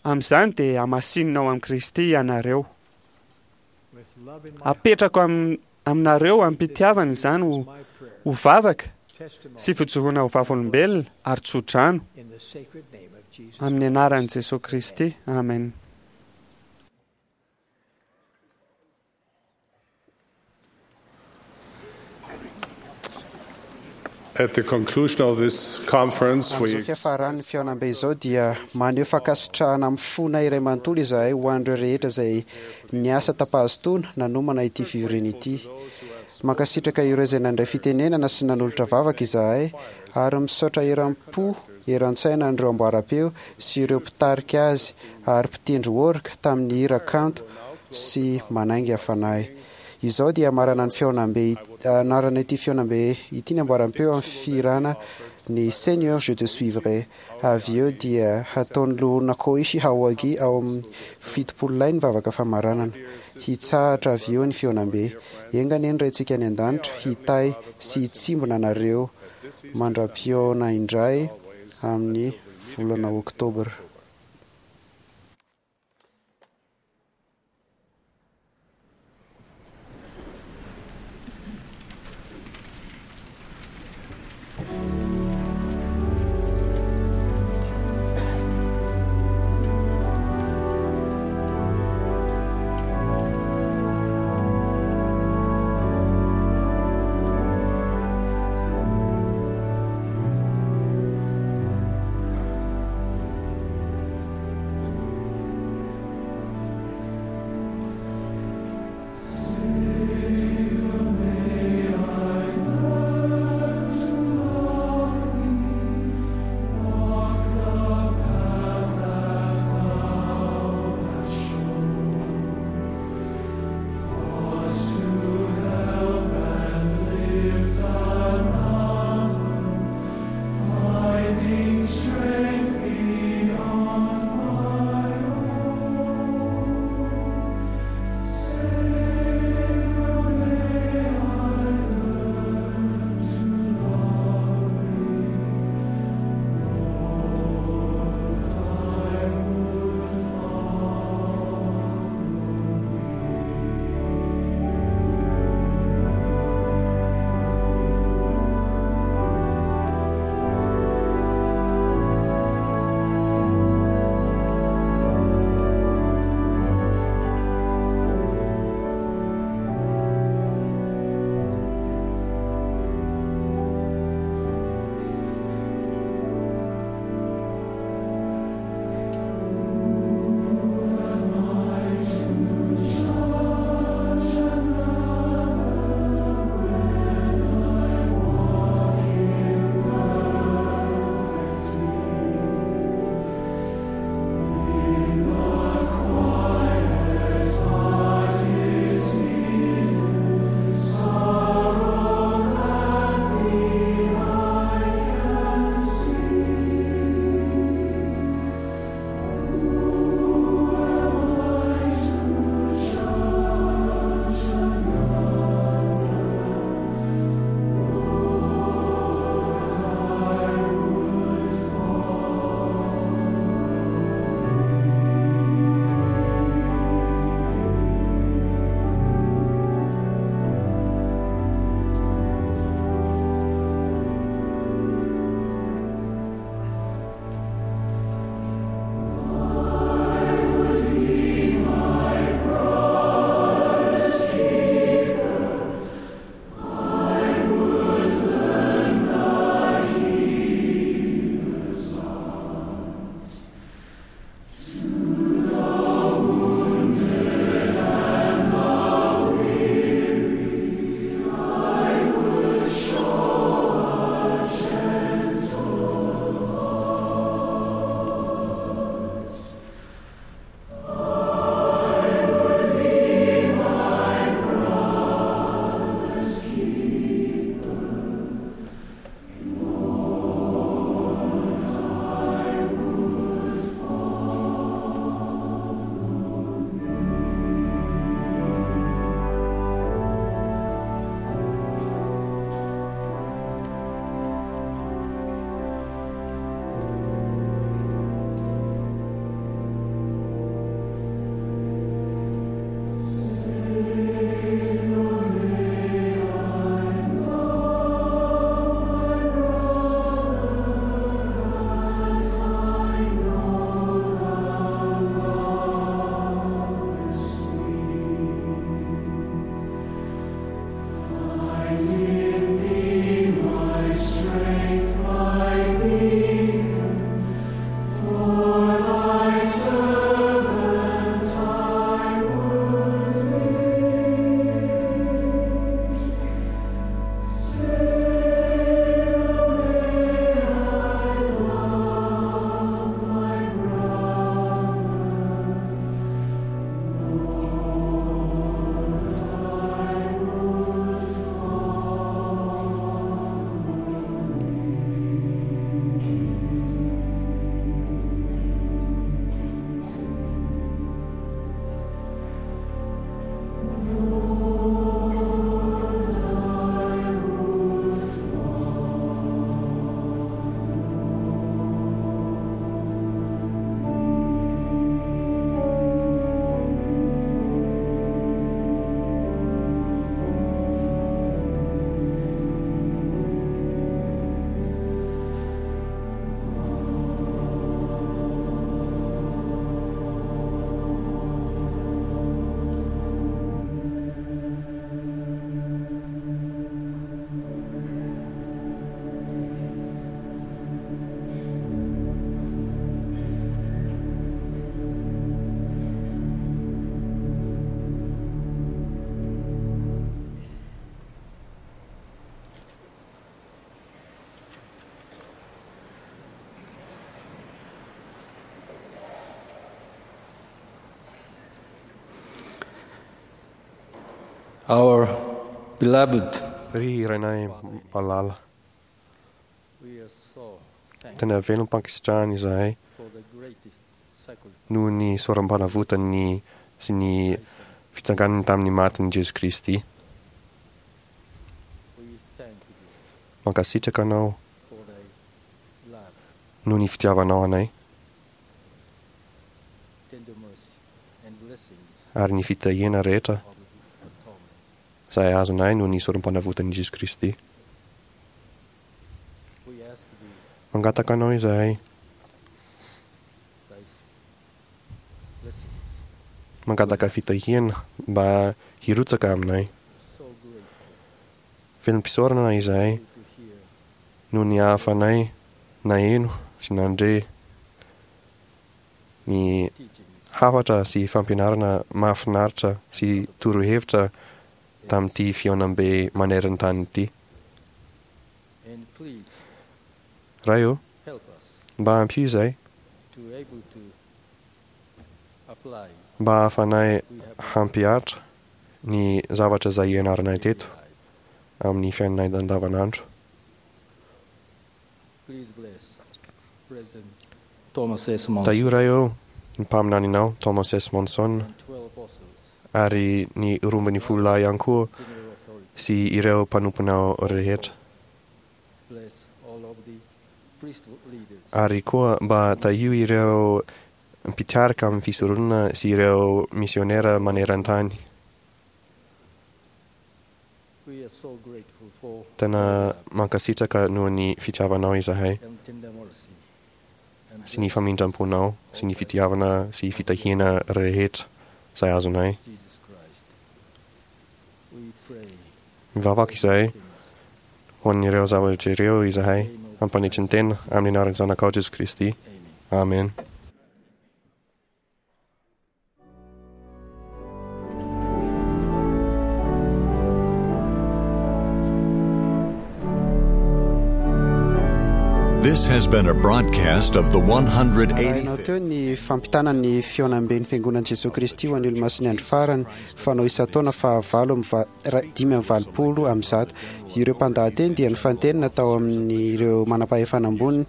amin'izany dia hamasinina ao amin'i Kristy ianareo. Apetrako aminareo amim-pitiavana izany ho, ho vavaka sy fijoroana ho vavolombelona ary tsodrano amin'ny anaran'i Jesoa Kristy. Amen. At the conclusion of this conference, Amin'izao we fiafaran'ny fihaonambe izao dia maneho fankasitrahana amin'ny fona iray manontolo izahay ho an'ireo rehetra izay niasa tam-pahazotoana nanomana ity fivoriana ity. Mankasitraka ireo izay nandray fitenenana sy nanolotra vavaka izahay ary misaotra eram-po eran-tsaina an'ireo amboaram-peo sy ireo mpitarika azy ary mpitendry orga tamin'ny hira kanto sy manainga fanahy. Izao dia marana ny fihaonambe anarana ity fihaonambe ity ny amboaram-peo amin'ny fihirana ny Seigneur je te suivrai. Avy eo dia hataon'ny loholona Koichi Aoyagi ao amin'ny fitopolo lahy ny vavaka famaranana. Hitsahatra avy eo ny fihaonambe. Enga anie ny Raintsika any an-danitra hitahy sy hitsimbina anareo mandra-pihaona indray amin'ny volana Oktobra. Our beloved Ry Rainay malala, We are so tena velom-pankasitrahana izahay for the greatest sacrifice noho ny soram-panavotany sy ny fitsanganany tamin'ny matin'i Jesoa Kristy. we thank you Mankasitraka anao for thy love, noho ny fitiavanao anay tender mercy and blessings ary ny fitahiana rehetra of the atonement. izay azonay noho ny sorom-panavotan'i Jesoa Kristy. We ask thee Mangataka anao izahay, thy blessings mangataka fitahiana mba hirotsaka aminay. so grateful Velom-pisaorana izahay to hear noho ny ahafanay naheno sy nandre ny hafatra sy fampianarana mahafinaritra sy torohevitra tamin'ity fihaonambe maneran-tany ity. and please Ray ô, help us mba ampio izahay to able to apply mba ahafanay hampihatra ny zavatra izay ianaranay teto amin'ny fiainanay andavanandro. Please bless President Thomas S. Monson Tahio Ray ô, ny mpaminaninao Thomas S. Monson twelve apostles, ary ny roa ambin'ny folo lahy ihany koa general authority. sy ireo mpanomponao rehetra. Bless all of the priesthood leaders Ary koa mba tahio ireo mpitarika amin'ny fisoronana sy ireo misionera maneran-tany. We are so grateful for Tena mankasitraka noho ny fitiavanao izahay and tender mercy and sy ny famindram-ponao sy ny fitiavana sy fitahiana rehetra izay azonay. Jesus Christ. We pray Mivavaka izahay ho an'ireo zavatra ireo izahay ampanetry ny tena amin'ny anaran'ny Zanakao Jesoa Kristy. Amen. This has been a broadcast of the Arahinao one hundred eighty-fifth. teo ny fampitana ny fihaonamben'ny Fiangonan'i Jesoa Kristy ho an'ny Olomasin'ny Andro Farany fanao isan-taona fahavalo amby va- ra- dimy amby valopolo amby zato. Ireo mpandahateny dia nifantenina tao amin'ireo manam-pahefana ambony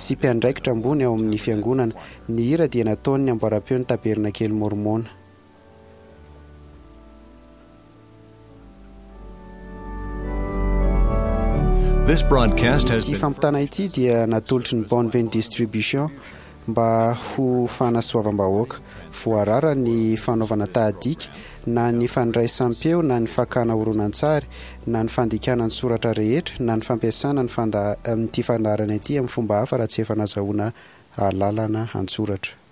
sy mpiandraikitra ambony ao amin'ny fiangonana. Ny hira dia nataon'ny amboaram-peo ny Tabernakely Mormona. This broadcast has Ity been fampitana ity dia natolotry ny Bonven Distribution mba ho fanasoavam-bahoaka. Voarara ny fanaovana tahadika na ny fandraisam-peo na ny fakana horonantsary na ny fandikana ny soratra rehetra na ny fampiasana ny fanda- ity fandaharana ity amin'ny fomba hafa raha tsy efa nazahoana alalana an-tsoratra.